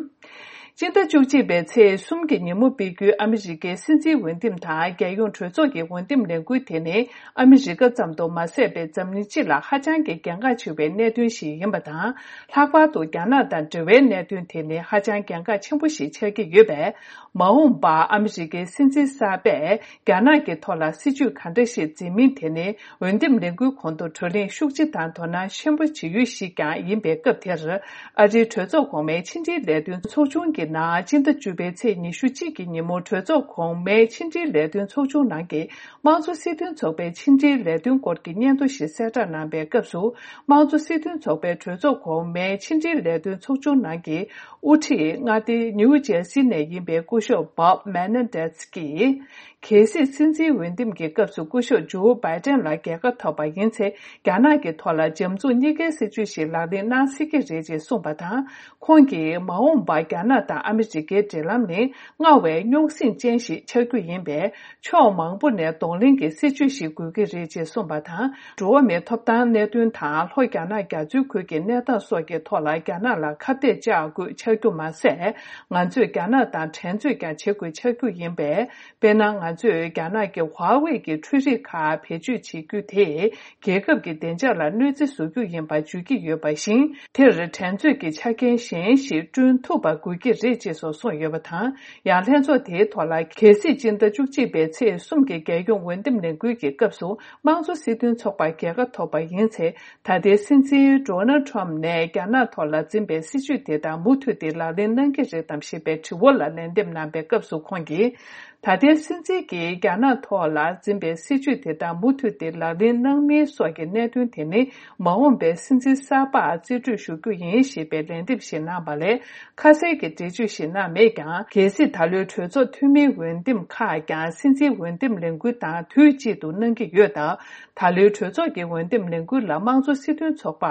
སྤྱི་ཟླ་བཅུ་གཅིག་པའི་ཚེས་གསུམ་གྱི་ཉིན་མོ་སྤེལ་རྒྱུའི་ཨ་མི་རི་ཀའི་སྲིད་འཛིན་འོས་འདེམས་དང་། རྒྱལ་ཡོངས་གྲོས་ཚོགས་ཀྱི་འོས་འདེམས་ལས་འགུལ་དེ་ནི། ཨ་མི་རི་ཀ་ཙམ་དུ་མ་ཟད་པའི་འཛམ་གླིང་སྤྱི་ལ་ཧ་ཅང་གི་གལ་འགངས་ཆེ་བའི་གནད་དོན་ཞིག་ཡིན་པ་དང་། ལྷག་པར་དུ་རྒྱ་ནག་དང་འབྲེལ་བའི་གནད་དོན་དེ་ནི་ཧ་ཅང་གལ་འགངས་ཆེན་པོ་ཞིག་ཆགས་ཀྱི་ཡོད་པས། མ་འོངས་པར་ཨ་མི་རི་ཀའི་སྲིད་འཛིན་གསར་པས་རྒྱ་ནག་གི་ཐོག་ལ་སྲིད་ཇུས་ག་འདྲ་ཞིག་འཛིན་མིན་དེ་ནི། འོས་འདེམས་ལས་འགུལ་གོང་དུ་བགྲོ་གླེང་ཤུགས་ཆེ་དང་དོ་སྣང་ཆེན་པོ་བྱེད་ཡུལ་ཞིག་ཀྱང་ཡིན་པའི་སྐབས་དེར། ཨ་རིའི་གྲོས་ཚོགས་གོང་མའི་ཕྱི་འབྲེལ་ལས་དོན་ཚོགས་ཆུང་གི་ནང་སྤྱི་ཟླ་བཅུ་པའི་ཚེས་ཉི་ཤུ་གཅིག་གི་ཉིན་མོ་གྲོས་ཚོགས་གོང་མའི་ཕྱི་འབྲེལ་ལས་དོན་ཚོགས་ཆུང་ནང་གི་དམངས་གཙོ་སྲིད་དོན་ཚོགས་པའི་ཕྱི་འབྲེལ་ལས་དོན་སྐོར་གྱི་སྙན་ཐོ་ཞིག་གསལ་བསྒྲགས་གནང་པའི་སྐབས་སུ། དམངས་གཙོ་སྲིད་དོན་ཚོགས་པའི་གྲོས་ཚོགས་གོང་མའི་ཕྱི་འབྲེལ་ལས་དོན་ཚོགས་ཆུང་ནང་གི་དབུ་ཁྲིད་མངའ་སྡེ་ནིའུ་ཇར་སི་ནས་ཡིན་པའི་སྐུ་ཞབས་Bob Menendez་གྱིས། གལ་སྲིད་སྲིད་འཛིན་འོས་འདེམས་ཀྱི་སྐབས་སུ་སྐུ་ཞབས་ཇོ་བྷའི་ཏན་ལ་རྒྱལ་ཁ་ཐོབ་པ་ཡིན་ཚེ། རྒྱ་ནག་གི་ཐོག་ལ་འཇམ་རྩུབ་གཉིས་ཀའི་སྲིད་ཇུས་ཤིག་ལག་ལེན་གནང་སྲིད་ཀྱི་རེད་ཅེས་གསུངས་པ་དང་། ཁོང་གིས་མ་འོངས་པར་རྒྱ་ནག་དང་ཨ་མི་རི་ཀའི་འབྲེལ་ལམ་ནི་སྔར་བས་རྙོག་ཟིང་ཅན་ཞིག་ཆགས་རྒྱུ་ཡིན་པས། ཕྱོགས་མང་པོ་ནས་གདོང་ལེན་གྱི་སྲིད་ཇུས་ཤིག་དགོས་ཀྱི་རེད་ཅེས་གསུངས་པ་དང་། འགྲོ་བ་མིའི་ཐོབ་ཐང་གནད་དོན་དང་། ལྷོ་རྒྱ་ནག་རྒྱ་མཚོའི་ཁུལ་གྱི་གནས་སྟངས་སོགས་ཀྱི་ཐོག་ལ་རྒྱ་ནག་ལ་ཁ་གཏད་བཅག་དགོས་ཆགས་རྒྱུ་མ་ཟད། ང་ཚོས་རྒྱ་ནག་དང་འགྲན་རྩོད་ཀྱང་བྱེད་དགོས་ཆགས་རྒྱུ་ཡིན་པས། དཔེར་ན། ང་ཚོས་རྒྱ་ནག་གི་ཧྭ་ཝེ་གི་འཕྲུལ་རིག་ཁག་བེད་སྤྱོད་བྱེད་རྒྱུ་དེས་རྒྱལ་ཁབ་ཀྱི་བདེ་འཇགས་ལ་གནོད་འཚེ་བཟོ་རྒྱུ་ཡིན་པ་བརྗོད་ཀྱི་ཡོད་པ་བཞིན། དེར་འགྲན་རྩོད་ཀྱི་ཆ་རྐྱེན་གཞན་ཞིག་བསྐྲུན་ཐུབ་པ་དགོས་ཀྱི་རེད་ཅེས་སོགས་གསུངས་ཡོད་པ་དང་། ཡང་ལྷན་ཚོགས་དེའི་ཐོག་ལ། གལ་སྲིད་སྤྱི་ཟླ་བཅུ་གཅིག་པའི་ཚེས་གསུམ་གྱི་རྒྱལ་ཡོངས་འོས་འདེམས་ལས་འགུལ་གྱི་སྐབས་སུ། དམངས་གཙོ་སྲིད་དོན་ཚོགས་པར་རྒྱལ་ཁ་ཐོབ་པ་ཡིན་ཚེ། ད་ལྟའི་སྲིད་འཛིན་Donald Trump་ནས་རྒྱ་ནག་ཐོག་ལ་འཛིན་པའི་སྲིད་ཇུས་དེ་དག་མུ་མཐུད་དེ་ལག་ལེན་གནང་གི་རེད་དམ་ཞེས་པའི་དྲི་བ་ལ་ལན་འདེབས་གནང་པའི་སྐབས་སུ། ཁོང་གིས། ད་ལྟའི་སྲིད་འཛིན་གྱིས་རྒྱ་ནག་ཐོག་ལ་འཛིན་པའི་སྲིད་ཇུས་དེ་དག་མུ་མཐུད་དེ་ལག་ལེན་གནང་མིན་སོགས་ཀྱི་གནད་དོན་དེ་ནི། མ་འོངས་པའི་སྲིད་འཛིན་གསར་པར་རྩིས་སྤྲོད་ཞུ་རྒྱུ་ཡིན་ཞེས་པའི་ལན་འདེབས་ཤིག་གནང་བ་ལས། ཁ་གསལ་གྱི་འགྲེལ་བརྗོད་ཞིག་གནང་མེད་ཀྱང་། གལ་སྲིད་ད་ལོའི་གྲོས་ཚོགས་འཐུས་མིའི་འོས་འདེམས་ཁག་ཀྱང་སྲིད་འཛིན་འོས་འདེམས་ལས་འགུལ་དང་དུས་གཅིག་ཏུ་གནང་གི་ཡོད་སྟབས། ད་ལོའི་གྲོས་ཚོགས་ཀྱི་འོས་འདེམས་ལས་འགུལ་ལ་དམངས་གཙོ་སྲིད་དོན་ཚོགས་པ།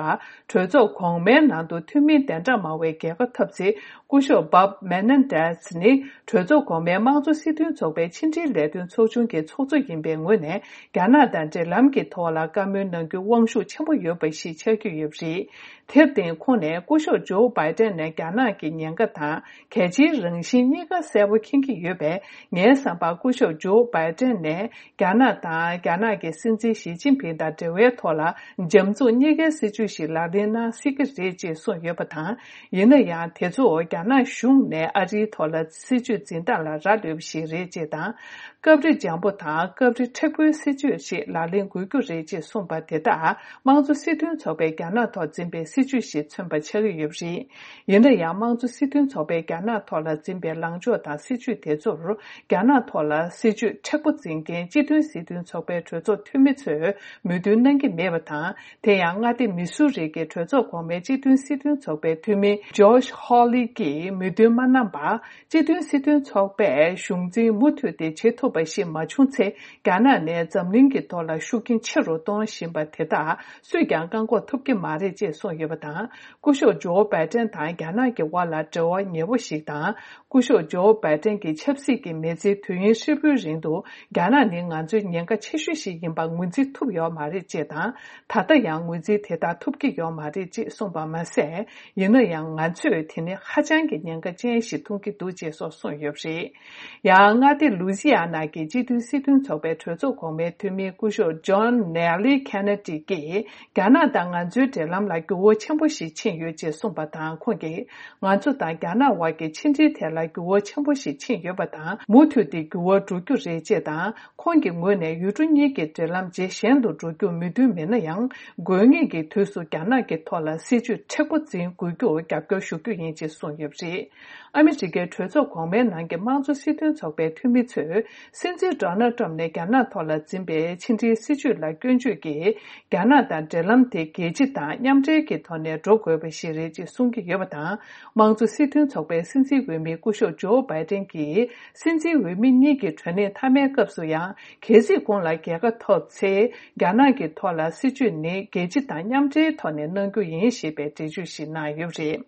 གྲོས་ཚོགས་གོང་མའི་ནང་དུ་འཐུས་མི་གདན་གྲངས་མང་བའི་རྒྱལ་ཁ་ཐོབ་ཚེ། སྐུ་ཞབས་Bob Menendez་ནི་གྲོས་ཚོགས་གོང་མའི་དམངས་གཙོ་སྲིད་དོན་ཚོགས་པའི་ཕྱི་འབྲེལ་ལས་དོན་ཚོགས་ཆུང་གི་ཚོགས་གཙོ་ཡིན་པའི་ངོས་ནས། རྒྱ་ནག་དང་འབྲེལ་ལམ་གྱི་ཐོག་ལ་བཀའ་མོལ་གནང་རྒྱུ་དབང་ཤུགས་ཆེན་པོ་ཡོད་པ་ཞིག་ཆགས་ཀྱི་ཡོད་པ་རེད། དེར་བརྟེན། ཁོང་ནས་སྐུ་ཞབས་ཇོ་བྷའི་ཏན་ནས་རྒྱ་ནག་གི་ཉེན་ཁ་དང་གལ་ཆེའི་རང་བཞིན་གཉིས་ཀ་གསལ་པོ་མཁྱེན་གྱི་ཡོད་པས། ངའི་བསམ་པར་སྐུ་ཞབས་ཇོ་བྷའི་ཏན་ནས། རྒྱ་ནག་དང་། རྒྱ་ནག་གི་སྲིད་འཛིན་ཞི་ཅིན་ཕིང་དང་འབྲེལ་བའི་ཐོག་ལ་འཇམ་རྩུབ་གཉིས་ཀའི་སྲིད་ཇུས་ཤིག་ལག་ལེན་གནང་སྲིད་ཀྱི་རེད་ཅེས་གསུངས་ཡོད་པ་དང་། ཡིན་ན་ཡང་། དེ་ཚོ་རྒྱ་ནག་གཞུང་ནས་ཨ་རིའི་ཐོག་ལ་སྲིད་ཇུས་འཛིན་སྟངས་ལ་རག་ལུས་པ་ཞིག་རེད་ཅེས་དང་། སྐབས་རེ་འཇམ་པོ་དང་སྐབས་རེ་མཁྲེགས་པོའི་སྲིད་ཇུས་ཤིག་ལག་ལེན་དགོས་རྒྱུ་རེད་ཅེས་གསུངས་པ་དེ་དག་དམངས་གཙོ་སྲིད་དོན་ཚོགས་པས་རྒྱ་ནག་ཐོག་འཛིན་པའི་སྲིད་ཇུས་ཤིག་མཚོན་པ་ཆགས་ཀྱི་ཡོད་པ་རེད། ཡིན་ན་ཡང་། དམངས་གཙོ་སྲིད་དོན་ཚོགས་པས་རྒྱ་ནག་ཐོག་ལ་འཛིན་པའི་ལངས་ཕྱོགས་དང་སྲིད་ཇུས་དེ་ཚོར། རྒྱ་ནག་ཐོག་ལ་སྲིད་ཇུས་མཁྲེགས་པོ་འཛིན་མཁན་སྤྱི་མཐུན་སྲིད་དོན་ཚོགས་པའི་གྲོས་ཚོགས་འཐུས་མི་ཚོས་མོས་མཐུན་གནང་གི་མེད་པ་དང་། དེ་ཡང་། མངའ་སྡེ་མི་སུ་རི་གི་གྲོས་ཚོགས་གོང་མའི་སྤྱི་མཐུན་སྲིད་དོན་ཚོགས་པའི་འཐུས་མི་Josh Hawley་ཀྱིས་མོས་མཐུན་མ་གནང་པར། སྤྱི་མཐུན་སྲིད་དོན་ཚོགས་པས་གཞུང་འཛིན་མུ་མཐུད་དེ་བྱེད་ཐུབ་པ་ཞིག་མ་བྱུང་ཚེ། རྒྱ་ནག་ནས་འཛམ་གླིང་གི་ཐོག་ལ་ཤུགས་རྐྱེན་ཆེ་རུ་གཏོང་བཞིན་པ་དེ་དག་སུས་ཀྱང་བཀག་འགོག་ཐུབ་ཀྱི་མ་རེད་ཅེས་གསུངས་ཡོད་པ་དང་། སྐུ་ཞབས་ཇོ་བྷའི་ཏན་དང་རྒྱ་ནག་གི་དབར་ལ་འབྲེལ་བ་ཉེ་བོ་ཞིག་དང་། སྐུ་ཞབས་ཇོ་བྷའི་ཏན་གྱི་ཆབ་སྲིད་ཀྱི་མི་ཚེའི་དུས་ཡུན་ཧྲིལ་པོའི་རིང་དུ། རྒྱ་ནག་ནི་ང་ཚོའི་ཉེན་ཁ་ཆེ་ཤོས་ཤིག་ཡིན་པ་ངོས་འཛིན་ཐུབ་ཡོད་མ་རེད་ཅེས་དང་། ད་ལྟ་ཡང་ངོས་འཛིན་དེ་ལྟར་ཐུབ་ཀྱི་ཡོད་མ་རེད་ཅེས་གསུངས་པ་མ་ཟད། ཡིན་ན་ཡང་། ང་ཚོས་དེ་ནི་ཧ་ཅང་གི་ཉེན་ཁ་ཅན་ཞིག་མཐོང་གི་འདུག་ཅེས་སོགས་གསུངས་ཡོད་པ་རེད། ཡང་། མངའ་སྡེ་ལུ་ཛི་ཡ་ན་གི་སྤྱི་མཐུན་སྲིད་དོན་ཚོགས་པའི་གྲོས་ཚོགས་གོང་མའི་འཐུས་མི་སྐུ་ཞབས་John Nelly Kennedy་ཀྱིས། རྒྱ་ནག་དང་ང་ཚོའི་འབྲེལ་ལམ་ལ་འགྱུར་བ་ཆེན་པོ་ཞིག་ཕྱིན་ཡོད་ཅེས་གསུངས་པ་དང་། ཁོང་གིས། ང་ཚོ་དང་རྒྱ་ནག་དབར་གྱི་ཕྱི་འབྲེལ་ཐད་ལ་འགྱུར་བ་ཆེན་པོ་ཞིག་ཕྱིན་ཡོད་པ་དང་། མུ་མཐུད་དེ་འགྱུར་བ་འགྲོ་རྒྱུ་རེད་ཅེས་དང་། ཁོང་གི་ངོས་ནས་ཡུལ་གྲུ་གཉིས་ཀྱི་འབྲེལ་ལམ་ཇེ་ཞན་དུ་འགྲོ་རྒྱུར་མོས་མཐུན་མེད་ན་ཡང་། དགོས་ངེས་ཀྱི་དུས་སུ་རྒྱ་ནག་གི་ཐོག་ལ་སྲིད་ཇུས་མཁྲེགས་པོ་འཛིན་དགོས་རྒྱུར་རྒྱབ་སྐྱོར་ཞུ་རྒྱུ་ཡིན་ཅེས་གསུངས་ཡོད་པ་རེད། ཨ་མི་རི་ཀའི་གྲོས་ཚོགས་གོང་མའི་ནང་གི་དམངས་གཙོ་སྲིད་དོན་ཚོགས་པའི་ འཐུས་མི་ཚོས་སྲིད་འཛིན་ཌོ་ནལ་ཊམ་ནས་རྒྱ་ནག་ཐོག་ལ་འཛིན་པའི་ཕྱི་འབྲེལ་སྲིད་ཇུས་ལ་སྐྱོན་བརྗོད་ཀྱིས། རྒྱ་ནག་དང་འབྲེལ་ལམ་དེ་རྒྱལ་སྤྱི་དང་མཉམ་འབྲེལ་གྱི་ཐོག་ནས་འགྲོ་དགོས་པ་ཞིག་རེད་ཅེས་གསུང་གི་ཡོད་པ་དང་། དམངས་གཙོ་སྲིད་དོན་ཚོགས་པའི་སྲིད་འཛིན་འོས་མི་སྐུ་ཞབས་ཇོ་བྷའི་ཏན་གྱིས། སྲིད་འཛིན་འོས་མི་གཉིས་ཀྱི་གྲོས་གནས་མཐའ་མའི་སྐབས་སུ་ཡང་། གལ་སྲིད་ཁོང་ལ་རྒྱལ་ཁ་ཐོབ་ཚེ། རྒྱ་ནག་གི་ཐོག་ལ་སྲིད་ཇུས་ནི་རྒྱལ་སྤྱི་དང་མཉམ་འབྲེལ་ཐོག་ནས་གནང་རྒྱུ་ཡིན་ཞེས་པའི་འགྲེལ་བརྗོད་ཞིག་གནང་ཡོད་པ་རེད།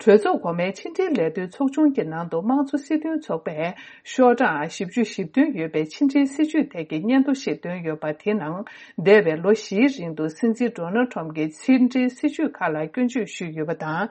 གྲོས་ཚོགས་གོང་མའི་ཕྱི་འབྲེལ་ལས་དོན་ཚོགས་ཆུང་གི་ནང་དུ་དམངས་གཙོ་སྲིད་དོན་ཚོགས་པས་ཤོག་གྲངས་བཞི་བཅུ་ཞེ་བདུན་ཡོད་པའི་ཕྱི་འབྲེལ་སྲིད་ཇུས་ཐད་ཀྱི་སྙན་ཐོ་ཞིག་བཏོན་ཡོད་པ། དེའི་ནང་འདས་པའི་ལོ་བཞིའི་རིང་དུ་སྲིད་འཛིན་ཌོ་ནལ་ཊམ་གྱི་ཕྱི་འབྲེལ་སྲིད་ཇུས་ཁག་ལ་སྐྱོན་བརྗོད་ཞུས་ཡོད་པ་དང་།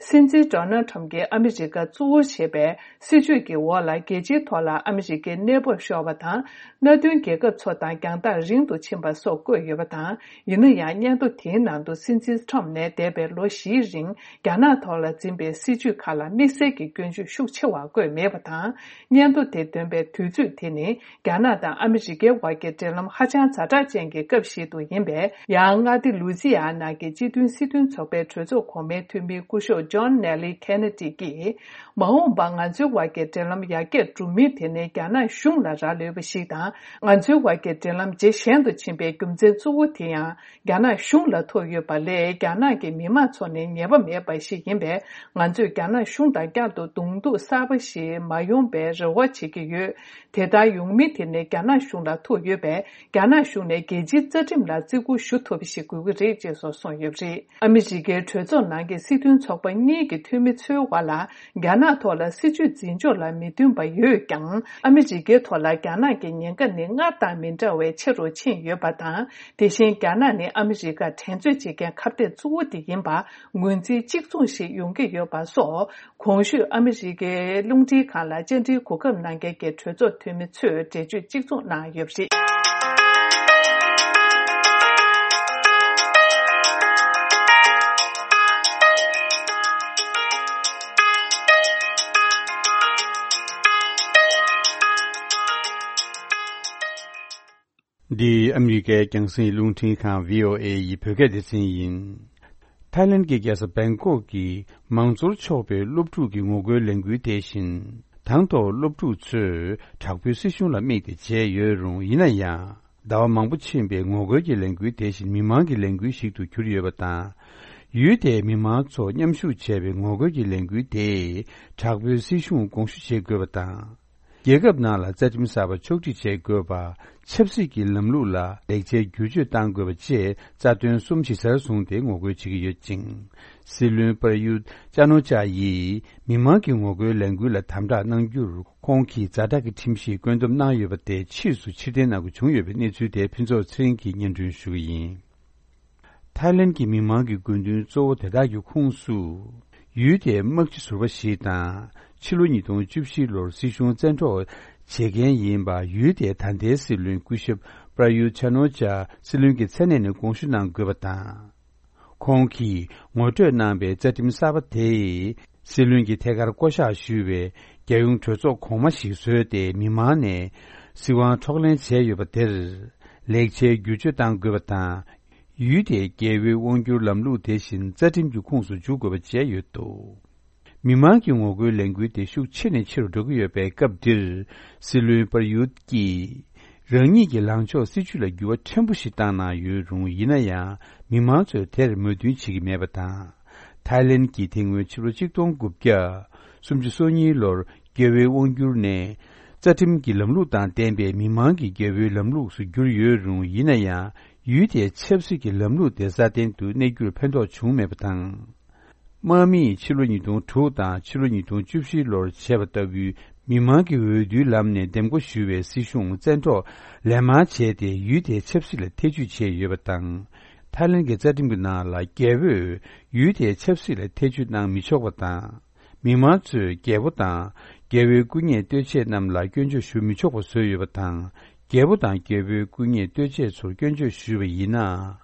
སྲིད་འཛིན་ཌོ་ནལ་ཊམ་གྱིས་ཨ་མི་རི་ཀ་གཙོ་བོར་བྱས་པའི་སྲིད་ཇུས་ཀྱི་འོག་ལ་རྒྱལ་སྤྱིའི་ཐོག་ལ་ཨ་མི་རི་ཀའི་གནས་བབ་ཤོར་བ་དང་། མནའ་མཐུན་རྒྱལ་ཁབ་ཚོ་དང་རྒྱང་ཐག་རིང་དུ་ཕྱིན་པ་སོགས་བཀོད་ཡོད་པ་དང་། ཡིན་ན་ཡང་། སྙན་ཐོ་དེའི་ནང་དུ་སྲིད་འཛིན་ཊམ་ནས་འདས་པའི་ལོ་བཞིའི་རིང་། རྒྱ་ནག་ཐོག་ལ་འཛིན་པའི་སྲིད་ཇུས་ཁག་ལ་དམིགས་བསལ་གྱི་སྐྱོན་བརྗོད་ཤུགས་ཆེ་བ་བཀོད་མེད་པ་དང་། སྙན་ཐོ་དེ་འདོན་པའི་དུས་ཚོད་དེ་ནི། རྒྱ་ནག་དང་ཨ་མི་རི་ཀའི་བར་གྱི་འབྲེལ་ལམ་ཧ་ཅང་ཛ་དྲག་ཅན་གྱི་སྐབས་ཤིག་ཏུ་ཡིན་པས། ཡང་མངའ་སྡེ་ལུ་ཛི་ཡ་ན་གྱི་སྤྱི་མཐུན་སྲིད་དོན་ཚོགས་པའི་གྲོས་ཚོགས་གོང་མའི་འཐུས་མི་སྐུ་ཞབས་ཇོན་ནེ་ལི་ཁེ་ནེ་ཏི་གིས། མ་འོངས་པར་ང་ཚོའི་བར་གྱི་འབྲེལ་ལམ་ཡར་རྒྱས་འགྲོ་མིན་དེ་ནི་རྒྱ་ནག་གཞུང་ལ་རག་ལས་པ་ཞིག་དང་། ང་ཚོའི་བར་གྱི་འབྲེལ་ལམ་ཇེ་ཞན་དུ་ཕྱིན་པའི་རྒྱུ་མཚན་གཙོ་བོ་དེ་ཡང་། རྒྱ་ནག་གཞུང་ལ་ཐུག་ཡོད་པ་ལས། རྒྱ་ནག་གི་མི་མང་ཚོ་ནི་ཉེས་པ་མེད་པ་ཞིག་ཡིན་པས། ང་ཚོས་རྒྱ་ནག་གཞུང་དང་བསྐྱར་དུ་གདོང་ཐུག་གསར་པ་ཞིག་མ་ཡོང་པའི་རེ་བ་བྱེད་ཀྱི་ཡོད། དེ་ལྟར་ཡོང་མིན་དེ་ནི་རྒྱ་ནག་གཞུང་ལ་ཐུག་ཡོད་པས། རྒྱ་ནག་གཞུང་ནས་རྒྱལ་སྤྱིའི་རྩ་ཁྲིམས་ལ་བརྩི་བཀུར་ཞུ་ཐུབ་པ་ཞིག་དགོས་ཀྱི་རེད་ཅེས་སོགས་གསུངས་ཡོད་པ་རེད། ཨ་མི་རི་ཀའི་གྲོས་ཚོགས་ནང་གི་སྲིད་དོན་ཚོགས་པ་གཉིས་ཀྱི་འཐུས་མི་ཚོའི་བར་ལ། རྒྱ་ནག་ཐོག་ལ་སྲིད་ཇུས་འཛིན་ཕྱོགས་ལ་མི་མཐུན་པ་ཡོད་ཀྱང་། ཨ་མི་རི་ཀའི་ཐོག་ལ་རྒྱ་ནག་གི་ཉེན་ཁ་ནི་སྔར་དང་མི་འདྲ་བའི་ཆེ་རུ་ཕྱིན་ཡོད་པ་དང་། དེ་བཞིན་རྒྱ་ནག་ནི་ཨ་མི་རི་ཀར་འགྲན་རྩོད་བྱེད་མཁན་ཁ་གཏད་གཙོ་བོ་དེ་ཡིན་པ་ངོས་འཛིན་གཅིག་མཚུངས་ཤིག་ཡོང་གི་ཡོད་པ་སོགས། གོང་ཞུས་ཨ་མི་རི་ཀའི་རླུང་འཕྲིན་ཁང་ལ་བཅར་འདྲིའི་གོ་སྐབས་གནང་མཁན་གྱི་གྲོས་ཚོགས་འཐུས་མི་ཚོས་འགྲེལ་བརྗོད་གཅིག་མཚུངས་གནང་ཡོད་པ་རེད། འདི་ཨ་མི་རི་ཀའི་རྒྱང་སྲིང་རླུང་འཕྲིན་ཁང་བྷི་ཨོ་ཨེ་ཡི་བོད་སྐད་སྡེ་ཚན་ཡིན། ཐའི་ལེན་གྱི་རྒྱལ་ས་བེང་ཀོག་གི་མང་གཙོར་ཕྱོགས་པའི་སློབ་ཕྲུག་གི་ངོ་རྒོལ་ལས་འགུལ་དེ་བཞིན། དང་ཐོག་སློབ་ཕྲུག་ཚོས་དྲག་པོའི་སྲིད་གཞུང་ལ་དམིགས་ཏེ་བྱས་ཡོད་རུང་། ཡིན་ན་ཡང་། ཟླ་བ་མང་པོ་ཕྱིན་པའི་ངོ་རྒོལ་གྱི་ལས་འགུལ་དེ་བཞིན་མི་མང་གི་ལས་འགུལ་ཞིག་ཏུ་གྱུར་ཡོད་པ་དང་། ཡུལ་དེའི་མི་མང་ཚོ་མཉམ་ཞུགས་བྱས་པའི་ངོ་རྒོལ་གྱི་ལས་འགུལ་དེས་དྲག་པོའི་སྲིད་གཞུང་དགོངས་ཞུ་བྱེད་དགོས་པ་དང་། རྒྱལ་ཁབ་ནང་ལ་རྩ་ཁྲིམས་གསར་པ་ཕྱོགས་སྒྲིག་བྱེད་དགོས་པ། ཆབ་སྲིད་ཀྱི་ལམ་ལུགས་ལ་ལེགས་ཆའི་བསྒྱུར་བཅོས་གཏང་དགོས་པ་བཅས་རྩ་དོན་གསུམ་གཞི་རྩར་བཟུང་སྟེ་ངོ་རྒོལ་བྱེད་ཀྱི་ཡོད་ཅིང་། སྲིད་བློན་པར་ཡུད་ཅཱ་ནོ་ཅཱ་ཡིས་མི་མང་གི་ངོ་རྒོལ་ལས་འགུལ་ལ་དམ་དྲག་གནང་རྒྱུར། ཁོང་གིས་ཛ་དྲག་གི་ཁྲིམས་གཞི་བཀོད་འདོམས་གནང་ཡོད་པ་དེ་ཕྱིས་སུ་ཕྱིར་འཐེན་གནང་དགོས་བྱུང་ཡོད་པའི་གནས་ཚུལ་དེ་ཕུན་ཚོགས་ཚེ་རིང་གིས་སྙན་སྒྲོན་ཞུ་གི་ཡིན། ཐའི་ལེན་གྱི་མི་མང་གི་དགོས་འདུན་གཙོ་བོ་དེ་དག་གི་ཁོངས་སུ། ཡུལ་དེའི་དམག་སྤྱི་ཟུར་པ་ཞིག་དང་། ཕྱི་ལོ་ཉིས་སྟོང་བཅུ་བཞི་ལོར་སྲིད་གཞུང་བཙན་འཕྲོག་བྱེད་མཁན་ཡིན་པ། ཡུལ་དེའི་ད་ལྟའི་སྲིད་བློན་སྐུ་ཞབས་པར་ཡུ་ཆ་ནོ་ཅཱ་སྲིད་བློན་གྱི་མཚན་གནས་ནས་དགོངས་ཞུ་གནང་དགོས་པ་དང་། ཁོང་གིས་ངོ་སྤྲོད་གནང་པའི་རྩ་ཁྲིམས་གསར་པ་དེས། སྲིད་བློན་གྱི་ཐད་ཀར་བསྐོ་གཞག་ཞུས་པའི་རྒྱལ་ཡོངས་གྲོས་ཚོགས་གོང་མ་ཞིག་བཟོས་ཏེ། མི་མང་ནས་སྲིད་དབང་འཕྲོག་ལེན་བྱས་ཡོད་པ་དེར། ལེགས་ཆའི་བསྒྱུར་བཅོས་གཏང་དགོས་པ་དང་། ཡུལ་དེའི་རྒྱལ་པོའི་དབང་བསྒྱུར་ལམ་ལུགས་དེ་བཞིན་རྩ་ཁྲིམས་ཀྱི་ཁོངས་སུ་འཇུག་དགོས་པ་བཅས་ཡོད་འདུག། མི་མང་གི་ངོ་རྒོལ་ལས་འགུལ་དེ་ཤུགས་ཆེ་ནས་ཆེ་རུ་འགྲོ་གི་ཡོད་པའི་སྐབས་འདིར། སྲིད་བློན་པར་ཡུད་ཀྱིས། རང་ཉིད་ཀྱི་ལངས་ཕྱོགས་སྲིད་བྱུས་ལ་འགྱུར་བ་ཕྲན་བུ་ཞིག་བཏང་གནང་ཡོད་རུང་། ཡིན་ན་ཡང་། མི་མང་ཚོས་དེར་མོས་མཐུན་བྱེད་ཀྱི་མེད་པ་དང་། ཐའི་ལེན་གྱིས་དེ་སྔོན་ཕྱི་ལོ་ཆིག་སྟོང་དགུ་བརྒྱ་སུམ་ཅུ་སོ་གཉིས་ལོར། རྒྱལ་པོའི་དབང་བསྒྱུར་ནས། རྩ་ཁྲིམས་ཀྱི་ལམ་ལུགས་དང་ལྡན་པའི་མི་མང་གི་རྒྱལ་པོའི་ལམ་ལུགས་སུ་བསྒྱུར་ཡོད་རུང་། ཡིན་ན་ཡང་། ཡུལ་དེའི་ཆབ་སྲིད་ཀྱི་ལམ་ལུགས་དེ་སྲ་བརྟན་དུ་གནས་རྒྱུར་ཕན་ཐོགས་བྱུང་མེད་པ་དང་། དམག་མིས་ཕྱི་ལོ་ཉིས་སྟོང་དྲུག་དང་ཕྱི་ལོ་ཉིས་སྟོང་བཅུ་བཞི་ལོར་བྱས་པ་ལྟ་བུའི་མི་མང་གི་འོས་བསྡུའི་ལམ་ནས་འདེམས་བསྐོ་ཞུས་པའི་སྲིད་གཞུང་བཙན་འཕྲོག་ལན་མང་བྱས་ཏེ། ཡུལ་དེའི་ཆབ་སྲིད་ལ་ཐེ་ཇུས་བྱས་ཡོད་པ་དང་། ཐའི་ལེན་གྱི་རྩ་ཁྲིམས་ཀྱི་ནང་ལ། རྒྱལ་པོས་ཡུལ་དེའི་ཆབ་སྲིད་ལ་ཐེ་ཇུས་གནང་མི་ཆོག་པ་དང་། མི་མང་ཚོས་རྒྱལ་པོ་དང་། རྒྱལ་པོའི་སྐུ་ཉིད་ལྟོས་ཆས་རྣམས་ལ་སྐྱོན་བརྗོད་ཞུ་མི་ཆོག་པ་བཟོས་ཡོད་པ་དང་། རྒྱལ་པོ་དང་རྒྱལ་པོའི་སྐུ་ཉིད་ལྟོས་ཆས་ཚོར་སྐྱོན་བརྗོད་ཞུས་པ་ཡིན་ན།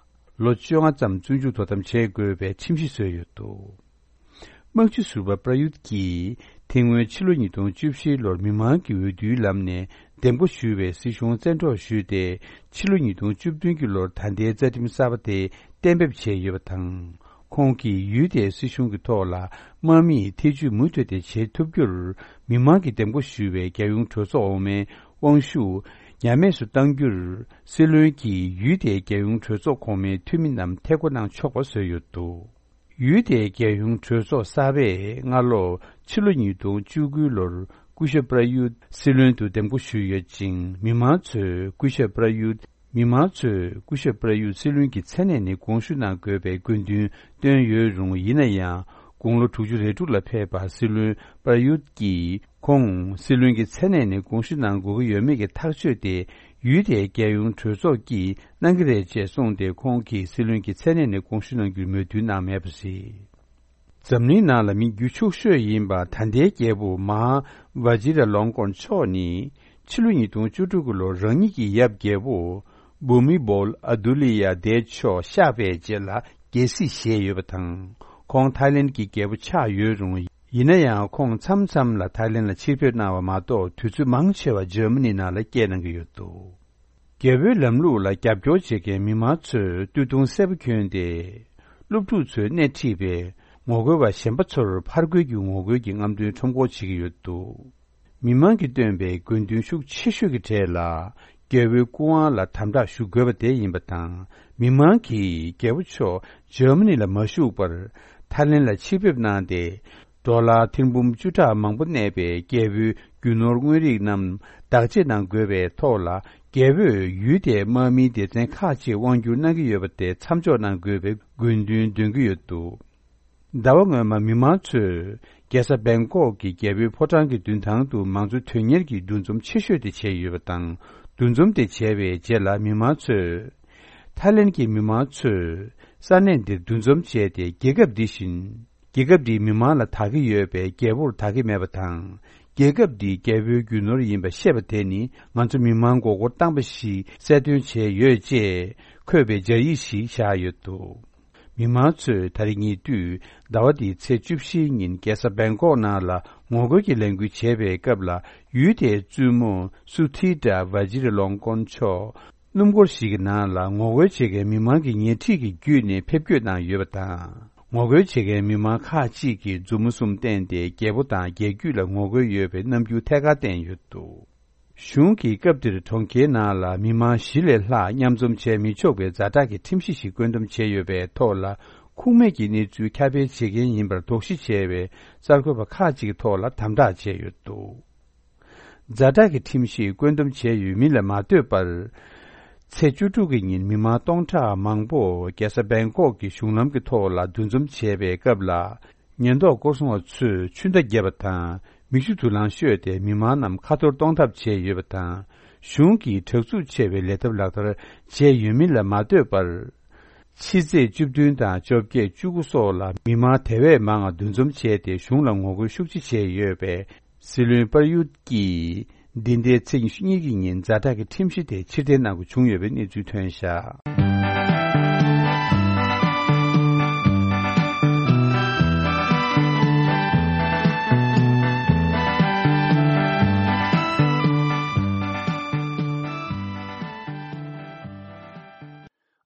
ལོ་བཅོ་ལྔ་ཙམ་བཙོན་འཇུག་དོ་དམ་བྱེད་དགོས་པའི་ཁྲིམས་གཞི་བཟོས་ཡོད་འདུག། དམག་སྤྱི་ཟུར་པ་པྲ་ཡུད་ཀྱིས། དེ་སྔོན་ཕྱི་ལོ་ཉིས་སྟོང་བཅུ་བཞི་ལོར་མི་མང་གི་འོས་བསྡུའི་ལམ་ནས་འདེམས་བསྐོ་ཞུས་པའི་སྲིད་གཞུང་བཙན་འཕྲོག་ཞུས་ཏེ། ཕྱི་ལོ་ཉིས་སྟོང་བཅུ་བདུན་གྱི་ལོར་ད་ལྟའི་རྩ་ཁྲིམས་གསར་པ་དེ་གཏན་འབེབས་བྱས་ཡོད་པ་དང་། ཁོང་གིས་ཡུལ་དེའི་སྲིད་གཞུང་གི་ཐོག་ལ་དམག་མིས་ཐེ་ཇུས་མུ་མཐུད་དེ་བྱེད་ཐུབ་རྒྱུར་མི་མང་གིས་འདེམས་བསྐོ་ཞུས་པའི་རྒྱལ་ཡོངས་གྲོས་ཚོགས་འོག་མའི་དབང་ཤུགས་ཉམས་དམས་སུ་གཏང་རྒྱུར་སྲིད་བློན་གྱིས་ཡུལ་དེའི་རྒྱལ་ཡོངས་གྲོས་ཚོགས་གོང་མའི་འཐུས་མི་རྣམས་ཐད་བསྐོ་གནང་ཆོག་པ་བཟོས་ཡོད་འདུག་ཡུལ་དེའི་རྒྱལ་ཡོངས་གྲོས་ཚོགས་གསར་པས་སྔ་ལོ་ཕྱི་ལོ་ཉིས་སྟོང་བཅུ་དགུ་ལོར་སྐུ་ཞབས་པྲ་ཡུད་སྲིད་བློན་དུ་འདེམས་བསྐོ་ཞུས་ཡོད་ཅིང་། མི་མང་ཚོས་སྐུ་ཞབས་པྲ་ཡུད། མི་མང་ཚོས་སྐུ་ཞབས་པྲ་ཡུད་སྲིད་བློན་གྱི་མཚན་གནས་ནས་དགོངས་ཞུ་གནང་དགོས་པའི་དགོས་འདུན་བཏོན་ཡོད་རུང་། ཡིན་ན་ཡང་དགུང་ལོ་དྲུག་ཅུ་རེ་དྲུག་ལ་ཕེབས་པ་སྲིད་བློན་པྲ་ཡུད་ཀྱིས་ཁོང་སྲིད་བློན་གྱི་མཚན་གནས་ནས་དགོངས་ཞུ་གནང་དགོས་ཀྱི་ཡོད་མེད་ཀྱི་ཐག་གཅོད་དེ་ཡུལ་དེའི་རྒྱལ་ཡོངས་གྲོས་ཚོགས་ཀྱིས་གནང་གི་རེད་ཅེས་གསུངས་ཏེ། ཁོང་གིས་སྲིད་བློན་གྱི་མཚན་གནས་ནས་དགོངས་ཞུ་གནང་རྒྱུར་མོས་མཐུན་གནང་མེད་པ་རེད། འཛམ་གླིང་ནང་ལ་མི་རྒྱུ་ཕྱུག་ཤོས་ཡིན་པ་ད་ལྟའི་རྒྱལ་པོ་མ་ཧཱ་ཝ་ཇི་ར་ལོང་ཀོན་མཆོག་ནི་ཕྱི་ལོ་ཉིས་སྟོང་བཅུ་དྲུག་གི་ལོར་རང་ཉིད་ཀྱི་ཡབ་རྒྱལ་པོ་བྷུ་མི་བོལ་ཨ་དུ་ལི་ཡ་དེ་མཆོག་གཤེགས་པའི་རྗེས་ལ་རྒྱལ་སྲིད་བཞེས་ཡོད་པ་དང་། ཁོང་ཐའི་ལེན་གྱི་རྒྱལ་པོ་ཆགས་ཡོད་རུང་། ཡིན་ན་ཡང་ཁོང་མཚམས་མཚམས་ལ་ཐའི་ལེན་ལ་ཕྱིར་ཕེབས་གནང་བ་མ་གཏོགས། དུས་ཚོད་མང་ཆེ་བ་འཇར་མ་ནི་ནང་ལ་སྐྱེལ་གནང་གི་ཡོད་འདུག་རྒྱལ་པོའི་ལམ་ལུགས་ལ་རྒྱབ་སྐྱོར་བྱེད་མཁན་མི་མང་ཚོས་སྟོད་ཐུང་སེར་པོ་གྱོན་ཏེ། སློབ་ཕྲུག་ཚོས་སྣེ་ཁྲིད་པའི་ངོ་རྒོལ་བ་གཞན་པ་ཚོར་ཕར་རྒོལ་གྱི་ངོ་རྒོལ་གྱི་རྔམ་སྟོན་ཁྲོམ་སྐོར་བྱེད་ཀྱི་ཡོད་འདུག་མི་མང་གིས་བཏོན་པའི་དགོས་འདུན་ཤུགས་ཆེ་ཤོས་ཀྱི་གྲས་ལ། རྒྱལ་པོའི་སྐུ་དབང་ལ་དམ་དྲག་ཞུ་དགོས་པ་དེ་ཡིན་པ་དང་། མི་མང་གིས་རྒྱལ་པོ་མཆོག་འཇར་མ་ནི་ལ་མ་བཞུགས་པར་ཐའི་ལེན་ལ་ཕྱིར་ཕེབས་གནང་སྟེ། ཌོ་ལར་ཐེར་འབུམ་བཅུ་ཕྲག་མང་པོ་གནས་པའི་རྒྱལ་པོའི་རྒྱུ་ནོར་དངོས་རིགས་རྣམས་བདག་གཅེས་གནང་དགོས་པའི་ཐོག་ལ། རྒྱལ་པོས་ཡུལ་དེའི་དམག་མིའི་སྡེ་ཚན་ཁག་ཅིག་དབང་སྒྱུར་གནང་གི་ཡོད་པ་དེ་མཚམས་འཇོག་གནང་དགོས་པའི་དགོས་འདུན་འདོན་གྱི་ཡོད་འདུག་ཟླ་བ་སྔོན་མ་མི་མང་ཚོས་རྒྱལ་ས་བེང་ཀོག་གི་རྒྱལ་པོའི་ཕོ་བྲང་གི་མདུན་ཐང་དུ་མང་གཙོ་དོན་གཉེར་གྱི་འདུ་འཛོམས་ཆེ་ཤོས་དེ་བྱས་ཡོད་པ་དང་། འདུ་འཛོམས་དེ་བྱས་པའི་རྗེས་ལ་མི་མང་ཚོས། ཐའི་ལེན་གྱི་མི་མང་ཚོས་ས་གནས་འདིར་འདུ་འཛོམས་བྱས་ཏེ། རྒྱལ་ཁབ་འདི་བཞིན་རྒྱལ་ཁབ་འདིའི་མི་མང་ལ་བདག་གི་ཡོད་པའི་རྒྱལ་པོར་བདག་གི་མེད་པ་དང་། རྒྱལ་ཁབ་འདི་རྒྱལ་པོའི་རྒྱུ་ནོར་ཡིན་པ་ཤེས་པ་དེ་ནི་ང་ཚོ་མི་མང་མགོ་སྐོར་བཏང་པ་ཞིག་གསལ་སྟོན་བྱས་ཡོད་ཅེས་འཁོད་པའི་སྦྱར་ཡིག་ཞིག་བཞག་ཡོད་འདུག་མི་མང་ཚོས་ད་རེས་ཉེ་དུས་ཟླ་བ་འདིའི་ཚེས་བཅུ་བཞིའི་ཉིན་རྒྱལ་ས་བེང་ཀོག་ནང་ལ་ངོ་རྒོལ་གྱི་ལས་འགུལ་བྱས་པའི་སྐབས་ལ། ཡུལ་དེའི་བཙུན་མོ་སུ་ཐི་ཏྲ་ཝ་ཇི་རི་ལོང་ཀོན་མཆོག་སྣུམ་འཁོར་ཞིག་གི་ནང་ལ་ངོ་རྒོལ་བྱེད་མཁན་མི་མང་གི་ཉེ་འཁྲིས་ཀྱི་བརྒྱུད་ནས་ཕེབས་སྐྱོད་གནང་ཡོད་པ་དང་། ངོ་རྒོལ་བྱེད་མཁན་མི་མང་ཁག་ཅིག་གིས་མཛུབ་མོ་གསུམ་བསྟན་ཏེ། རྒྱལ་པོ་དང་རྒྱལ་རྒྱུད་ལ་ངོ་རྒོལ་ཡོད་པའི་རྣམ་འགྱུར་ཐད་ཀར་བསྟན་ཡོད་འདུག་གཞུང་གིས་སྐབས་དེར་གྲོང་ཁྱེར་ནང་ལ་མི་མང་བཞི་ལས་ལྷག་མཉམ་འཛོམས་བྱས་མི་ཆོག་པའི་ཛ་དྲག་གི་ཁྲིམས་གཞི་ཞིག་བཀོད་འདོམས་བྱས་ཡོད་པའི་ཐོག་ལ། ཁུངས་མེད་ཀྱི་གནས་ཚུལ་ཁྱབ་སྤེལ་བྱེད་མཁན་ཡིན་པར་དོགས་གཞི་བྱས་པའི་གསར་འགོད་པ་ཁག་ཅིག་གི་ཐོག་ལ་དམ་དྲག་བྱས་ཡོད་འདུག་ཛ་དྲག་གི་ཁྲིམས་གཞི་བཀོད་འདོམས་བྱས་ཡོད་མིན་ལ་མ་ལྟོས་པར། ཚེས་བཅུ་དྲུག་གི་ཉིན་མི་མང་སྟོང་ཕྲག་མང་པོ་རྒྱལ་ས་བེང་ཀོག་གི་གཞུང་ལམ་གྱི་ཐོག་ལ་འདུ་འཛོམས་བྱས་པའི་སྐབས་ལ། ཉེན་རྟོག་སྐོར་སྲུང་བ་ཚོས་ཆུ་མདའ་བརྒྱབ་པ་དང་། མིག་ཆུ་དུག་རླངས་གཤོད་དེ་མི་མང་རྣམས་ཁ་འཐོར་གཏོང་ཐབས་བྱས་ཡོད་པ་དང་། གཞུང་གིས་དྲག་རྩུབ་ཆེ་བའི་ལས་ཐབས་ལག་བསྟར་བྱས་ཡོད་མིན་ལ་མ་ལྟོས་པར། ཕྱི་ཚེས་བཅུ་བདུན་དང་བཅོ་བརྒྱད་བཅུ་དགུ་སོགས་ལ་མི་མང་དེ་བས་མང་བ་འདུ་འཛོམས་བྱས་ཏེ། གཞུང་ལ་ངོ་རྒོལ་ཤུགས་ཆེ་བྱས་ཡོད་པས། སྲིད་བློན་པར་ཡུད་ཀྱིས་འདི་ཟླའི་ཚེས་ཉི་ཤུ་གཉིས་ཀྱི་ཉིན་ཛ་དྲག་གི་ཁྲིམས་གཞི་དེ་ཕྱིར་འཐེན་གནང་དགོས་བྱུང་ཡོད་པའི་གནས་ཚུལ་ཐོན་བཞག་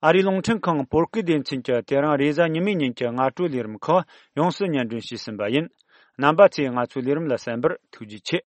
ཨ་རིའི་རླུང་འཕྲིན་ཁང་བོད་སྐད་སྡེ་ཚན་གྱིས་དེ་རིང་རེས་གཟའ་ཉི་མའི་ཉིན་གྱི་སྔ་དྲོའི་ལས་རིམ་ཁག་ཡོངས་སུ་སྙན་སྒྲོན་ཞུས་ཟིན་པ་ཡིན། རྣམ་པ་ཚོས་ང་ཚོའི་ལས་རིམ་ལ་གསན་པར་ཐུགས་རྗེ་ཆེ།